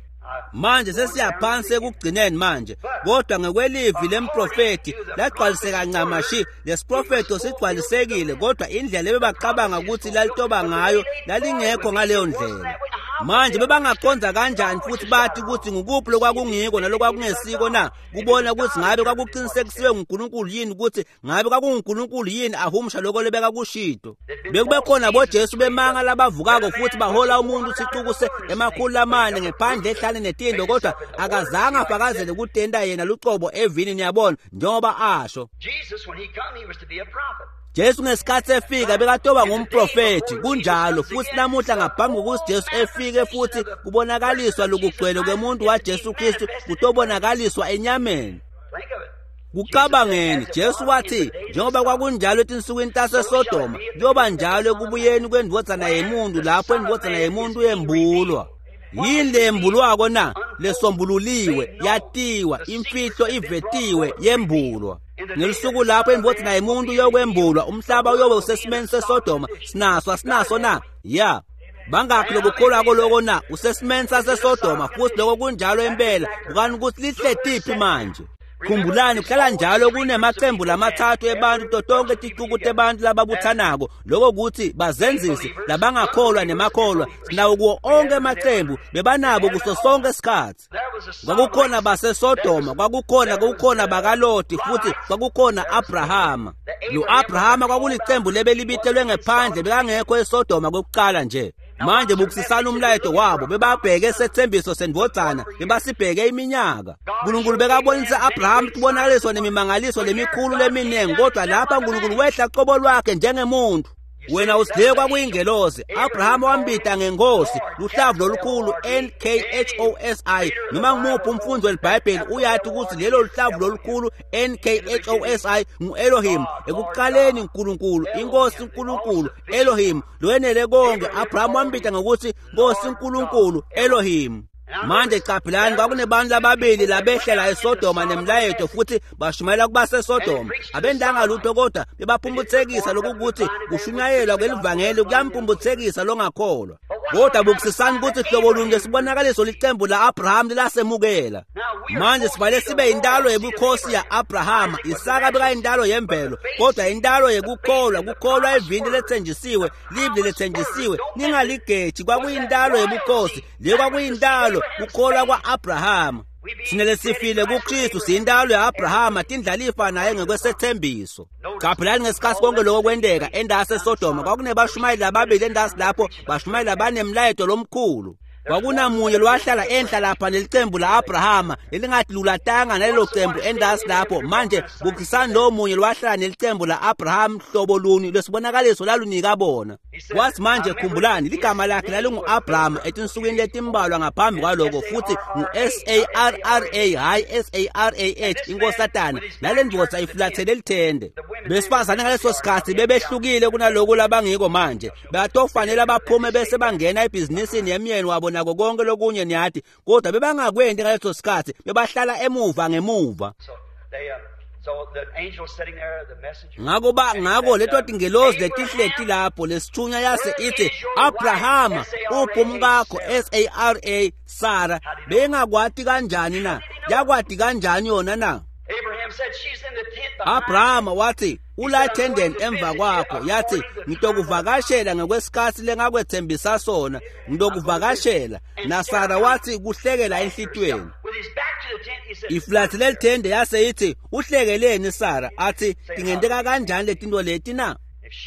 Manje sesiyaphansi ekugcineni manje, kodwa ngekwelivi lemprofethi lagcwaliseka ncamashi. Lesiprofetho sigcwalisekile, kodwa indlela ebebacabanga ukuthi lalitoba ngayo lalingekho ngaleyo ndlela. Manje bebangaqonda kanjani futhi bathi ukuthi ngukuphi lokwakungiko nalokwakungesiko na? Kubona ukuthi ngabe kwakuqinisekisiwe nguNkulunkulu yini, ukuthi ngabe kwakunguNkulunkulu yini ahumusha lokho lebekakushito. Bekube khona boJesu bemanga labavukako futhi bahola umuntu sicukuse emakhulu lamane ngephandle ehlane netindo, kodwa akazange afakazele kutenda yena lucobo evini, niyabona, njengoba asho. Jesus, when he come, he was to be a prophet. Jesu ngesikhathi efika bekatoba ngumprofethi, kunjalo futhi namuhla ngaphambi kokuthi Jesu efike futhi kubonakaliswa lokugcwele kwemuntu waJesu Kristu kutobonakaliswa enyameni. Think of it. Kucabangeni, Jesu wathi njengoba kwakunjalo etinsukwini taseSodoma, kuyoba njalo ekubuyeni kwendvodzana yemuntu, lapho indvodzana yemuntu yembulwa. Yini leyembulwako na? Lesombululiwe, yatiwa, imfihlo ivetiwe, yembulwa. Ngelusuku lapho indvodzana yemuntu yokwembulwa, umhlaba uyobe usesimeni seSodoma. Sinaso asinaso na? Ya. Bangakhi lokukholwako loko na? Usesimeni saseSodoma futhi lokho kunjalo impela. Bukani ukuthi lihle tiphi manje. Khumbulani kuhlala njalo kunemaqembu lamathathu ebantu to tonke ticuku tebantu lababuthanako, lokho kuthi bazenzisi, labangakholwa nemakholwa. Sinawo kuwo onke amaqembu, bebanabo kuso sonke isikhathi. There was a Kwakukhona baseSodoma, kwakukhona kukhona bakaLoti, futhi kwakukhona Abrahama. Lo Abrahama kwakulicembu lebelibitelwe ngephandle, bekangekho eSodoma kokuqala nje. Manje bukisisana umlayeto wabo, bebabheke sethembiso sendvodzana, bebasibheke iminyaka. uNkulunkulu bekabonisa Abraham tibonakaliso nemimangaliso lemikhulu leminingi, kodwa lapha uNkulunkulu wehla qobo lwakhe njengemuntu. Wena usidleke kwakuyingelosi. Abraham wambita ngenkosi, luhlavu lolukhulu N K H O S I. Noma ngumuphi umfundi welibhayibheli uyathi ukuthi lelo luhlavu lolukhulu N K H O S I ngu-Elohim. Ekuqaleni uNkulunkulu, inkosi uNkulunkulu, Elohim, lowenele konke. Abraham wambita ngokuthi Nkosi uNkulunkulu, Elohim. Manje qaphelani, kwakunebantu lababili labehlela eSodoma nemlayeto futhi bashumayela kubaseSodoma. Abendanga lutho kodwa bebaphumputhekisa lokukuthi kushunyayelwa kwelivangeli kuyampumputhekisa longakholwa. Kodwa bukisisani ukuthi hlobo luni lesibonakaliso licembu la-Abraham lilasemukela. Manje sifanele sibe yintalo yebukhosi ya-Abrahama. Isaka bekayintalo yemvelo, kodwa intalo yekukholwa, kukholwa evini lethenjisiwe, livi lethenjisiwe, ningaligeji. Kwakuyintalo yebukhosi, leyo kwakuyintalo kukholwa kwa-Abrahama. Thina lesifile kuKristu siyintalo ya-Abrahama, tindlalifa naye ngekwesethembiso. Qaphelani ngesikhathi konke lokho kwenteka endasi eSodoma, kwakunebashumayeli lababili endasi lapho, bashumayeli labanemlayeto lomkhulu. Kwakunamunye lwahlala enhla lapha nelicembu la-Abrahama lelingathi lulatanga nalelo cembu endasi lapho. Manje bukisani lo munye lwahlala nelicembu la-Abraham, hlobo luni lwesibonakaliso lalunika bona. Wathi manje khumbulani, ligama lakhe lalingu-Abraham etinsukwini letimbalwa ngaphambi kwaloko, futhi ngu-S A R R A, hhayi S A R A H, inkosatana. Nale ndvodza ifulathele lithende. Besifazane ngaleso sikhathi bebehlukile kunaloko labangiko manje. Batofanele baphume bese bangena ebhizinisini yemyeni wabo nako konke lokunye, niyathi, kodwa bebangakwendi ngaleso sikhathi, bebahlala emuva ngemuva. So they, uh, so the angel sitting there, the messenger. Ngako ba ngako leto tingelozi letihleti lapho, lesithunywa yase ithi, Abrahama, uphi umkakho S A R A Sara? Bengakwati kanjani na? Yakwati kanjani yona na? Abraham said, she's in the tent behind. Abrahama wathi, ula ethendeni emva kwakho. Yathi, ngitokuvakashela ngekwesikhathi lengakwethembisa sona, ngitokuvakashela. NaSara wathi kuhlekela enhlitweni. With his back to the tent, he said, Ifulathele lithende yase ithi, uhlekeleni Sara? Athi, tingenteka kanjani letinto leti na?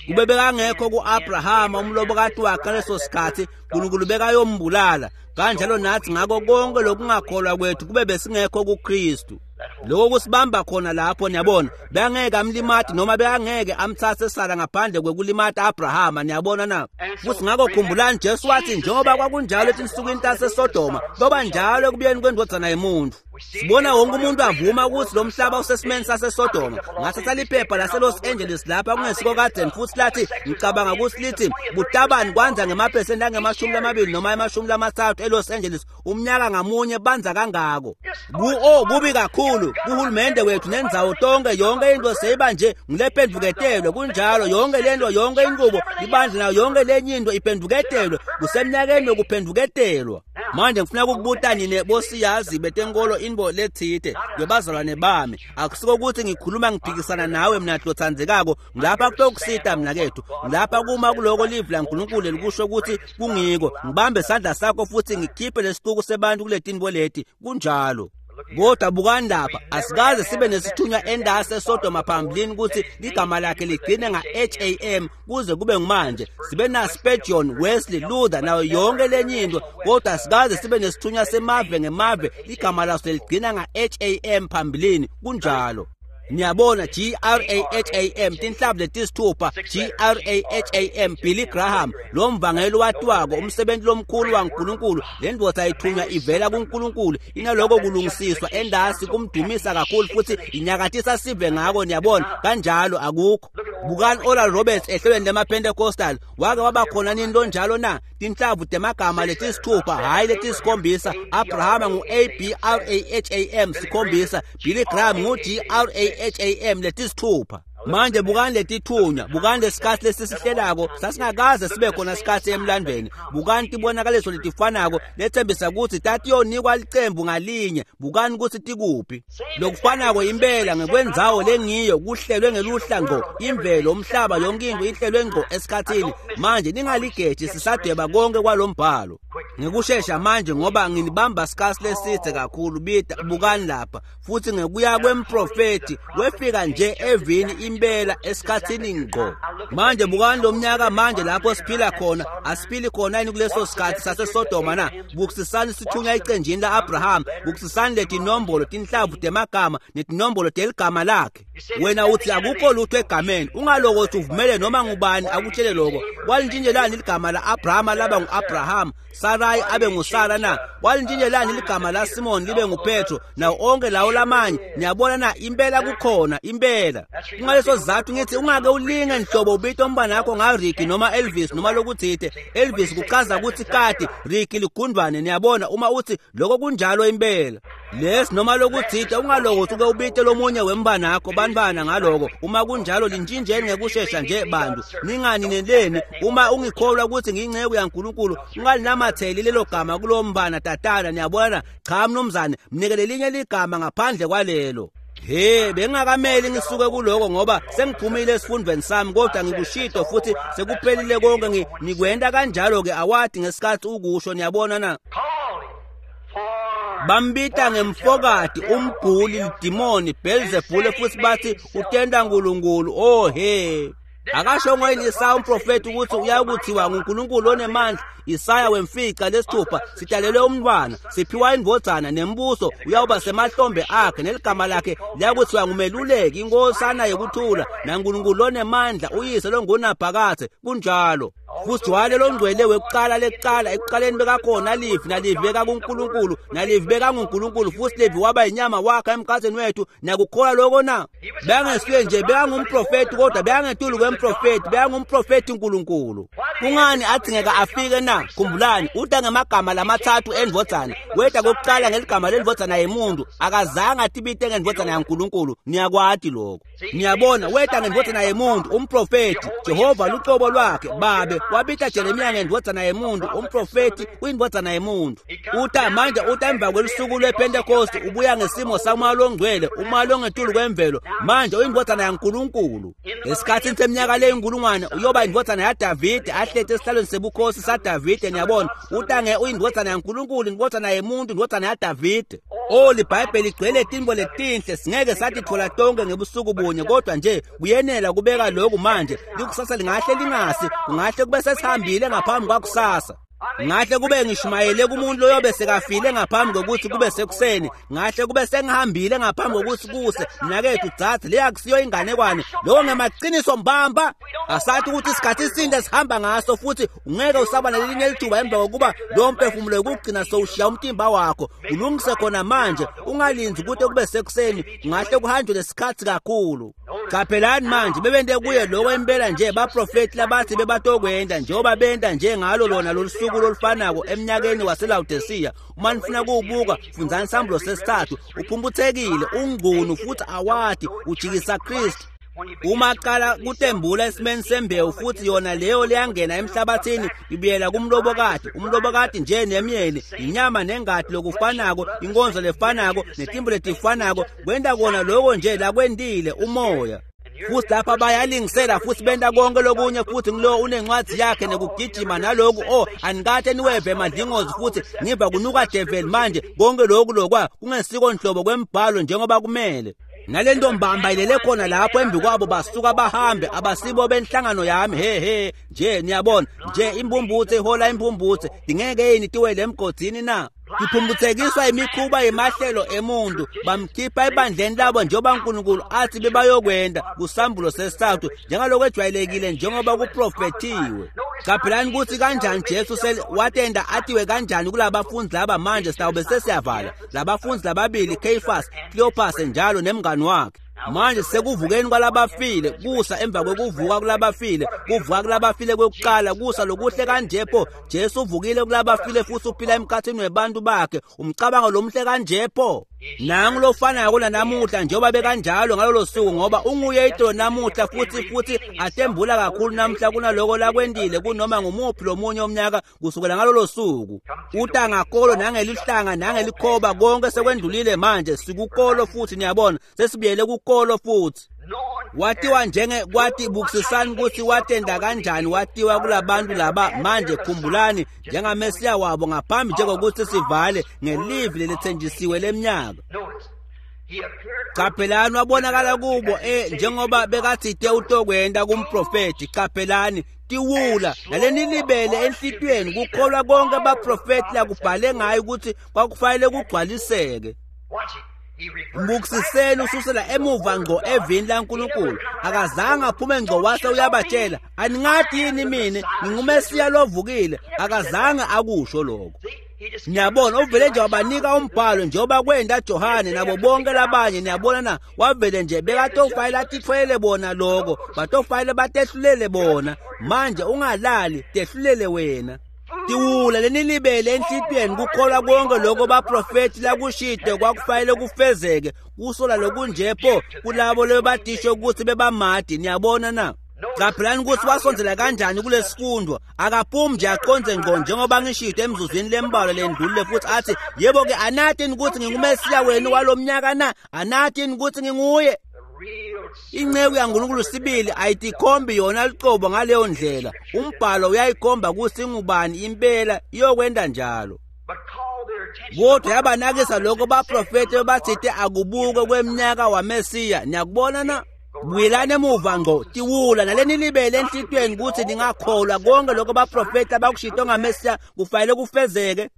Kube bekangekho ku-Abrahama umlobokati wakhe ngaleso sikhathi, uNkulunkulu bekayombulala. Kanjalo nathi ngako konke lokungakholwa kwethu kube besingekho kuKristu. Lokho kusibamba khona lapho, niyabona. Bengeke amlimati noma bengeke amtsatse Sara ngaphandle kwekulimata Abrahama, niyabona na. Futhi ngakho khumbulani Jesu wathi njengoba kwakunjalo etinsukwini taseSodoma, kuyoba njalo ekubuyeni kwendvodzana yemuntu. Sibona wonke umuntu avuma ukuthi lo mhlaba usesimeni saseSodoma. Ngathatha liphepha lase-Los Angeles lapha kungesiko kadzeni futhi lathi ngicabanga ukuthi lithi butabani kwanza ngemaphesenti angemashumi lamabili noma emashumi lamathathu eLos Angeles umnyaka ngamunye banza kangako. Ku oh kubi kakhulu kuhulumende wethu nendzawo tonke yonke into seyiba nje ngulephendvuketelwe kunjalo yonke lento yonke inqubo ibandla nayo yonke lenye into iphendvuketelwe kusemnyakeni wokuphendvuketelwa. Manje ngifuna ukukubuta nine bosiyazi betenkolo inbo lethite ngebazalwane bami akusiko ukuthi ngikhuluma ngiphikisana nawe mina hlothanzekako ngilapha kutokusita mina kethu ngilapha kuma kuloko live laNkulunkulu likusho ukuthi kungiko ngibambe isandla sakho futhi ngikhiphe lesicuku sebantu kuletinbo leti kunjalo. Kodwa bukani lapha asikaze sibe nesithunywa endase eSodoma phambilini ukuthi igama lakhe ligcine nga-H A M kuze kube ngumanje. Sibe na Spurgeon, Wesley, Luther nayo yonke lenye into kodwa asikaze sibe nesithunywa semave ngemave igama laso ligcina nga-H A M phambilini kunjalo. Niyabona G R A H A M tinhlavu letisithupha G R A H A M Billy Graham lo mvangeli watiwako umsebenzi lomkhulu waNkulunkulu le ndvodza ithunywa ivela kuNkulunkulu inaloko kulungisiswa endasi kumdumisa kakhulu futhi inyakatisa sive ngako niyabona kanjalo akukho. Bukani Oral Roberts ehlelweni lemaPentecostal wake waba khona nini lonjalo na tinhlavu temagama letisithupha hayi letisikhombisa Abraham ngu A B R A H A M sikhombisa Billy Graham ngu G R A H A M letisithupha. Manje bukani letithunywa bukani lesikhathi lesisihlelako sasingakaze sibe khona sikhathi emlandweni bukani tibonakaliso letifanako lethembisa ukuthi tatiyonikwa licembu ngalinye bukani ukuthi tikuphi lokufanako impela ngekwendzawo lengiyo kuhlelwe ngeluhla ngqo imvelo umhlaba yonke into ihlelwe ngqo esikhathini. Manje ningaligeji sisadweba konke kwalombhalo ngikushesha manje ngoba nginibamba sikhathi leside kakhulu bida bukani lapha futhi ngekuya kwemprofeti wefika nje evini impela esikhathini ngqo. Manje bukani lo mnyaka manje lapho siphila khona asiphili khona yini kuleso sikhathi saseSodoma na. Bukusisani sithunywa icenjini la-Abraham bukusisani letinombolo tinhlavu temagama netinombolo teligama lakhe. Wena uthi akukho lutho egameni ungalokothi uvumele noma ngubani akutshele lokho. Walintshintshelani ligama la-Abraham laba ngu-Abraham Sarai abe nguSara na? Walintshintshelani ligama laSimon libe nguPetro nawo onke lawo lamanye? Niyabona na impela kukhona impela. Kungaleso sizathu ngithi ungake ulinge nhlobo ubite umbana wakho ngaRicky noma Elvis noma lokuthite. Elvis kuchaza ukuthi kati Ricky ligundwane niyabona uma uthi lokho kunjalo impela. Lesi noma lokuthite ungalokothi uke ubite lomunye wembana wakho bantwana ngaloko uma kunjalo lintshintsheni ngekushesha nje bantu ninganineleni uma ungikholwa ukuthi ngiyinceku yaNkulunkulu ungalinamatheli lelo gama kulo mbana tatana niyabona. Cha mnumzane mnike lelinye ligama ngaphandle kwalelo. He bengakameli ngisuke kuloko ngoba sengiphumile esifundweni sami kodwa ngikushito futhi sekuphelile konke ngikwenda kanjalo ke awadi ngesikhathi ukusho niyabona na. Bambita ngemfokati umguli lidimoni Beelzebule futhi bathi utenda uNkulunkulu. Oh he akasho ngoyini Isaya umprofeti ukuthi uyakuthiwa nguNkulunkulu onemandla. Isaya wemfica lesithupha sidalelwe umntwana siphiwa indvodzana nembuso uyawuba semahlombe akhe neligama lakhe liyakuthiwa ngumeluleki inkosana yokuthula naNkulunkulu onemandla uyise longunaphakadze kunjalo. Futhi wale longcwele wekuqala lekuqala ekuqaleni bekakhona livi nalivi bekakuNkulunkulu nalivi bekanguNkulunkulu futhi livi waba inyama wakhe emkhathini wethu. Niyakukholwa lokho na? Bengesuye nje bekangumprofeti kodwa bekangetulu kwemprofeti bekangumprofeti uNkulunkulu. Kungani adzingeka afike na? Khumbulani uta ngemagama lamathathu endvodzana weta kokuqala ngeligama lendvodzana yemuntu akazange atibite ngendvodzana yaNkulunkulu. Niyakwati lokho niyabona weta ngendvodzana yemuntu umprofeti Jehova lucobo lwakhe babe wabita Jeremiya ngendvodzana yemuntu umprofeti uyindvodzana yemuntu. Uta manje uta emva kwelusuku lwePentecost ubuya ngesimo samoya longcwele umoya longetulu kwemvelo manje uyindvodzana yaNkulunkulu. Esikhathini seminyaka leyinkulungwane uyoba indvodzana yaDavide ahleti esihlalweni sebukhosi saDavide niyabona utange uyindvodzana yaNkulunkulu indvodzana yemuntu indvodzana yaDavide. Oh liBhayibheli ligcwele tintfo letinhle singeke satitfola tonke ngebusuku bunye kodwa nje kuyenela kubeka lokhu manje likusasa lingahle lingasi kungahle kube sesihambile ngaphambi kwakusasa. Ngahle kube ngishumayele kumuntu loyobe sekafile ngaphambi kokuthi kube sekuseni, ngahle kube sengihambile ngaphambi kokuthi kuse. Mnakethu dzadze, leya kusiyo inganekwane, lokho ngemaqiniso mbamba. Asathi ukuthi isikhathi isinde sihamba ngaso, futhi ungeke usaba nelinye lithuba emva kokuba lo mphefumulo wokugcina sowushiya umtimba wakho. Ulungise khona manje, ungalinzi ukuthi kube sekuseni, ngahle kuhanjwe lesikhathi kakhulu. Qaphelani manje, bebente kuye lokho impela nje baprofeti labathi bebatokwenda, njengoba benta nje ngalo lona lolusuku lolufanako eminyakeni waseLawodisiya. Uma nifuna kuwubuka, fundzani Sambulo sesithathu. Uphumputhekile, ungcunu futhi awati, ujikisa Kristu. Uma aqala kutembula esimeni sembewu, futhi yona leyo leyangena emhlabathini ibuyela kumlobokati, umlobokati nje nemyeni, inyama nengati lokufanako, inkonzo lefanako, netimbo letifanako, kwenta kona lokho nje lakwentile umoya. Futhi lapha bayalingisela futhi benta konke lokunye, futhi ngilo unencwadi yakhe nekugijima naloku. Oh, anikathe niweve emadlingozi futhi ngiva kunuka devil manje. Konke lokhu lokwa kungesiko nhlobo kwembhalo njengoba kumele. Nalento mbamba ilele khona lapho embi kwabo, basuka bahambe, abasibo benhlangano yami. He he nje niyabona nje, imbumbuthe ihola imbumbuthe, dingeke yini tiwele emgodini na? Tiphumbuthekiswa imikhuba yemahlelo emuntu, bamkhipha ebandleni labo njengoba uNkulunkulu athi bebayokwenda kusambulo sesithathu, njengalokho ejwayelekile njengoba kuprofethiwe. Qaphelani ukuthi kanjani Jesu watenda athiwe kanjani kulabafundi laba. Manje sitawube sesiyavala labafundi lababili, Caiaphas, Cleopas njalo nemngani wakhe. Manje sekuvukeni kwalabafile, kusa emva kwekuvuka kulabafile, kuvuka kulabafile kwekuqala, kusa lokuhle kanje pho. Jesu uvukile kulabafile futhi uphila emkhathini webantu bakhe. Umcabango lomhle kanje pho. Nangu lofanayo namuhla njengoba bekanjalo ngalolo suku, ngoba unguye itolo namuhla futhi futhi atembula kakhulu namuhla kunaloko lakwendile kunoma ngumuphi lomunye umnyaka kusukela ngalolo suku. Uta ngakolo nangelihlanga nangelikhoba, konke sekwendlulile manje, sikukolo futhi niyabona, sesibuyele kukolo futhi. Watiwa njenge kwathi bukisisani ukuthi watenda kanjani, watiwa kulabantu laba. Manje khumbulani njengamesiya wabo ngaphambi njengokuthi sivale ngelivi lelithenjisiwe leminyaka. Qaphelani wabonakala kubo eh njengoba bekathite utokwenda kumprofeti. Qaphelani tiwula nalenilibele enhlitiyweni kukholwa konke abaprofeti lakubhale ngayo ukuthi kwakufanele kugcwaliseke. Mbukisiseni ususela emuva ngqo evini laNkulunkulu. Akazange aphume ngqo wase uyabatshela, aningathi yini mina ngingumesiya lovukile? Akazange akusho lokho. Niyabona, uvele nje wabanika umbhalo njengoba kwenda Johane nabo bonke labanye. Niyabona na, wavele nje bekatofayela atithwele bona lokho, batofayela batehlulele bona. Manje ungalali, tehlulele wena. Tiwula lenilibele enhlitiyweni kukholwa konke lokho baprofeti lakushide kwakufanele kufezeke. Kusola lokunje pho kulabo lebatisho ukuthi bebamadi. Niyabona na? Qaphelani ukuthi wasondzela kanjani kulesifundo. Akaphumi nje aqonze ngqo njengoba ngishilo emzuzwini lembalwa lendlulile futhi athi, yebo ke anathi ukuthi ngingumesiya wenu walomnyaka na? Anathi ukuthi nginguye? Inceku yaNkulunkulu sibili ayitikhombi yona licobo ngaleyo ndlela. Umbhalo uyayikhomba ukuthi ingubani impela, iyokwenda njalo. Kodwa yabanakisa lokho baprofeti bathite akubuke kweminyaka waMesiya. Niyakubona na? Buyelani emuva ngqo, tiwula nalenilibele enhlitiyweni ukuthi ningakholwa konke lokho baprofeti abakushito ngaMesiya kufanele kufezeke.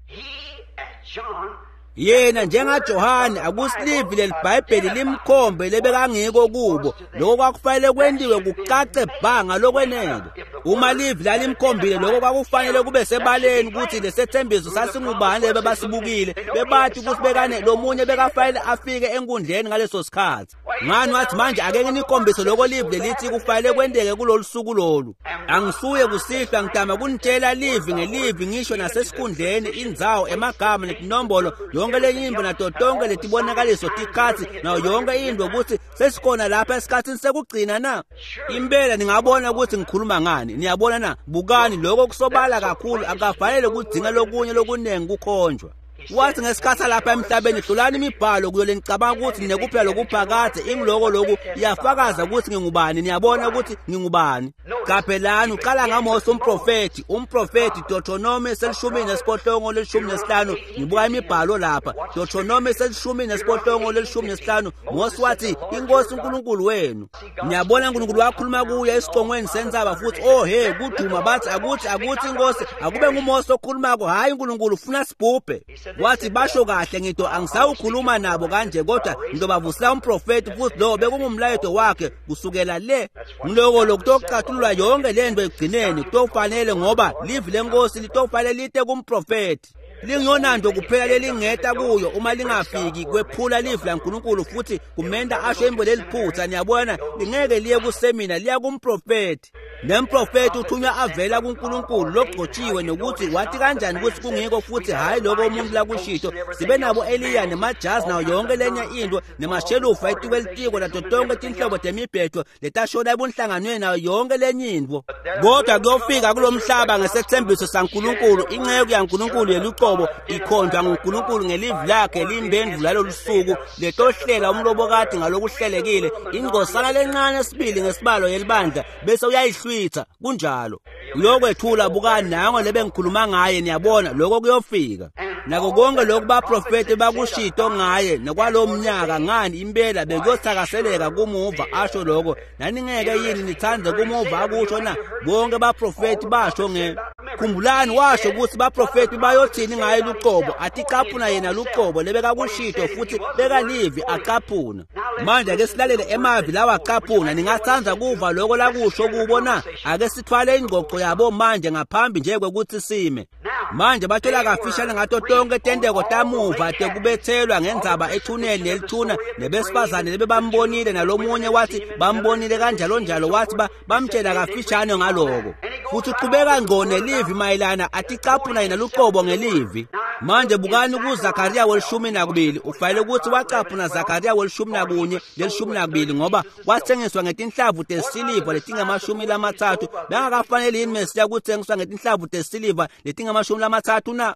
Yena njengaJohane akusilivi leliBhayibheli limkhombe lebekangiko kubo, lokho kwakufanele kwentiwe kucace bha ngalokwenele. Uma livi lalimkhombile lokho kwakufanele kube sebaleni ukuthi lesethembiso sasingubani lebe basibukile, bebathi ukuthi bekane lomunye bekafanele afike enkundleni ngaleso sikhathi. Ngani wathi manje ake nginikhombise lokho livi lelithi kufanele kwenteke kulolu suku lolu. Angisuye kusihlwa ngitama kunitshela livi ngelivi ngisho nasesikhundleni, indzawo, emagama netinombolo, yonke lenye into nato tonke letibonakaliso tikhatsi nayo yonke into ukuthi sesikhona lapha esikhatsini sekugcina na. Impela ningabona ukuthi ngikhuluma ngani. Niyabona na? Bukani lokho kusobala kakhulu, akafanele kudzinga lokunye lokunengi kukhonjwa. Wathi ngesikhathi lapha emhlabeni hlolani imibhalo kuyo lenicabanga ukuthi ninekuphila lokuphakade ingiloko lokhu iyafakaza ukuthi ngingubani. Niyabona ukuthi ngingubani. Qaphelani uqala ngaMose umprofethi, umprofethi Deuteronomy selishumi nesiphohlongo lelishumi nesihlanu. Ngibuka imibhalo lapha. Deuteronomy selishumi nesiphohlongo lelishumi nesihlanu. Mose wathi inkosi uNkulunkulu wenu. Niyabona uNkulunkulu wakhuluma kuye esicongweni senzaba futhi oh hey kuduma bathi akuthi akuthi inkosi akube nguMose okhulumako, hayi uNkulunkulu ufuna sibhubhe. Wathi basho kahle ngito angisawukhuluma nabo kanje kodwa ngizobavusela umprofethi futhi lo bekungumlayeto wakhe kusukela le. Ngiloko lokutocathulula yonke lento ekugcineni kutofanele ngoba livi lenkosi litofanele lite kumprofethi. Lingiyonanto kuphela lelingeta kuyo uma lingafiki kwephula livi laNkulunkulu futhi kumenda asho imbo leliphutha. Niyabona lingeke liye kusemina, liya kumprofethi. Nemprofethi uthunywa avela kuNkulunkulu logcotshiwe nokuthi wathi kanjani ukuthi kungiko futhi hayi lokho umuntu lakushito. Sibe nabo Eliya nemajazi nayo yonke lenye into nemashelufa etikwe litiko nato tonke tinhlobo temibhedo letashona ebunhlanganweni nayo yonke lenye into. Kodwa kuyofika kulomhlaba ngesethembiso saNkulunkulu, inceku yaNkulunkulu yeluqobo ikhonjwa nguNkulunkulu ngelivi lakhe limbendvu lalolu suku letohlela umlobokati ngalokuhlelekile ingcosana lencane sibili ngesibalo yelibandla bese uyayihlwitha. Kunjalo uyokwethula bukani nango lebe ngikhuluma ngaye. Niyabona lokho kuyofika nako konke lokhu baprofeti bakushito ngaye nokwalo mnyaka. Ngani impela bekuyothakaseleka kumuva asho lokho. Naningeke yini nithande kumuva akusho na? Bonke baprofeti basho nge khumbulani washo ukuthi baprofeti bayothini ngaye luqobo. Aticaphuna yena luqobo lebekakushito futhi bekalivi acaphuna. Manje ake silalele emavi lawa acaphuna. Ningathanda kuva lokho lakusho kubo na? Ake sithwale ingqoqo yabo manje ngaphambi nje kwekuthi sime. Manje bathola kafishane ngato tonke tenteko tamuva tekubethelwa ngendzaba ethuneni nelithuna nebesifazane lebebambonile nalomunye wathi bambonile kanjalo njalo wathi bamtshela kafishane ngaloko. Futhi uqhubeka ngqo nelivi mayelana aticaphuna yena luqobo ngelivi. Manje bukani kuZakaria welishumi nakubili. Ufanele ukuthi wacaphuna Zakaria welishumi nakunye lelishumi nakubili ngoba wathengiswa ngetinhlavu tesiliva letingamashumi lamathathu. Bengakafanele yini Mesiya kuthengiswa ngetinhlavu tesiliva letingamashumi lamathathu na?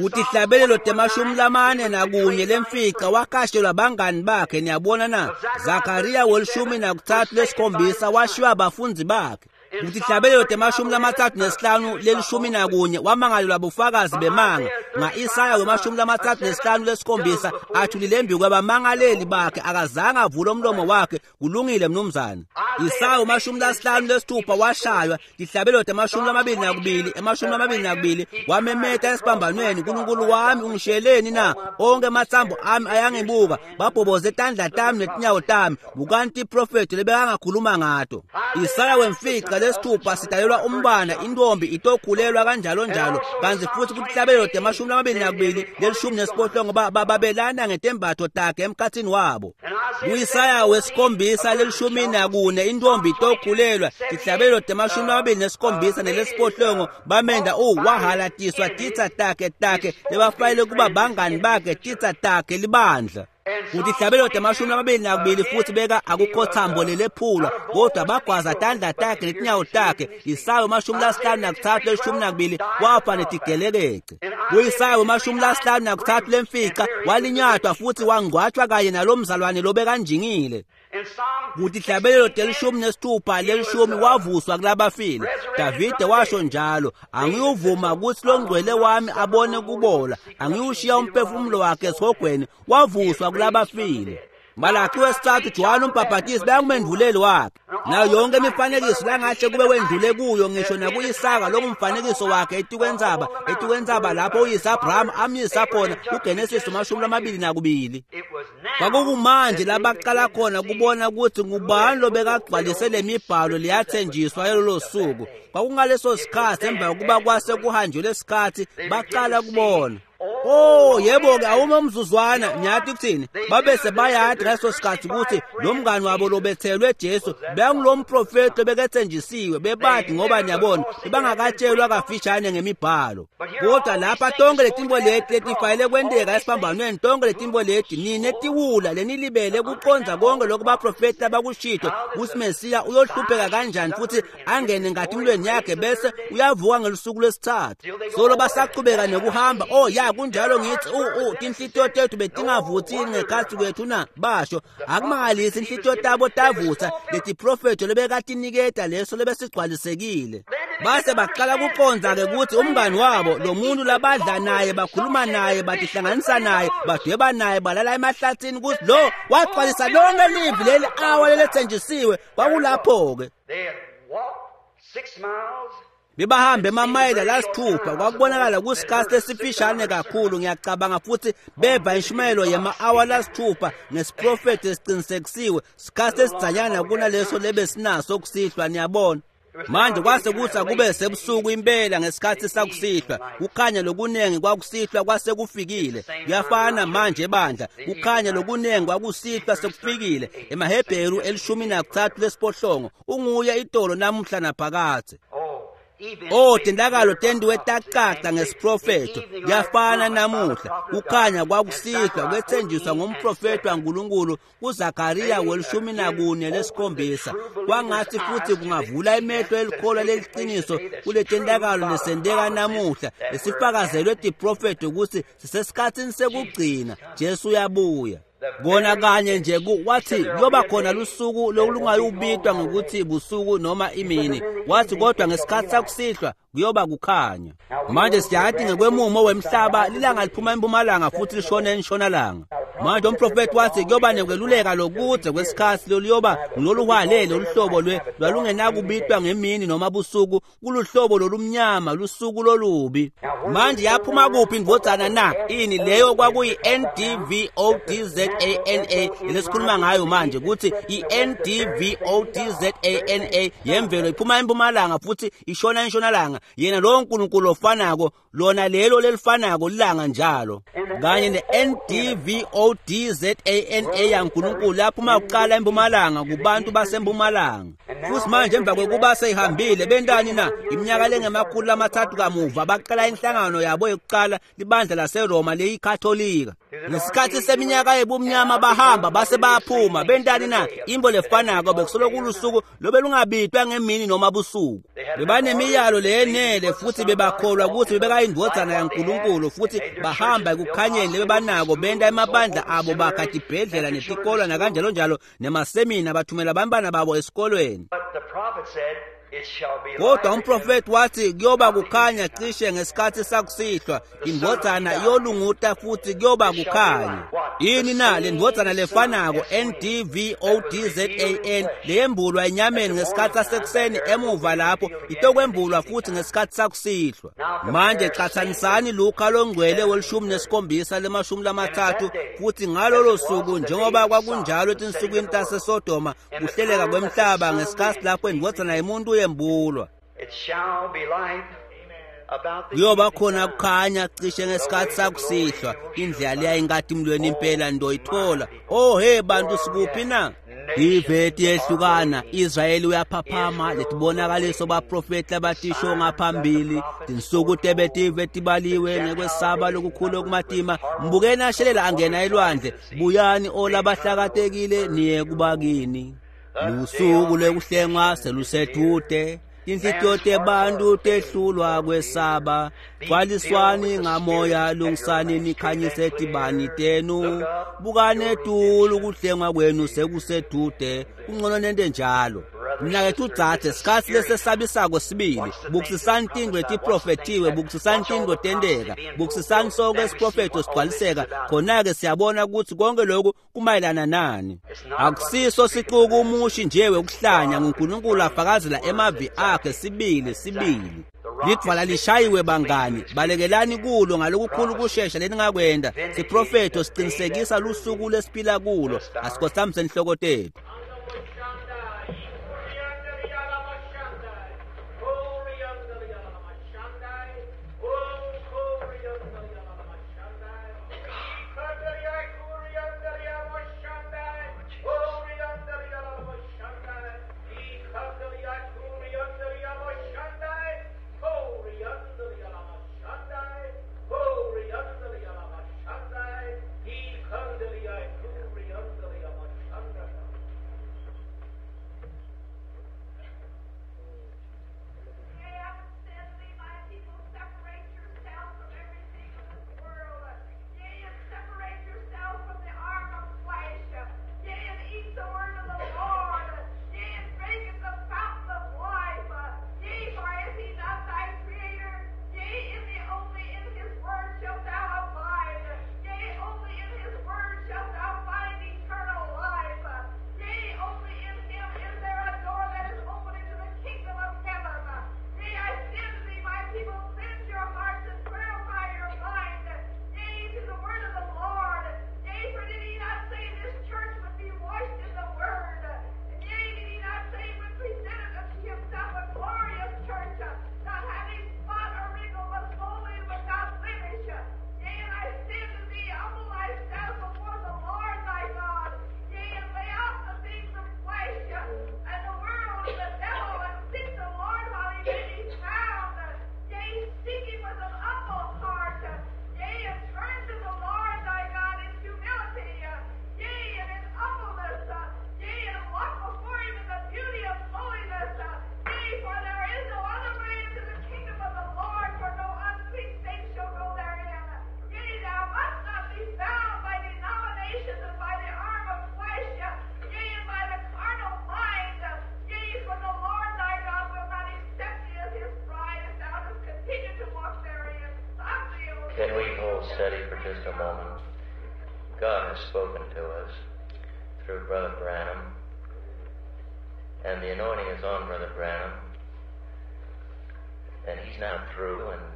Kutihlabelelo temashumi lamane nakunye lemfica wakashelwa bangani bakhe. Niyabona na? Zakaria welishumi nakuthathu lesikhombisa washiywa abafundi bakhe. Kutihlabelelo temashumi lamathathu nesihlanu lelishumi nakunye wamangalelwa bufakazi bemanga. Nga-Isaya wemashumi lamathathu nesihlanu lesikhombisa athulile embi kwabamangaleli bakhe akazange avule umlomo wakhe. Kulungile mnumzane. Isaya wemashumi lasihlanu lesithupha washaywa. Tihlabelelo temashumi lamabili nakubili emashumi lamabili nakubili wamemeta esiphambanweni, uNkulunkulu wami ungishiyeleni na? Onke amathambo ami ayangibuka, babhoboze tandla tami netinyawo tami. Bukani tiprofethi lebekangakhuluma ngato. Isaya wemfica lesithupha sidalelwa umbana, intombi itokhulelwa kanjalo njalo. Kanti futhi kutihlabelelo temashumi lamabili nakubili lelishumi nesiphohlongo babelana ngetembatho takhe emkhathini wabo. Kuisaya wesikhombisa lelishumi nakune intombi itokhulelwa. Tihlabelelo temashumi lamabili nesikhombisa nelesiphohlongo bamenda u wahalatiswa titsa takhe takhe lebafanele kuba bangani bakhe titsa takhe libandla. Kutihlabelelo temashumi lamabili nakubili futhi beka akukho thambo lelephulwa kodwa bagwaza tandla takhe netinyawo takhe. Isaya wemashumi lasihlanu nakuthathu lelishumi nakubili wafa netigelekece. Kuisaya wemashumi lasihlanu nakuthathu lemfica walinyatwa futhi wangcwatshwa kanye nalomzalwane lobekanjingile. Kutihlabelelo telishumi nesithupha lelishumi wavuswa kulabafile. Davide washo njalo, angiyuvuma ukuthi longcwele wami abone kubola, angiyushiya umphefumulo wakhe esihogweni. Wavuswa kulabafile. Malaki wesithathu Johane umbhabhatisi bekungumendvuleli wakhe. Nayo yonke imifanekiso langahle kube wendlule kuyo ngisho nakuIsaka longumfanekiso wakhe etikwentsaba etikwentsaba lapho uyise Abraham amyisa khona kuGenesis amashumi lamabili nakubili. Kwakukumanje labaqala khona kubona ukuthi ngubani lobekagcwalise le mibhalo leyathenjiswa yalolo suku. Kwakungaleso sikhathi emva kokuba kwase kuhanjelwe isikhathi baqala kubona. Oh yebo-ke awume umzuzwana ngiyathi kuthini babese bayadi ngaleso sikhathi ukuthi lo mngani wabo lobethelwe Jesu bengulo mprofethi obekethenjisiwe bebadi ngoba niyabona bebangakatshelwa kafishane ngemibhalo. Kodwa lapha tonke letimbo leti letifanele kwenteka esiphambanweni, tonke letimbo leti nine tiwula lenilibele kuqondza konke lokhu baprofethi abakushito ukuthi Mesiya uyohlupheka kanjani futhi angene ngatimlweni yakhe bese uyavuka ngelusuku lwesithathu. Solo basaqhubeka nekuhamba oh ya kunjalo. njalo ngithi u u tinhlitiyo tethu betingavuthi ngekhatsi kwethu na? Basho akumangalisi inhlitiyo tabo tavutha letiprofetho lebekatiniketa leso lebesigcwalisekile. Base baqala kuqondza-ke ukuthi umngani wabo lo muntu labadla naye bakhuluma naye batihlanganisa naye badweba naye balala emahlathini ukuthi lo wagcwalisa lonke livi leli awa lelethenjisiwe. Kwakulapho-ke bebahambe emamayela lasithupha. Kwakubonakala kusikhathi lesifishane kakhulu ngiyacabanga, futhi beva inshumayelo yema-awa lasithupha ngesiprofethi esiqinisekisiwe, sikhathi esidzanyana kunaleso lebesinaso kusihlwa. Niyabona manje kwase kuthi akube sebusuku impela ngesikhathi sakusihlwa. Kukhanya lokunengi kwakusihlwa kwase kufikile. Kuyafana manje bandla, kukhanya lokunengi kwakusihlwa sekufikile. EmaHebheru elishumi nakuthathu lesiphohlongo, unguye itolo namuhla naphakadze. Oh, tendakalo tendiwe tacaca ngesiprofetho. Kuyafana namuhla, kukhanya kwakusihlwa kwethenjiswa ngumprofethi waNkulunkulu kuZakariya welishumi nakune lesikhombisa. Kwangathi futhi kungavula emehlo elikholwa leliqiniso kuletendakalo lesendeka namuhla lesifakazelwe tiprofetho ukuthi sisesikhathini sekugcina. Jesu uyabuya. Kona kanye nje wathi kuyoba khona lusuku lolungayubitwa ngokuthi busuku noma imini, wathi kodwa ngesikhathi sakusihlwa kuyoba kukhanya. Manje siyathi ngekwemumo wemhlaba lilanga liphuma empumalanga futhi lishone entshonalanga. Manje umprofethi wathi kuyoba nekweluleka lokudze kwesikhathi loluyoba ngiloluhwalele oluhlobo lwe lwalungenakubitwa ngemini noma busuku, kuluhlobo lolumnyama, lusuku lolubi. Manje yaphuma kuphi indvodzana na? Ini leyo kwakuyi N D V O D Z A N A lesikhuluma ngayo manje, ukuthi i-N D V O D Z A N A yemvelo iphuma empumalanga futhi ishona entshonalanga. Yena lowo Nkulunkulu ofanako, lona lelo lelifanako lilanga njalo. Kanye ne-N D V O D Z A N A yaNkulunkulu yaphuma kuqala empumalanga kubantu basempumalanga. Futhi manje emva kwekuba seyihambile bentani na? Iminyaka lengemakhulu amathathu kamuva baqala inhlangano yabo yokuqala, libandla laseRoma leyikatholika. Ngesikhathi seminyaka yebumnyama bahamba base bayaphuma. Bentani na? Imbo lefanako bekusolo kulusuku lobe lungabitwa ngemini noma busuku. Bebanemiyalo leyenele futhi bebakholwa ukuthi bebekayindvodzana yaNkulunkulu, futhi bahamba ekukhanyeni lebebanako, benta emabandla abo, bakha tibhedlela netikolo nakanjalo njalo nemasemina, bathumela abantwana babo esikolweni. Kodwa umprofethi wathi kuyoba kukhanya cishe ngesikhathi sakusihlwa, indvodzana iyolunguta futhi kuyoba kukhanya. Yini na le ndvodzana lefanako N D V O D Z A N leyembulwa enyameni ngesikhathi sasekuseni emuva lapho itokwembulwa futhi ngesikhathi sakusihlwa. Manje qhathanisani Luka longcwele welishumi nesikhombisa lemashumi lamathathu, futhi ngalolo suku njengoba kwakunjalo etinsukwini taseSodoma, kuhleleka kwemhlaba ngesikhathi lapho indvodzana yemuntu yembulwa. Kuyoba khona kukhanya cishe ngesikhathi sakusihlwa, indlela leya inkatimlweni impela ndoyithola. Oh hey bantu, sikuphi na? Iveti yehlukana, Israyeli uyaphaphama, letibonakaliso baprofeti labatisho ngaphambili, tinsuku tebetive tibaliwe ngekwesaba lokukhulu okumatima. Mbukeni ashelela angena elwandle, buyani olabahlakatekile niye kubakini. Lusuku lwekuhlengwa selusedude, tinhlitiyo tebantu tehlulwa kwesaba. Gcwaliswani ngamoya, lungisani nikhanyise tibani tenu, bukani etulu kuhlengwa kwenu sekusedude. Kungcono nente njalo. Mnakethu dzadze, sikhathi lesesabisako sibili. Bukisisani tintfo letiprofethiwe, bukisisani tintfo tenteka, bukisisani sonke isiprofetho sigcwaliseka. Khona-ke siyabona ukuthi konke lokhu kumayelana nani. Akusiso sixuku umushi nje wekuhlanya, nguNkulunkulu afakazela emavi akhe sibili sibili. Lidvwala lishayiwe bangani, balekelani kulo ngalokukhulu kushesha leningakwenda. Siprofetho siqinisekisa lusuku lesiphila kulo. Asikhothamise inhloko tethu. Can we hold steady for just a moment? God has spoken to us through Brother Branham, and the anointing is on Brother Branham, and he's not through, and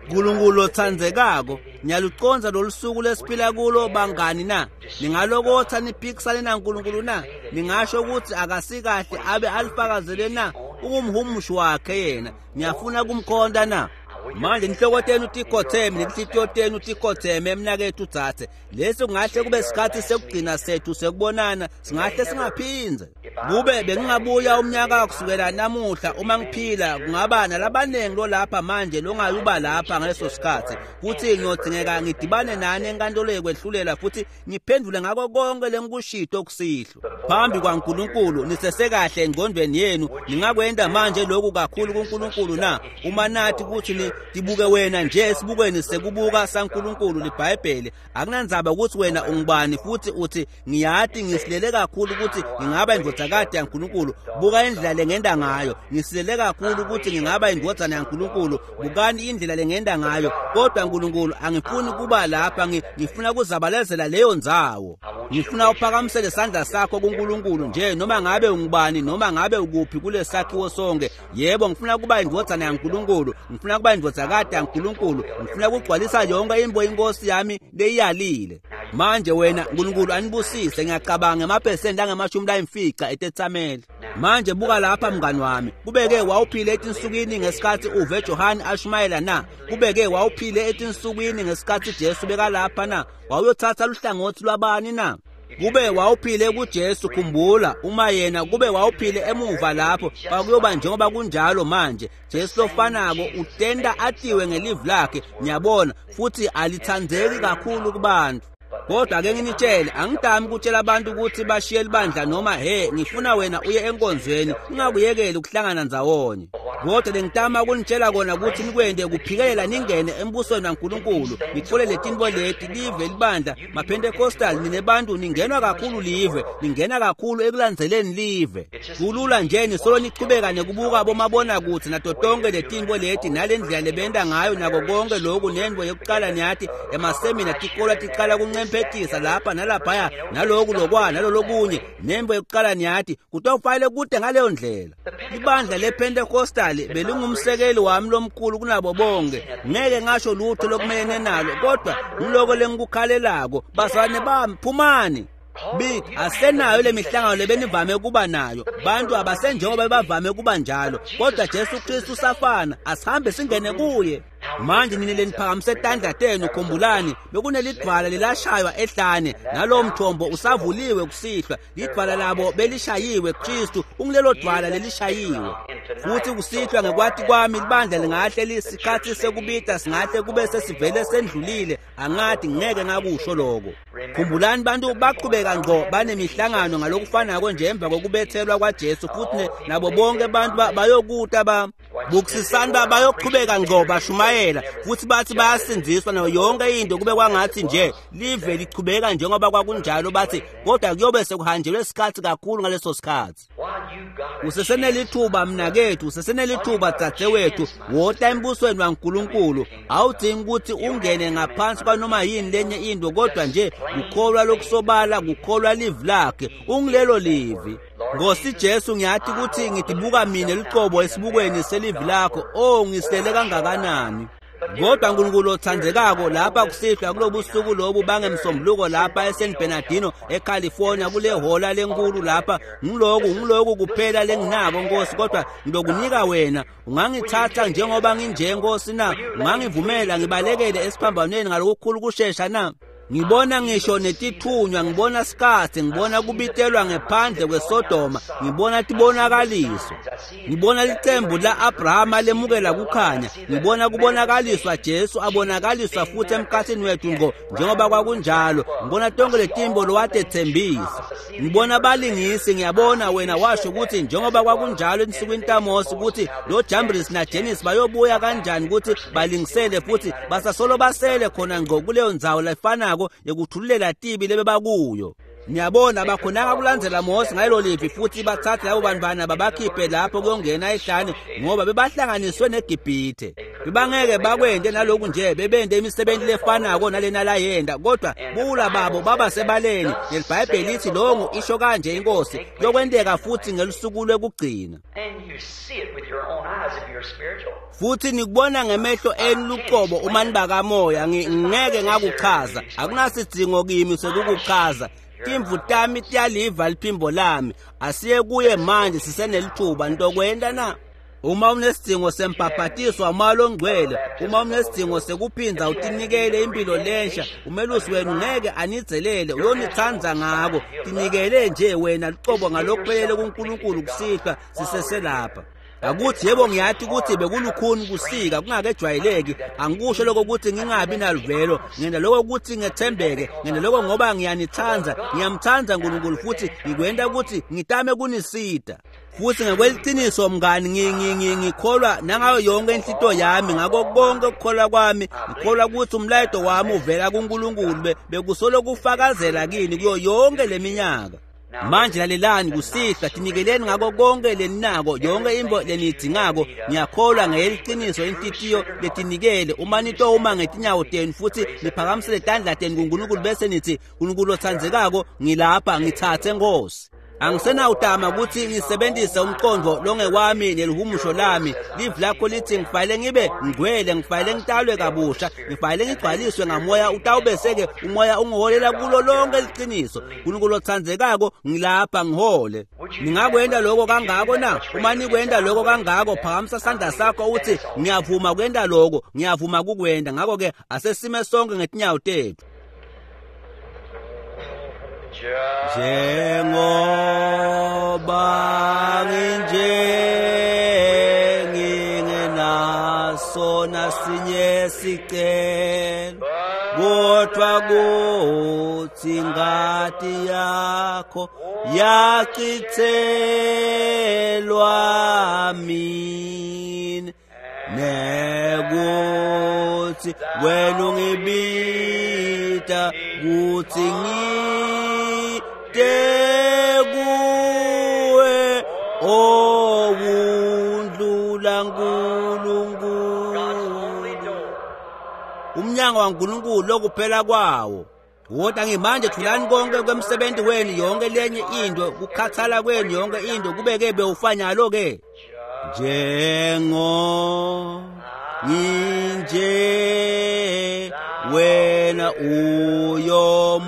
Nkulunkulu otsandzekako ngiyalucondza lolusuku lesiphila kulo bangani na ningalokotha niphikisane naNkulunkulu na ningasho ukuthi akasikahle abe alifakazele na ungumhumushi wakhe yena ngiyafuna kumkhonta na manje inhloko tenu tikhotheme nenhlitiyo tenu tikhotheme emnakethu dzadze lesi kungahle kube sikhathi sekugcina sethu sekubonana singahle singaphindze kube bengingabuya umnyaka kusukela namuhla uma ngiphila kungaba nalabanengi lolapha manje longayuba lapha ngaleso sikhathi futhi ngiyodingeka ngidibane nani enkantolo yekwehlulela futhi ngiphendule ngako konke lengikushito kusihlwa phambi kwaNkulunkulu nisesekahle engqondweni yenu ningakwenda manje lokhu kakhulu kuNkulunkulu na uma nathi ukuthi ni tibuke wena nje esibukweni sekubuka saNkulunkulu liBhayibheli akunandzaba ukuthi wena ungubani futhi uthi ngiyati ngisilele kakhulu ukuthi ngingaba indvodzakati yaNkulunkulu buka indlela lengenda ngayo ngisilele kakhulu ukuthi ngingaba indvodzana yaNkulunkulu bukani indlela lengenda ngayo kodwa Nkulunkulu angifuni kuba lapha ngifuna kuzabalazela leyo ndzawo ngifuna uphakamisele isandla sakho kuNkulunkulu nje noma ngabe ungubani noma ngabe ukuphi kulesakhiwo sonke yebo ngifuna kuba indvodzana yaNkulunkulu ngifuna kuba indvodzakati yaNkulunkulu ngifuna kugcwalisa yonke imbo inkosi yami leyalile manje wena Nkulunkulu anibusise ngiyacabanga emaphesenti angamashumi layimfica etetsameli manje buka lapha mngani wami kubeke wawuphile etinsukwini ngesikhathi uve Johane ashumayela na kubeke wawuphile etinsukwini ngesikhathi Jesu bekalapha na wawuyothatha luhlangothi lwabani na kube wawuphile kuJesu khumbula uma yena kube wawuphile emuva lapho kwakuyoba njengoba kunjalo manje Jesu lofanako utenda atiwe ngelivi lakhe ngiyabona futhi alithandzeki kakhulu kubantu kodwa ake nginitshele angidami ukutshela abantu ukuthi bashiye libandla noma he ngifuna wena uye enkonzweni ungakuyekeli ukuhlangana ndzawonye kodwa lengitama ukunitshela kona ukuthi nikwende kuphikelela ningene embusweni waNkulunkulu nithole letinto leti live libandla maPentecostal ninebantu ningenwa kakhulu live ningena kakhulu ekulandzeleni live kulula nje nisolo nichubeka nekubuka bomabonakude nato tonke letinto leti nalendlela lebenta ngayo nako konke loku nento yokuqala niyathi emasemina tikolwa tiqala kuncemphetisa lapha nalaphaya naloku lokwa nalolokunye nembo yokuqala niyathi kutofanele kude ngaleyo ndlela ibandla lePentecostal belingumsekeli wami lomkhulu kunabo bonke ngeke ngasho lutho lokumelene nalo kodwa ngiloko lengikukhalelako bazalwane bami phumani Bit asenayo lemihlangano lebenivame kuba nayo bantu abasenjengoba bavame kuba njalo kodwa Jesu Kristu usafana asihambe singene kuye manje nini leniphakamise tandla tenu khumbulani bekunelidwala lelashaywa ehlane nalowo mthombo usavuliwe kusihlwa lidwala labo belishayiwe Kristu ungilelo dwala lelishayiwe futhi kusihlwa ngekwati kwami libandla lingahle lisikhathi sekubita singahle kube sesivele sendlulile angathi ngeke ngakusho lokho khumbulani bantu baqhubeka ngqo banemihlangano ngalokufanako nje emva kokubethelwa kwaJesu futhi nabo bonke abantu bayokuta ba bukusisani bayoqhubeka ngqo bashumayela futhi bathi bayasindziswa nayo yonke into kube kwangathi nje live lichubeka njengoba kwakunjalo bathi kodwa kuyobe sekuhanjelwe isikhathi kakhulu ngaleso sikhathi usesenelithuba mnakethu usesenelithuba dzadzewethu wota embusweni waNkulunkulu awudingi ukuthi ungene ngaphansi kwanoma yini lenye into kodwa nje kukholwa lokusobala kukholwa livi lakhe ungilelo livi Nkosi Jesu ngiyathi ukuthi ngitibuka mina lucobo esibukweni selivi lakho oh ngisilele kangakanani kodwa uNkulunkulu othandekako lapha kusihlwa kulobusuku lobu bangemsombuluko lapha eSan Bernardino eCalifornia kule hola lenkulu lapha ngiloku ngiloku kuphela lenginako Nkosi kodwa ngilokunika wena ungangithatha njengoba nginje Nkosi na ungangivumela ngibalekele esiphambanweni ngalokukhulu kushesha na ngibona ngisho netithunywa ngibona sikhathi ngibona kubitelwa ngephandle kweSodoma ngibona tibonakaliso ngibona licembu la-Abrahama lemukela kukhanya ngibona kubonakaliswa Jesu abonakaliswa futhi emkhathini wethu ngqo njengoba kwakunjalo ngibona tonke letimbo lowatethembisa ngibona balingisi ngiyabona wena washo ukuthi njengoba kwakunjalo ensukwini taMose ukuthi lo Jambres naJenis bayobuya kanjani ukuthi balingisele futhi basasolo basele khona ngqo kuleyo ndzawo lefanako yekuthululela tibi lebebakuyo Niyabona bakhonanga kulandzela Mose ngalelo livi futhi bathathe labo bantwana babakhiphe lapho kuyongena ehlane ngoba bebahlanganiswe neGibhithe. Bebangeke bakwente naloku nje bebente imisebenzi lefanako nalena layenda, kodwa buwula babo baba sebaleni. NeliBhayibheli lithi longo isho kanje inkosi kuyokwenteka futhi ngelusuku lwekugcina. Futhi nikubona ngemehlo enu luqobo uma nibakamoya. Ngeke ngakuchaza, akunasidzingo kimi sekukuchaza. Timvu tami tiyaliva liphimbo lami. Asiye kuye manje sisenelithuba. Ntokwenta na? Uma unesidingo sembhabhatiso wamoya longcwele, uma unesidingo sekuphinda utinikele impilo lensha, umelusi wenu ngeke anidzelele, uyonithanda ngako. Tinikele nje wena luqobo ngalokuphelele kuNkulunkulu kusihlwa siseselapha. Akuthi yebo ngiyathi ukuthi bekulukhuni kusika kungakejwayeleki. Angikusho lokho ukuthi ngingabi naluvelo, ngenda lokho ukuthi ngethembeke, ngenda lokho ngoba ngiyanithanda, ngiyamthanda uNkulunkulu futhi ngikwenda ukuthi ngitame kunisida. Futhi ngokweqiniso mngani ngikholwa nangayo yonke inhlito yami, ngako konke ukukholwa kwami ngikholwa ukuthi umlayeto wami uvela kuNkulunkulu bekusolo kufakazela kini kuyo yonke leminyaka. Manje lalelani kusihlwa, tinikeleni ngako konke leninako, yonke into leniyidingako. Ngiyakholwa ngeyeliciniso inhlitiyo letinikele. Uma nitowuma ngetinyawo tenu futhi niphakamisele tandla tenu kuNkulunkulu bese nithi, Nkulunkulu othandzekako, ngilapha, ngithathe Nkosi. Angisenawutama ukuthi ngisebenzise umqondo longewami nelihumusho lami. Livi lakho lithi ngifanele ngibe ngcwele, ngifanele ngitalwe kabusha, ngifanele ngigcwaliswe ngamoya, utawubese-ke umoya ungiholela kulo lonke liqiniso. Nkulunkulu othandzekako, ngilapha, ngihole. Ningakwenta lokho kangako na? Uma nikwenta lokho kangako, phakamisa sandla sakho uthi ngiyavuma kwenta lokho, ngiyavuma kukwenta. Ngakho-ke asesime sonke ngetinyawo tethu. Njengoba nginje ngingenaso nasinye sicelo, kodwa kuthi ingati yakho yachithelwa mina, nekuthi wena ungibita kuthi ngite kuwe, owundlula Nkulunkulu. Umnyango waNkulunkulu lokuphela kwawo. Wota ngimanje thulani konke kwemsebenzi wenu, yonke lenye into, kukhathala kwenu, yonke into kubeke bewufanyalo ke. Njengo nginje wena uyomuke,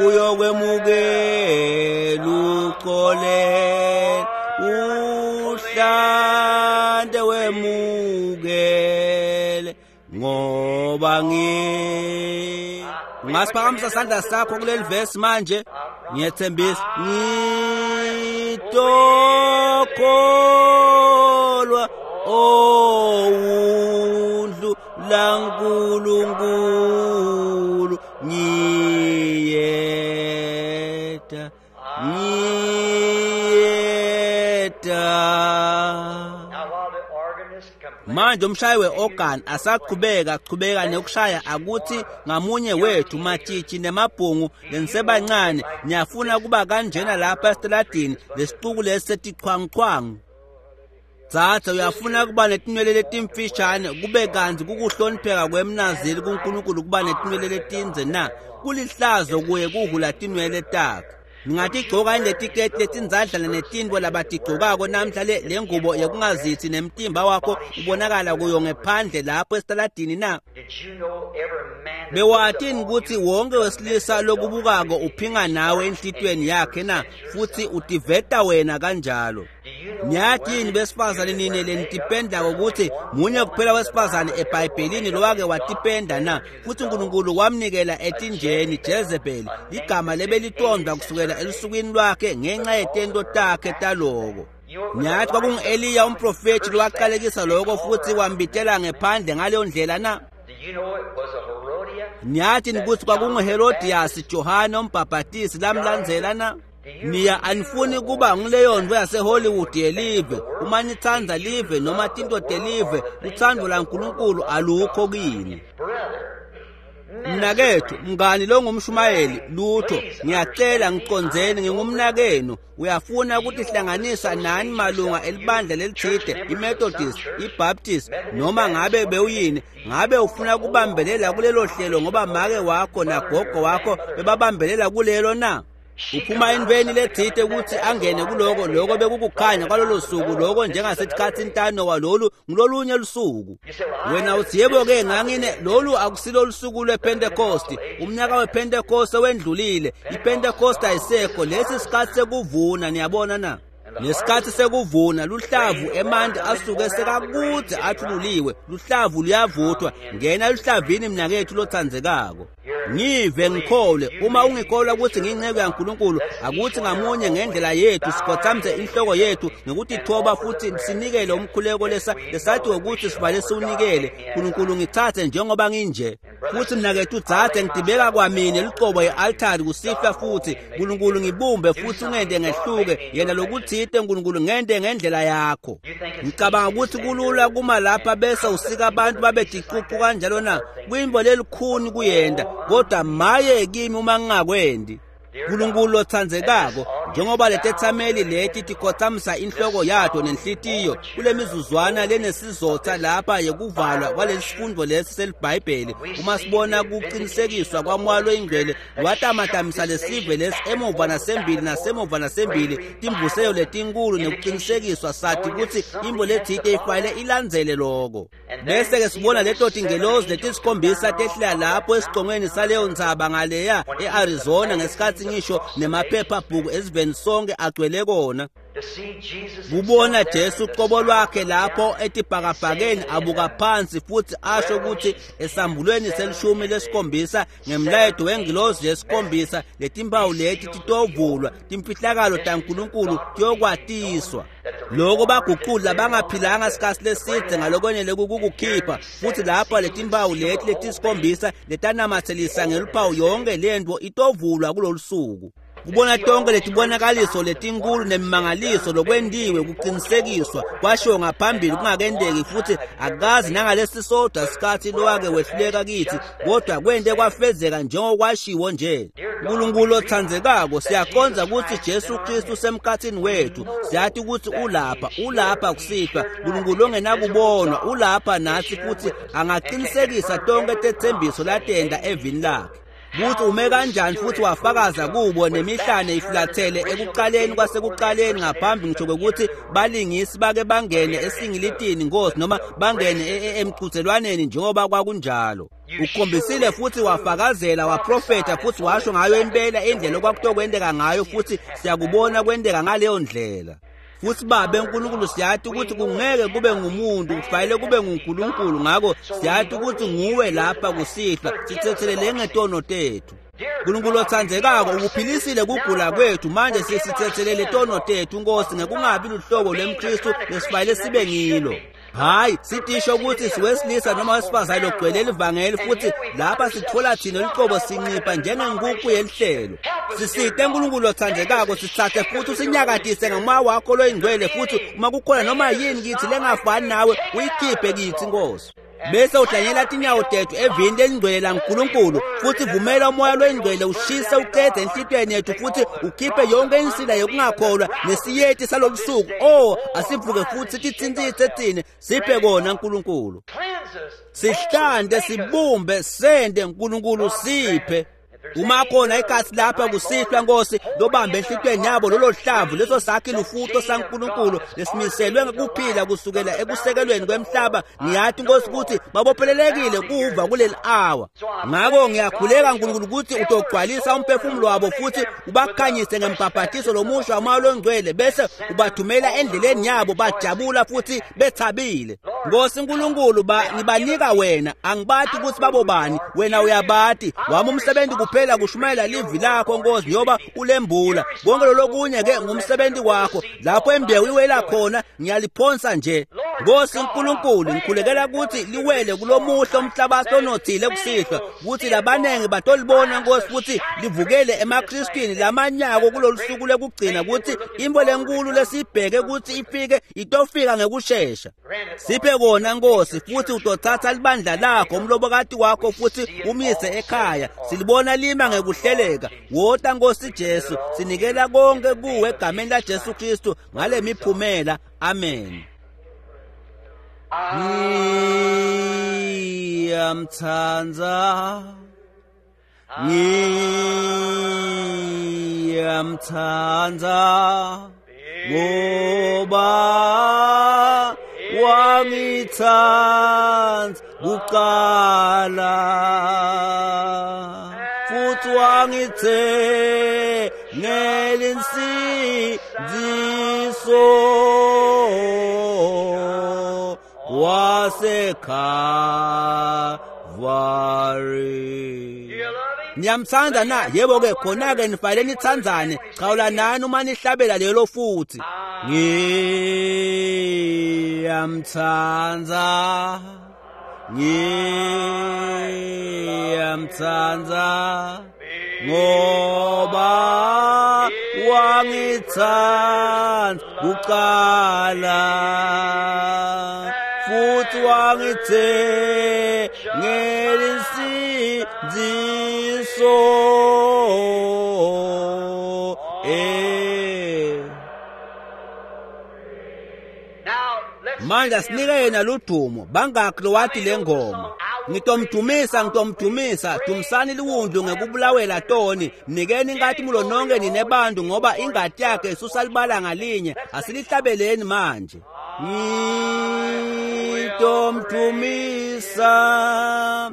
uyokwemukela uxole, uhlande wemukele ngoba ngi. Ungasiphakamisa sandla sakho kuleli verse manje. Ngiyethembisa ngitokholwa owundlu laNkulunkulu, ngiyeta, ngiyeta. Manje umshayi we-organ asaqhubeka qhubeka nekushaya, akuthi ngamunye wethu matshitshi nemabhungu lenisebancane niyafuna kuba kanjena lapha esitaladini lesixuku lesi setichwanguchwangu. Dzadze, uyafuna kuba netinwele letimfishane kube kantsi kukuhlonipheka kwemnaziri kuNkulunkulu kuba netinwele letindze na? Kulihlazo kuye kuhula tinwele takhe. Ningatigcoka inetiketi letindzadlana netintfo labatigcokako namhla le lengubo yekungazithi nemtimba wakho ubonakala kuyo ngephandle lapho esitaladini na? Bewatini kutsi wonke wesilisa lokubukako uphinga nawe enhlitiyweni yakhe na? Futhi utiveta wena kanjalo. Niyati yini besifazane nine lenitipendako ukuthi munye kuphela wesifazane eBhayibhelini lowake watipenda na? Futhi uNkulunkulu wamnikela etinjeni Jezebeli, ligama lebelitondwa kusukela elusukwini lwakhe ngenxa yetento takhe taloko. Niyathi kwakungu-Eliya umprofethi lowaqalekisa lokho futhi wambitela ngephandle ngaleyo ndlela na? Niyathi ukuthi kwakunguHerodiyasi Johane umbhabhatisi lamlandzela na? Niya anifuni kuba nguleyo nto yaseHollywood yelive. Uma nitsandza live noma tinto telive, lutsandvo laNkulunkulu alukho kini. Mnakethu, mngani lo ngumshumayeli, lutho, ngiyacela ngicondzeni ngingumnakenu. Uyafuna ukutihlanganisa nani malunga elibandla lelithide, iMethodist, iBaptist, noma ngabe bewuyini, ngabe ufuna kubambelela kulelo hlelo ngoba make wakho nagogo wakho bebabambelela kulelo na? Uphuma entweni lethite ukuthi angene kuloko, lokho bekukukhanya kwalolo suku, lokho njengasesikhathini taNowa, lolu ngilolunye lusuku. Wena uthi yebo-ke ngangine, lolu akusilo lusuku lwePentecost, umnyaka wePentecost wendlulile, iPentecost ayisekho, lesi sikhathi sekuvuna, niyabona na? Nesikhathi sekuvuna luhlavu emanti asuke sekakude athululiwe, luhlavu luyavuthwa, ngena luhlavini mnakethu lothandzekako. Ngive ngikholwe, uma ungikholwa ukuthi ngiyinceku yaNkulunkulu, akuthi ngamunye ngendlela yethu sikhothamise inhloko yethu ngokutithoba futhi sinikele umkhuleko lesa lesathi ukuthi sivale siwunikele. Nkulunkulu ngithathe njengoba nginje. Futhi mnakethu dzadze ngidibeka kwamine lucobo ye-altari kusihlwa futhi Nkulunkulu ngibumbe futhi ungente ngehluke yena lokuthite Nkulunkulu ngente ngendlela yakho. Ngicabanga ukuthi kulula kuma lapha bese usika abantu babe ticucu kanjalo na kwimbo lelikhuni kuyenda, kodwa maye kimi uma ngingakwendi. Nkulunkulu lothandzekako, njengoba letethameli leti tikhothamisa inhloko yato nenhlitiyo kule mizuzwana lenesizotha lapha yekuvalwa kwalesi sifundo lesi seliBhayibheli, uma sibona kuqinisekiswa kwaMoya loyiNgcwele watamatamisa lesive lesi emuva nasembili nasemuva nasembili, timvuseyo letinkulu nekuqinisekiswa sathi kutsi imbo lethite ifanele ilandzele loko. Bese-ke sibona leto tingelozi letisikhombisa tehlela lapho esicongweni saleyo ntsaba ngaleya e-Arizona ngesikhathi ngisho nemaphephabhuku esiveni sonke agcwele kona. Kubona Jesu uqobo lwakhe lapho etibhakabhakeni abuka phansi futhi asho ukuthi esambulweni selishumi lesikhombisa ngemlayeto wengilozi yesikhombisa letimpawu leti titovulwa, timfihlakalo taNkulunkulu tiyokwatiswa. Loko baguqula bangaphilanga sikhathi lesidze ngalokwenele kukukhipha futhi lapha letimpawu leti letisikhombisa letanamathelisa ngeluphawu yonke lento itovulwa kulolu suku. Kubona tonke letibonakaliso letinkulu nemimangaliso lokwentiwe kuqinisekiswa kwashiwo ngaphambili kungakendeki futhi akazi nangalesi sodwa sikhathi lowake wehluleka kithi, kodwa kwente kwafezeka njengokwashiwo nje. Nkulunkulu othandzekako, siyaqonda ukuthi Jesu Kristu usemkhathini wethu, siyathi ukuthi ulapha, ulapha kusihlwa. Nkulunkulu ongenakubonwa ulapha nathi futhi angaqinisekisa tonke tetsembiso latenda evini lakhe. Kuthi ume kanjani futhi wafakaza kubo nemihlane ifulathele ekuqaleni kwasekuqaleni ngaphambi ngisho kwekuthi balingisi bake bangene esingilitini Nkosi noma bangene emqhudelwaneni njengoba kwakunjalo. Ukhombisile futhi wafakazela waprofetha futhi washo ngayo impela indlela okwakutokwenteka ngayo futhi siyakubona kwenteka ngaleyo ndlela. Futhi Babe Nkulunkulu siyathi ukuthi kungeke kube ngumuntu, kufanele kube nguNkulunkulu, ngakho siyathi ukuthi nguwe lapha kusihlwa, sithethelele ngetono tethu. Nkulunkulu othandzekako, ukuphilisile kugula kwethu, manje sisithethelele tono tethu Nkosi ngekungabi luhlobo lwemKristu lesifanele sibe ngilo. Hayi, sitisho ukuthi siwesilisa noma wesifazane logcwele livangeli futhi lapha sithola thina luqobo sincipha njengenkukhu yelihlelo. Sisite Nkulunkulu othandzekako, sithathe futhi usinyakatise ngomoya wakho loyingcwele futhi uma kukhona noma yini kithi lengafani nawe uyikhiphe kithi Nkosi. Bese uhlanyela tinyawo tethu evini lelingcwele laNkulunkulu futhi vumela umoya loyingcwele ushise uqede enhlitiyweni yethu futhi ukhiphe yonke insila yokungakholwa nesiyeti salolusuku. Oh, asivuke futhi titsintitse thine, siphe kona Nkulunkulu. Sihlante, sibumbe, sende Nkulunkulu, siphe. Uma khona ikasi lapha kusihlwa Nkosi lobambe enhlitiyweni yabo lolo hlamvu leso sakhi lufuto saNkulunkulu lesimiselwe ngekuphila kusukela ekusekelweni kwemhlaba, ngiyathi Nkosi ukuthi babophelelekile kuva kuleli hour. Ngakho ngiyakhuleka Nkulunkulu ukuthi utogcwalisa umphefumulo wabo futhi ubakhanyise ngembhabhatiso lomusha waMoya loNgcwele bese ubathumela endleleni yabo bajabula futhi bethabile. Nkosi Nkulunkulu, ba ngibanika wena, angibathi ukuthi babobani, wena uyabati. Wami umsebenzi kuphela kushumayela livi lakho Nkosi njengoba ulembula. Konke lokunye ke ngumsebenzi wakho. Lapho imbewu iwela khona ngiyaliphonsa nje. Nkosi Nkulunkulu, ngikhulekela ukuthi liwele kulomuhle umhlabathi onothile kusihlwa, ukuthi labanengi batolibona Nkosi futhi livukele emaKristwini lamanyako kulolu suku lekugcina, ukuthi imvo lenkulu lesibheke ukuthi ifike itofika ngekushesha. Siphe kona Nkosi, futhi utothatha libandla lakho umlobokati wakho futhi umise ekhaya. Silibona lima ngekuhleleka. Wota Nkosi Jesu, sinikela konke kuwe egameni la Jesu Kristu ngale miphumela. Amen. Ngiyamthanda, ngiyamthanda, ngoba wangithanda kuqala futhi wangithengela insindiso waseKalvari. Niyamthanda na? Yebo ke, khona ke nifanele nithandzane. Chawulanani uma nihlabela lelo futhi. Ngiyamthanda, ngiyamthanda, ngoba wangithanda kuqala futhi wangithengela insindiso. Eh, manje asinike yena ludumo. Bangakhi lowathi le ngoma? Ngitomdumisa, ngitomdumisa, dumisani liwundlu ngekubulawela toni. Mnikeni inkazimulo nonke nine bantu, ngoba ingati yakhe isusa libala ngalinye. Asilihlabeleni manje. Ngitomdumisa,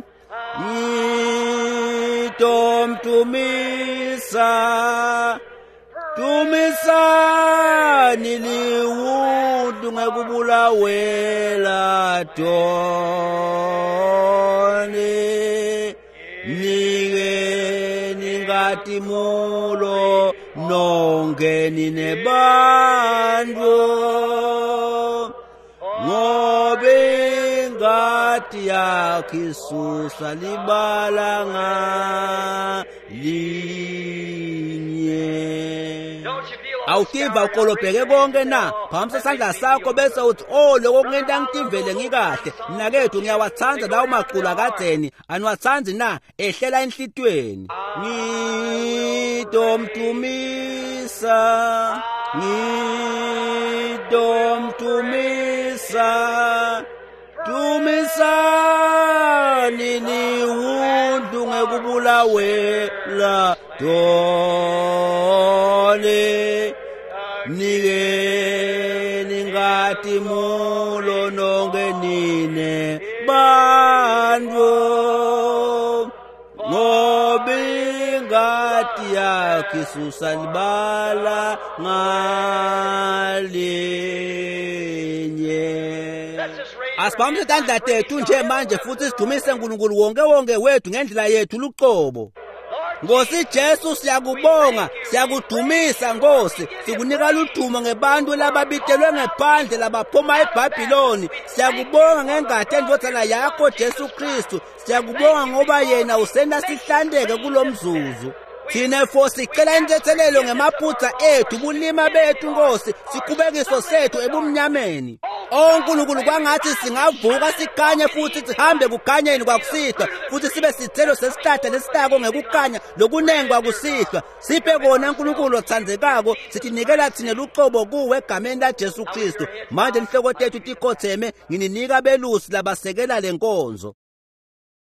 ngitomdumisa, dumisani liwundlu ngekubulawela toni. Mnikeni inkazimulo nonke nine bantu, ngoba ingati yakhe isusa libala ngalinye. Awutiva ukolobheke konke na? Phamisa isandla sakho bese uthi, oh, lokho kungenta ngitivele ngikahle. Mnakethu, ngiyawathanda lawo maculo akadzeni. Aniwathandi na? Ehlela enhlitiyweni. Ngitomdumisa, ngitomdumisa, dumisani liwundlu ngekubulawela toni. Mnikeni inkazimulo nonke nine bantu, ngoba ingati yakhe isusa libala ngalinye. Asibambe tandla tethu nje manje futhi sidumise uNkulunkulu wonke wonke wethu ngendlela yethu luqobo. Nkosi Jesu, siyakubonga, siyakudumisa Nkosi, sikunika ludumo ngebantu lababitelwe ngephandle labaphuma eBhabhiloni. Siyakubonga ngengati endvodzana yakho Jesu Kristu. Siyakubonga ngoba yena usenta sihlandeke kulomzuzu. Thina fo sicela intethelelo ngemaphutha ethu, bulima bethu Nkosi, sikhubekiso sethu ebumnyameni. O Nkulunkulu, kwangathi singavuka sikhanye futhi sihambe kukhanyeni kwakusihlwa, futhi sibe sithelo sesihlahla lesitako ngekukhanya lokunengi kwakusihlwa. Siphe kona Nkulunkulu othandzekako, sitinikela thine luqobo kuwe egameni la Jesu Kristu. Manje inhloko tethu tikhotheme, ngininika belusi labasekela lenkonzo.